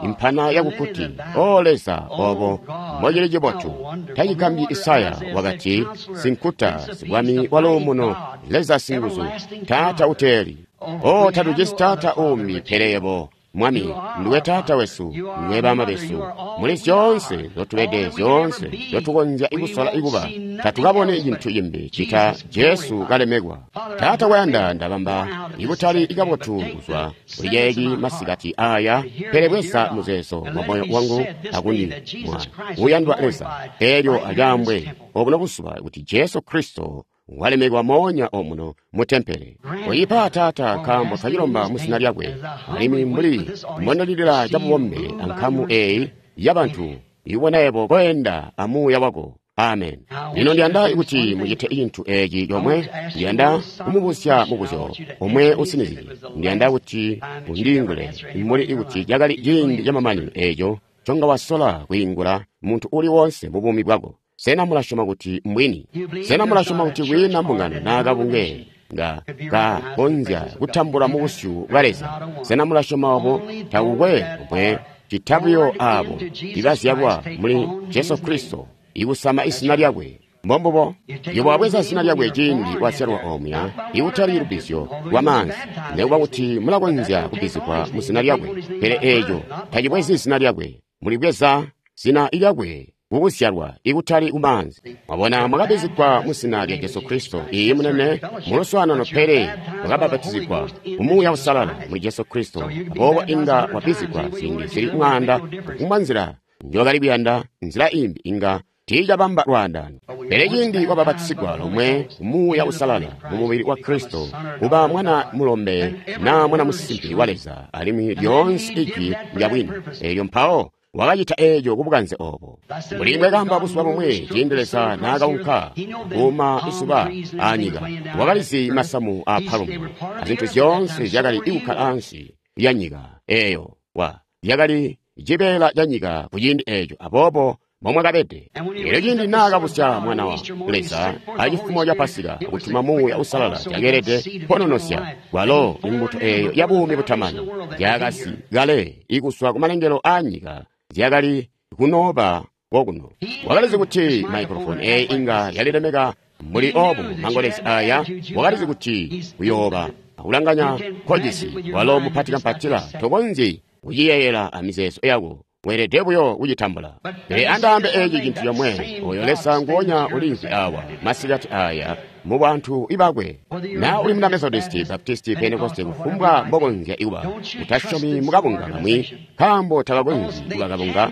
Speaker 1: impana yakukuti. O Leza, obo mbocili cibotu. Tacigambyi Isaya wakati, sinkuta, sibwami waluumuno, Leza singuzu, Taata uteeli. O, tatujisi Taata uumbi pele yebo, Mwami, nduwe Taata wesu, nduwe Baama besu. Muli zyoonse nzyotubede, zyoonse nzyotukonzya kusola kuba, tatukabone cintu cimbi cita Jesu kalemekwa. Taata kwayanda ndabamba ikutali kabotu kuzwa kuli ceeci masikati aya, pele bweza muzeezo mwa moyo wangu akundi mwa uyandwa Leza, elyo acaambwe obuno buzuba kuti Jesu Kristo walemekwa moonya omuno mu tempele. Koyipa Taata, nkaambo twacilomba mu zina lyakwe, alimwi mbuli mbondalilila cabubombe ankamu eyi yabantu, ibona yebo koenda amuuya wako. Amen. Lino ndiyanda kuti mucite cintu eci comwe. Ndiyanda kumubuzya mubuzyo omwe usinizye. Ndiyanda kuti undiingule mbuli kuti cakali ciindi camamanino eco conga wasola kwiingula muntu uli wonse mu buumi bwako. Sena mulasyoma kuti mbwini? Sena mulasyoma kuti kwiina mbungano naa kabunge nga kakonzya kutambula mu busyu bwa Leza? Sena mulasyoma obo? Takukwe omwe cita buyo abo ibazyalwa muli Jesu Kristo ikusama izina lyakwe. Mbombubo, iwe wabweza zina lyakwe ciindi wazyalwa omuya, ikutali lubbizyo lwa maanzi, nekuba kuti mulakonzya kubbizigwa mu zina lyakwe, pele eeco tacibwezi zina lyakwe. Mulibweza zina lyakwe kukuzyalwa ikutali kumaanzi. Mwabona, mwakabbizigwa mu zina lya Jesu Kristo, iyi munene muluswaanano, pele mwakabbapatizigwa mu Muuya Uusalala muli Jesu Kristo. Aboobo inga wabbizigwa ziindi zili mwaanda kufumbwa nzila njokali kuyanda, nzila imbi inga tiicabamba lwaandano. Pele ciindi wabapatizigwa lomwe Muuya Uusalala mu mubili wa Kristo, kuba mwana mulombe naa mwana musimbi wa Leza, alimwi lyoonse ijwi lya bwini, elyo mpawo wakacita eeco kubukanze obo. Mbuli mbwekaamba buzuba bumwi, ciindi Leza naakaunka kuuma isuba anyika, wakalizi masamu a palumu azintu zyoonse zyakali kukkala ansi lya nyika eeyo, wa zyakali cibeela ca nyika ku ciindi eeco, aboobo mbomwakabede. Elyo ciindi naakabusya mwana wa Leza acifumo ca Pasika kutuma Muuya Uusalala, cakeelede kononosya kwalo imbuto eeyo ya buumi butamani zyakasi kale ikuswa kumalengelo aanyika zyakali kunooba kokuno. Wakalizi kuti maikrofoni eeyi inga yalilemeka mbuli obu mangolezi aya. Wakalizi kuti kuyooba akulanganya nkojisi walo mupati kampatila, tokonzyi kuciyeeyela amizeezo yako, weelede buyo kucitambula. Pele andaambe eci cintu comwe, oyo Leza nguonya uliimvwi awa masikati aya mu bantu ibakwe. Na uli muna Methodisti, Baptisti, Pentekoste, kufumbwa mbokonzya kuba, utasyomi mukabunga kamwi, nkaambo takakonzyi kuba kabunga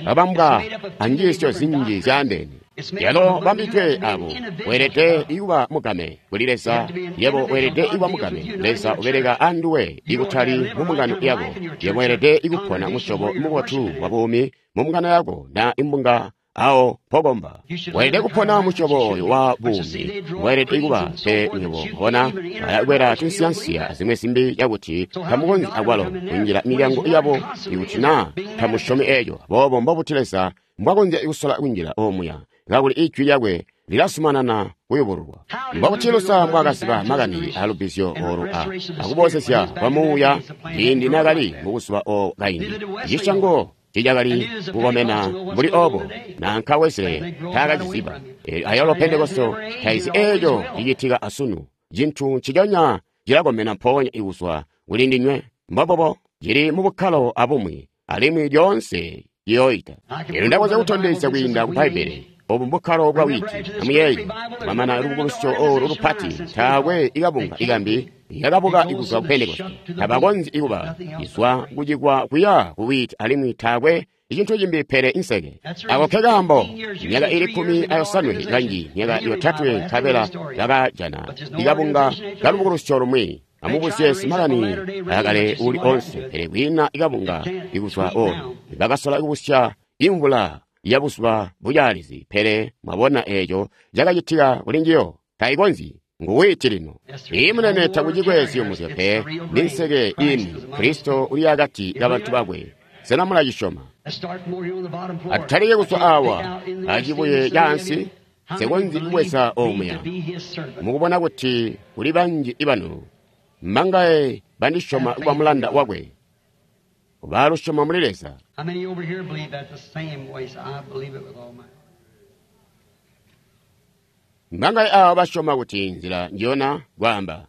Speaker 1: kabambwa anjiisyo zinji zyaandeene. Yalo bambidwe abo, weelede kuba mugame kuli Leza. Yebo weelede kuba mugame. Leza ubeleka anduwe ikutali mu mbungano yako. Yebo weelede kupona musyobo mubotu wa buumi mu mbungano yako na imbunga awo pokomba. Weelede kupona musyobo oyo wa buumi. Weelede kuba pe nywebo bona balakwela tunsiyansiya azimwe zimbi cakuti tamukonzyi akwalo kunjila milyango yabo ikuti naa tamusyomi eeco. Aboobo mbobuti Leza mbwakonzya kusola kunjila omuya kakuli ijwi lyakwe lilazumanana kuyubululwa? Mbobuti Luther mbwaakaziba makani alubbizyo olu a akuboozezya kwa Muuya ciindi naakali mubuzuba o kaindi? Cisyango ticakali kukomena mbuli obo, nanka Wesley taakaciziba. Ayalo Pentekoste taizi eeco cicitika asunu. Cintu nciconya cilakomena mpoonya ikuzwa kuli ndinywe. Mbobobo cili mubukkalo abumwi, alimwi lyoonse ciyooita. Elyo ndakonzya kutondezya kwiinda ku Bbaibbele obu mbukkalo bwa witi. Amuyeeye, mwamana lubukulusyo olu lupati, taakwe ikabunga ikambi yakabuka ikuzwa ku Pentekoste. Tabakonzyi kuba izwa kucikwa kuya ku witi, alimwi taakwe icintu cimbi pele inseke. Ako ke kaambo myaka ili kkumi ayosanwe kanji myaka yotatwe nkabela bakajana ikabunga kalubukulusyo lumwi. Amubuzye simakani akale uli onse, pele kwiina ikabunga ikuzwa olu. Bakasola kubusya imvula ya buzuba bucaalizi, pele mwabona eeco cakacitika kuli njiyo. Taikonzyi. Nguwiti lino. Iyi munene takucikwe ziyumuzyo pe, ni nseke ini. Kristo uli akati kabantu bakwe. Sena mulacisyoma? Atutalike kuzwa awa acibuye caansi, nsikonzyi kubweza omuya. Mukubona kuti kuli banji ibanu mbangaye bandisyoma kuba mulanda wakwe, balusyoma muli Leza.
Speaker 2: How many over here believe that the same way? I believe it with all my
Speaker 1: Mbangaye aabo basyoma kuti nzila njiyona kwaamba,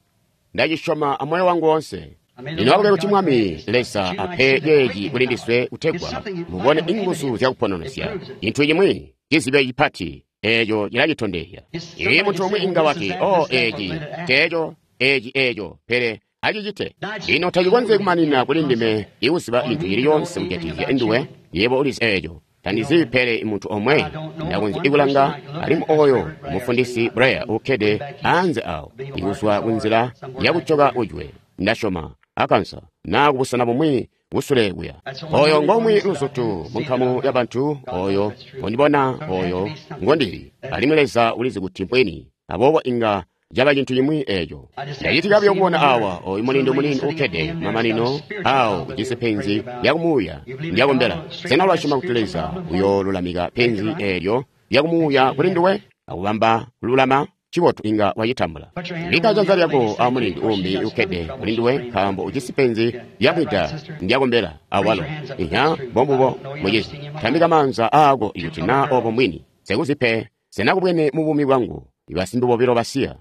Speaker 1: ndacisyoma amoyo wangu wonse. Lino akube kuti Mwami Leza ape ceeci kuli ndiswe kutegwa mubone inguzu zyakupononesya. Cintu cimwi cizibyo cipati eeco cilacitondezya. Ii muntu umwi inga wati, "Oh, eeci teeco, eeci eeco," pele acicite. Lino tacikonzyi kumanina kuli ndime ikuziba cintu cili coonse kujatikizya nduwe. Yebo ulizi eeco. Tandizi pele muntu omwe ndakonzya ikulanga, alimwi oyo mufundisi Blair ukkede anze awo, ikuzwa kunzila yakucoka ujwe, ndasyoma, Arkansas, naa kubusena bumwi kusule kuya. Oyo ngomwi luzutu munkamu ya bantu, oyo ngondibona, oyo ngondili, alimwi Leza ulizi kuti mbweni. Aboobo inga caba cintu cimwi eeco. Ndacitika buyo kubona awa oyu mulindu muniini ukkede mamanino awo ujisi penzi lyakumuuya ndyakombela. Sena ulasyoma kuti Leza uyoolulamika penzi eelyo lyakumuuya kuli nduwe akubamba kululama? Cibotu, inga wacitambula. Bikka janza lyako a mulindu umbi ukkede kuli nduwe, nkaambo ujisi penzi lyamwida ndyakombela awalo. Inya, mbombubo, mucizi. Tambika maanza aako ikuti naa obo mbwini. Sekuzi pe, sena kubwene mu buumi bwangu ibasimbi bobilo basiya.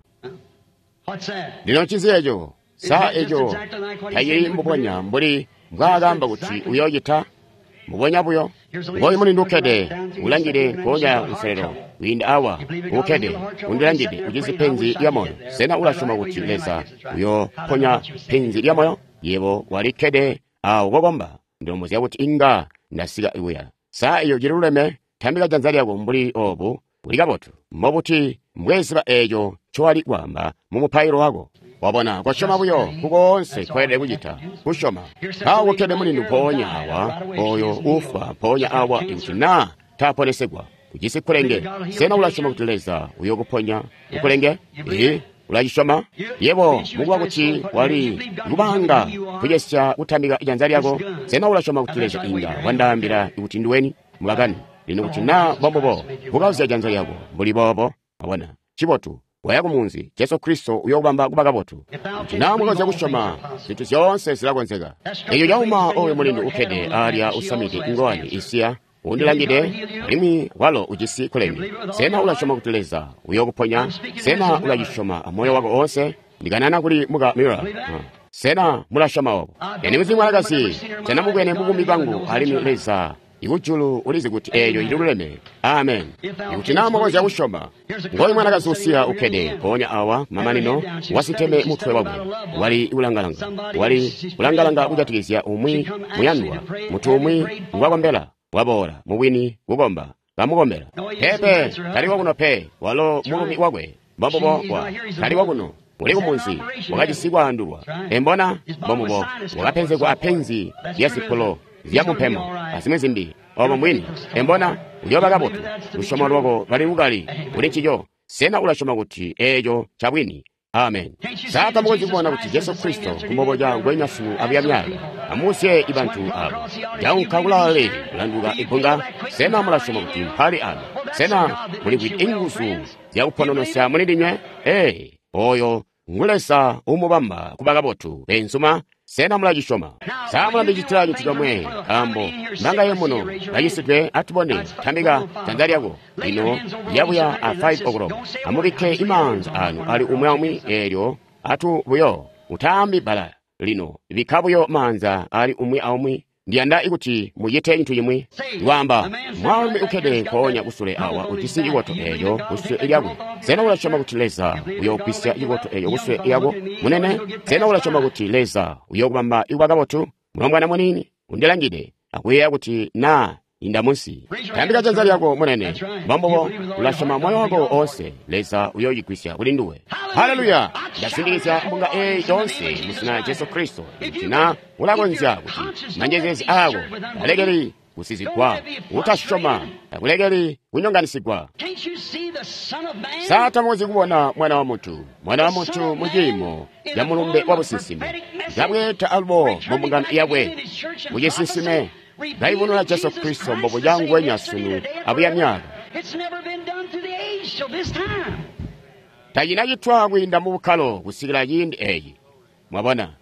Speaker 1: Lino ncinzi eco? Sa eco tacili mbubonya mbuli mbwaakaamba kuti uyoocita? Mbubonya buyo. Ngooyu mulindu ukkede, ulangide nkoonya kunselelo, kwiinda awa, ukkede, undilangide, ujisi penzi lya moyo. Sena ulasyoma kuti Leza uyoponya penzi lya moyo? Yebo walikkede awo kokomba. Ndilombozya kuti inga ndasika kuya. Sa eco cililuleme? Tambika janza lyako mbuli obu. Uli kabotu. Mbobuti mbweziba eeco ncowali kwaamba mu mupailo wako? Wabona, kosyoma buyo kukoonse koelede kucita, kusyoma. Mpawo kukkede mulindu mpoonya awa, oyo ufwa mpoonya awa ikuti naa taaponesegwa. Ujisi kkulenge. Sena ulasyoma kuti Leza uyokuponya kkulenge? Ee, ulacisyoma? Yebo, mukuba kuti wali kubanga kucesya kutambika janza lyako, sena ulasyoma kuti Leza inga wandaambila kuti nduweni? Mubakani. Lino kuti naa mbombubo, bukauzya janza lyako mbuli boobo. Wabona, cibotu. Waya kumunzi, Jesu Kristo uyokubamba kuba kabotu. Kuti naa mukonzya kusyoma, zintu zyoonse zilakonzeka. Eco cauma oyo mulindu ukkede alya usamide ngowani isiya, undilangide, alimwi walo ujisi kkulenge. Sena ulasyoma kuti Leza uyokuponya? Sena ulacisyoma amoyo wako oonse? Ndikanana kuli muka Miller. Sena mulasyoma obo? Eni muzi mwanakazi, sena mubwene mubuumi bwangu, alimwi Leza ikujulu ulizi kuti eeyo ililuleme. Amen. Ikuti naa mukonzya kusyoma. Ngooyu mwanakazi usiya ukkede mpoonya awa mamanino wasiteme mutwe wakwe. Wali kulangalanga. Wali kulangalanga kujatikizya umwi muyandwa, muntu umwi ngwakombela. Waboola mubwini kukomba, kamukombela. Pepe, tali wakuno pe, walo mulumi wakwe. Mbombubo wa, tali wakuno. Uli kumunzi, wakajisi kwaandulwa. Embona, mbombubo, wakapenzegwa apenzi lya zipulo zyamumpemo azimwi zimbi. Obo mbwini. Embona, uyooba kabotu. Lusyomo lwako lwali lukali kuli ncico. Sena ulasyoma kuti eeco ncabwini? Amen. Sa tamukonzyi kubona kuti Jesu Kristo kumboboca ngwenya sunu abuya myaka? Amuusye ibantu abo. Jaunka kulaale kulanduka ibbunga. Sena mulasyoma kuti mpali ano? Sena mulimvwide inguzu zyakupononosya muli ndinywe? Ee, oyo ngu Leza umubamba kuba kabotu, beenzuma. Sena mulacisyoma? Sa mulandicitila cintu comwe, nkaambo mbangaye muno bacisidwe? Atubone, tambika janza lyako. Lino lyabuya a five o'clock. Amubikke imaanza anu ali umwi aumwi eelyo atu buyo. Utaambi bbala lino, bikka buyo maanza ali umwi aumwi. Ndiyanda kuti mucite cintu cimwi. Kwaamba, mwaalumi ukkede mpoonya kusule awa ujisi cikoto eeco kusule lyakwe. Sena ulasyoma kuti Leza uyogwisya cikoto eeco kusule lyako, munene? Sena ulasyoma kuti Leza uyokubamba ikuba kabotu? Mulombwana muniini undilangide akuyeeya kuti naa inda munsi. Tambika janza lyako, munene. Mbombubo, ulasyoma moyo wako oonse, Leza uyoyigwisya kuli nduwe. Haleluya! Ndasindikizya mbunga eeyi yoonse mu zina Jesu Kristo. Ikuti naa ulakonzya kuti manjezeezi aako alekeli kusizigwa, utasyoma akulekeli kunyonganisigwa. Sa tamukonzyi kubona Mwana wa Muntu, Mwana wa Muntu mu ciimo ca mulumbe wa businsimi, kabweeta alubo mu mbungano yakwe mu cisinsime, kaibununa Jesu Kristo mbobuca ngwenya sunu abuya myaka. Tacina citwa kwiinda mu bukkalo kusikila ciindi eeci. Mwabona,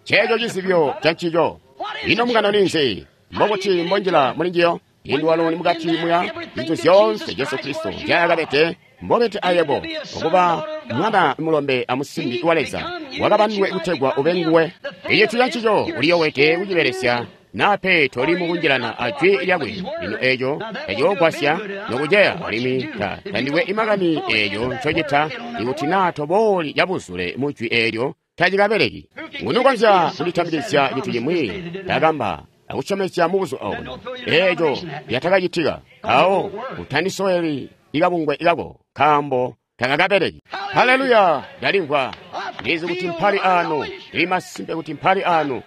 Speaker 1: ceeco cizibyo ca ncico. Ino mbungano ninzi? Mbokuti mbonjila muli njiyo? Ino walo ni mukati muya zintu zyoonse Jesu Kristo nzyaakabede, mbobete ayebo, okuba mwana mulombe amusimbi wa Leza, wakabandwe kutegwa ube nguwe. Icintu ca ncico uliyowede kucibelesya naa pe toli mukunjilana a jwi lyakwe. Lino eeco taciyoogwasya nokuceya alimwi ta tandikwe imakani eeco ncocita ikuti naa tobooli cabuzule mu jwi eelyo tacikabeleki. Nguni ukonzya kulitambikizya cintu cimwi ndakamba akusyomezya mubuzuba obuno eeco lyatakacitika? Mpawo utandisoweli ikabungwe kako nkaambo takakabeleki. Haleluya! Ndalimvwa. Ndizi kuti mpali ano. Ndili masimpe kuti mpali ano.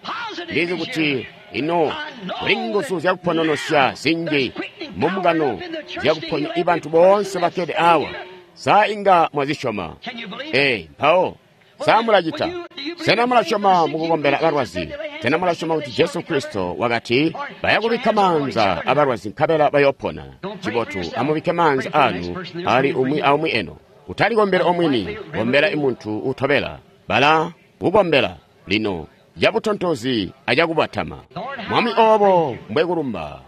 Speaker 1: Ndizi kuti ino kuli nguzu zyakupononosya zinji mumbungano zyakuponya ibantu boonse bakkede awa. Sa inga mwazisyoma? Ee, mpawo sa mulacita? Sena mulasyoma mukukombela balwazi? Sena mulasyoma kuti Jesu Kristo wakati bayakubikka maanza abalwazi nkabela bayopona? Cibotu, amubikke maanza anu ali umwi aumwi eno. Utalikombela omwini, kombela imuntu utobela. Bala kukombela lino cabutontozi acakubatama. Mwami obo mbwekulumba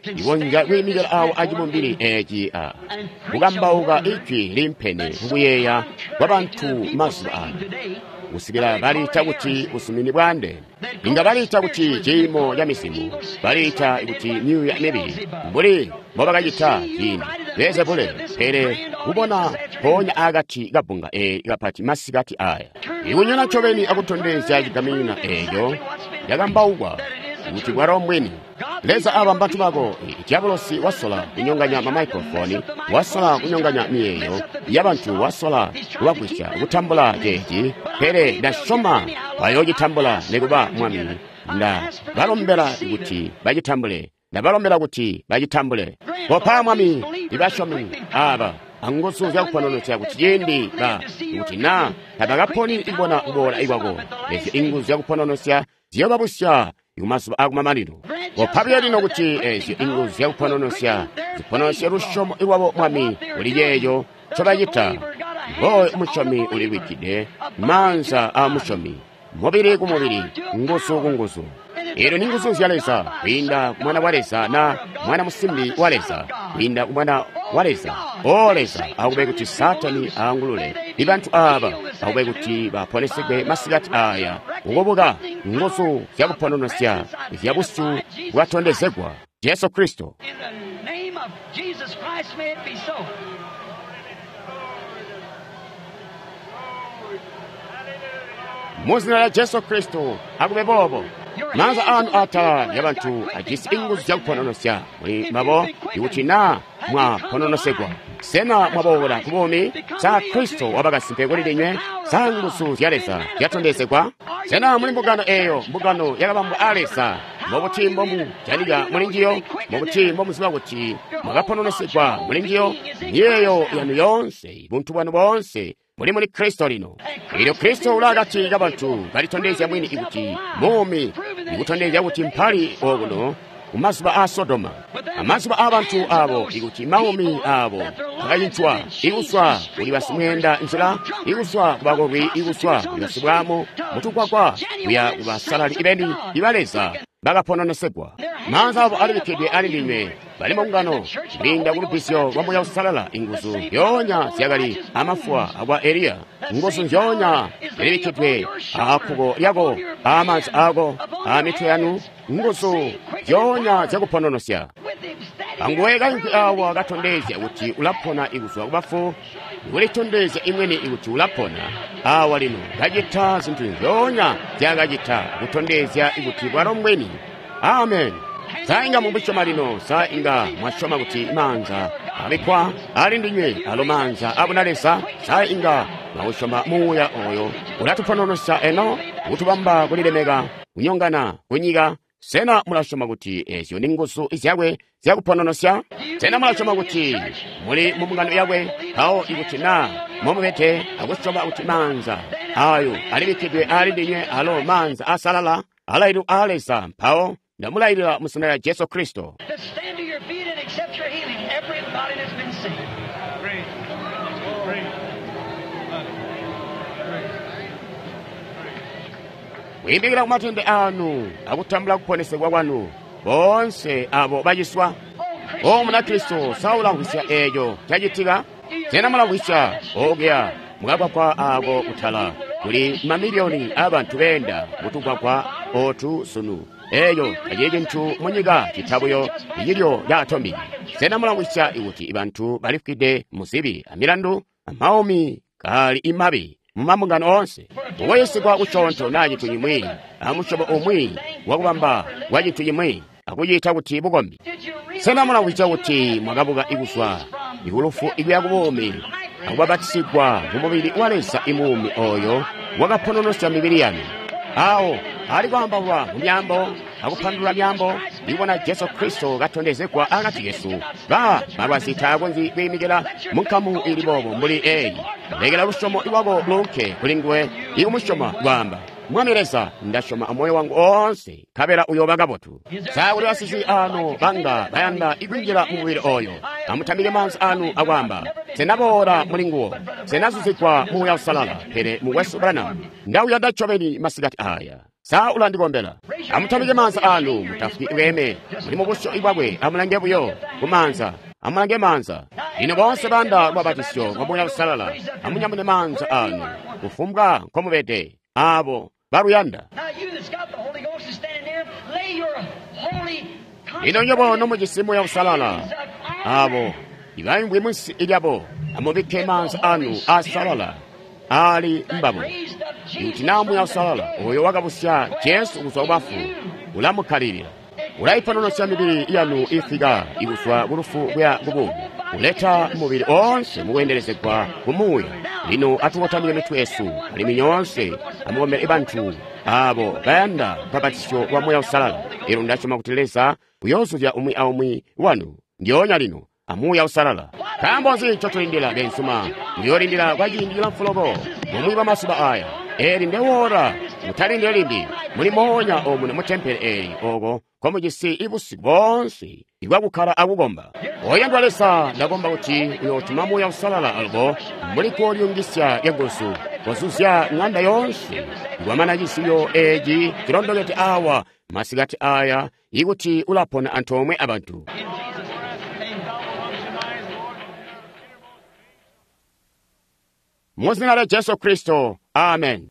Speaker 1: ikonzya kwiimikila awo acibumbili eeci a kukambauka ijwi limpene kukuyeeya kwabantu mazuba ano kusikila baliita kuti busumini bwaandeene. Inga baliita kuti ciimo ca mizimu, baliita kuti myuuya mibi, mbuli mbobakacita ciindi Beelzebule. Pele kubona mpoonya akati kabbunga eeli kapati masikati aya, ikunyona ncobeni akutondezya cigaminina eeco cakambaukwa kuti bwalo mbwini. Leza aba mbantu bako. Diabolosi wasola kunyonganya mamaikrofoni, wasola kunyonganya miyeeyo yabantu, wasola kubagwisya kutambula ceeci, pele ndasyoma bayoocitambula nikuba Mwami. Nda balombela kuti bacitambule, ndabalombela kuti bacitambule. Kopa Mwami ibasyomi aba anguzu zyakupononosya kuti ciindi ba kuti naa tabakaponi ibona kuboola ikwako, ezyo inguzu zyakupononosya ziyobabusya kumazuba akumamanino. Kopa buyo lino kuti ezyo inguzu zyakupononosya zipononosye lusyomo lwabo Mwami kuli ceeco ncobacita. Ngooyo musyomi ulibikkide maanza aa musyomi, mubili ku mubili, nguzu ku nguzu. Eelyo ni nguzu zya Leza kwiinda ku Mwana wa Leza na mwana musimbi wa Leza, kwiinda ku Mwana wa Leza. O Leza, akube kuti Saatani aangulule ibantu aaba, akube kuti baponesegwe masikati aya kukubuka nguzu zyakupononosya zya busyu bwatondezegwa Jesu Kristo.
Speaker 2: In the name of Jesus Christ, may it be so.
Speaker 1: Mu zina lya Jesu Kristo akube boobo. Maanza anu atala lyabantu ajisi inguzu zyakupononosya muli mbabo ikuti naa mwapononosegwa. Sena mwaboola ku buumi? Sa Kristo wabakasimpe kuli ndinywe? Sa nguzu zya Leza zyatondezegwa? Sena muli mbungano eeyo, mbungano yakabambwa a Leza? Mbobuti mbomujanika muli njiyo? Mbobuti mbomuziba kuti mwakapononosegwa muli njiyo? Miyeeyo yanu yoonse, buntu bwanu boonse muli muli Kristo lino. Eelyo Kristo uli akati kabantu kalitondezya mwini kuti muumi, ikutondezya kuti mpali okuno kumazuba a Sodoma, amazuba aabantu abo, ikuti maumi abo akacincwa, ikuswa kuli basimweenda nzila, ikuswa kubakolwi, ikuswa kuli basibwamo mutukwakwa, kuya kubasalali ibeni iba Leza bakapononosegwa. Maanza abo alibikkidwe ali ndinywe, bali mbungano kwiinda ku lubbizyo lwa Muuya Uusalala. Inguzu nzyoonya zyakali amafuwa akwa Eliya, nguzu nzyoonya zilibikkidwe aakkuko lyako, aamaanza ako, aamitwe yanu, nguzu nzyoonya zyakupononosya. Anguwe kaimvwi awa katondezya kuti ulapona ikuzwa kubafu, kulitondezya imwene ikuti ulapona awa lino, kacita zintu nzyoonya zyakacita kutondezya ikuti bwalo mbwini. Amen. Sa inga mumbusyoma lino? Sa inga mwasyoma kuti maanza abikkwa ali ndinywe alo maanza abuna Leza? Sa inga mwausyoma muuya oyo ulatupononosya eno kutubamba kulilemeka kunyongana kunyika? Sena mulasyoma kuti ezyo ni nguzu zyakwe zyakupononosya? Sena mulasyoma kuti muli mu mbungano yakwe? Mpawo ikuti naa momubede akusyoma kuti maanza ayo alibikkidwe ali ndinywe alo maanza asalala alaililwa a Leza, mpawo ndamulailila mu zina lya Jesu Kristo.
Speaker 2: To stand to your feet and accept your healing, everybody that's been sick.
Speaker 3: Great. Great. Great.
Speaker 1: Kuyimikira kumatende anu akutambula kuponesegwa kwanu bonse abo baciswa. O Munakristo, saulamvwisya eeco cacitika? Sena mulamvwisya okuya mukakwakwa ako kutala Kuli mamiliyoni aabantu beenda mutugwagwa otu sunu. Eeyo tacili cintu munyika cita buyo icilyo ca atombiki. Sena mulamvwisya kuti bantu balifwide muzibi amilandu amaumi kaali imabi mumambungano oonse? Kukoyesigwa kucoonto naa cintu cimwi amusyobo umwi wakubamba kwa cintu cimwi akuciita kuti bukombi. Sena mulamvwisya kuti mwakabuka ikuzwa ikulufu ikuya kubuumi akubabatisigwa mumubili wa Leza imuumi oyo wakapononosya mibili yanu? Awo ali kwaambaulwa mu myaambo akupandulula myaambo, ndikubona Jesu Kristo katondezegwa akati kesu. Ba malwazi taakonzyi kwiimikila munkamu ili boobo mbuli eyi. Lekela lusyomo lwako luunke kuli nguwe ikumusyoma kwaamba, Mwami Leza, ndasyoma amoyo wangu oonse, nkabela uyooba kabotu. Sa kuli basizwi ano banga bayanda ikwinjila mu mubili oyo? Amutambike maanza anu akwaamba, Senaboola muli nguwo, senazuzigwa Muuya Uusalala, pele mukwesu Branham, ndauyanda ncobeni masikati aya. Sa ulandikombela? Amutambike maanza anu, mutafwi bweeme. Muli mubusyu bwakwe, amulange buyo kumaanza. Amulange maanza. Lino boonse banda lwabatisyo lwa Muuya Uusalala, amunyamune maanza anu, kufumbwa nkomubede, abo baluyanda.
Speaker 2: Now you that's got the Holy Ghost is standing there, lay your holy
Speaker 1: Lino nyobo nomujisi Muuya Uusalala, abo ibaimvwi munsi lyabo, amubikke maanza anu aasalala ali mbabo. Kuti naa Muuya Uusalala oyo wakabusya Jesu kuzwa kubafu ulamukkalilila, ulaipononosya mibili yanu ifika ikuzwa kulufu kuya kubuumi, uleta mubili oonse mukweendelezegwa ku Muuya. Lino atukotamike mitwe yesu alimwi nyoonse amukombele bantu abo bayanda lubbapatizyo lwa Muuya Uusalala. Elyo ndasyoma kuti Leza uyoozuzya umwi aumwi wanu ndyoonya lino a Muuya Uusalala. Nkaambo nzi ncotulindila, beenzuma? Muyoolindila kwa ciindi cilamfu loko bumwi bwa mazuba aya. Eli ndewoora, mutalindile limbi. Muli moonya omuno mu tempele eli oko nkomujisi ibusiku boonse ibwakukkala akukomba. Oyandwa Leza, ndakomba kuti uyootuma Muuya Uusalala alubo mbuli kolyungisya lyanguzu kozuzya ŋanda yoonse ikwamana cisiyo eci cilondokede awa masikati aya ikuti ulapona antoomwe abantu. Mu zina lya Jesu Kristo, amen.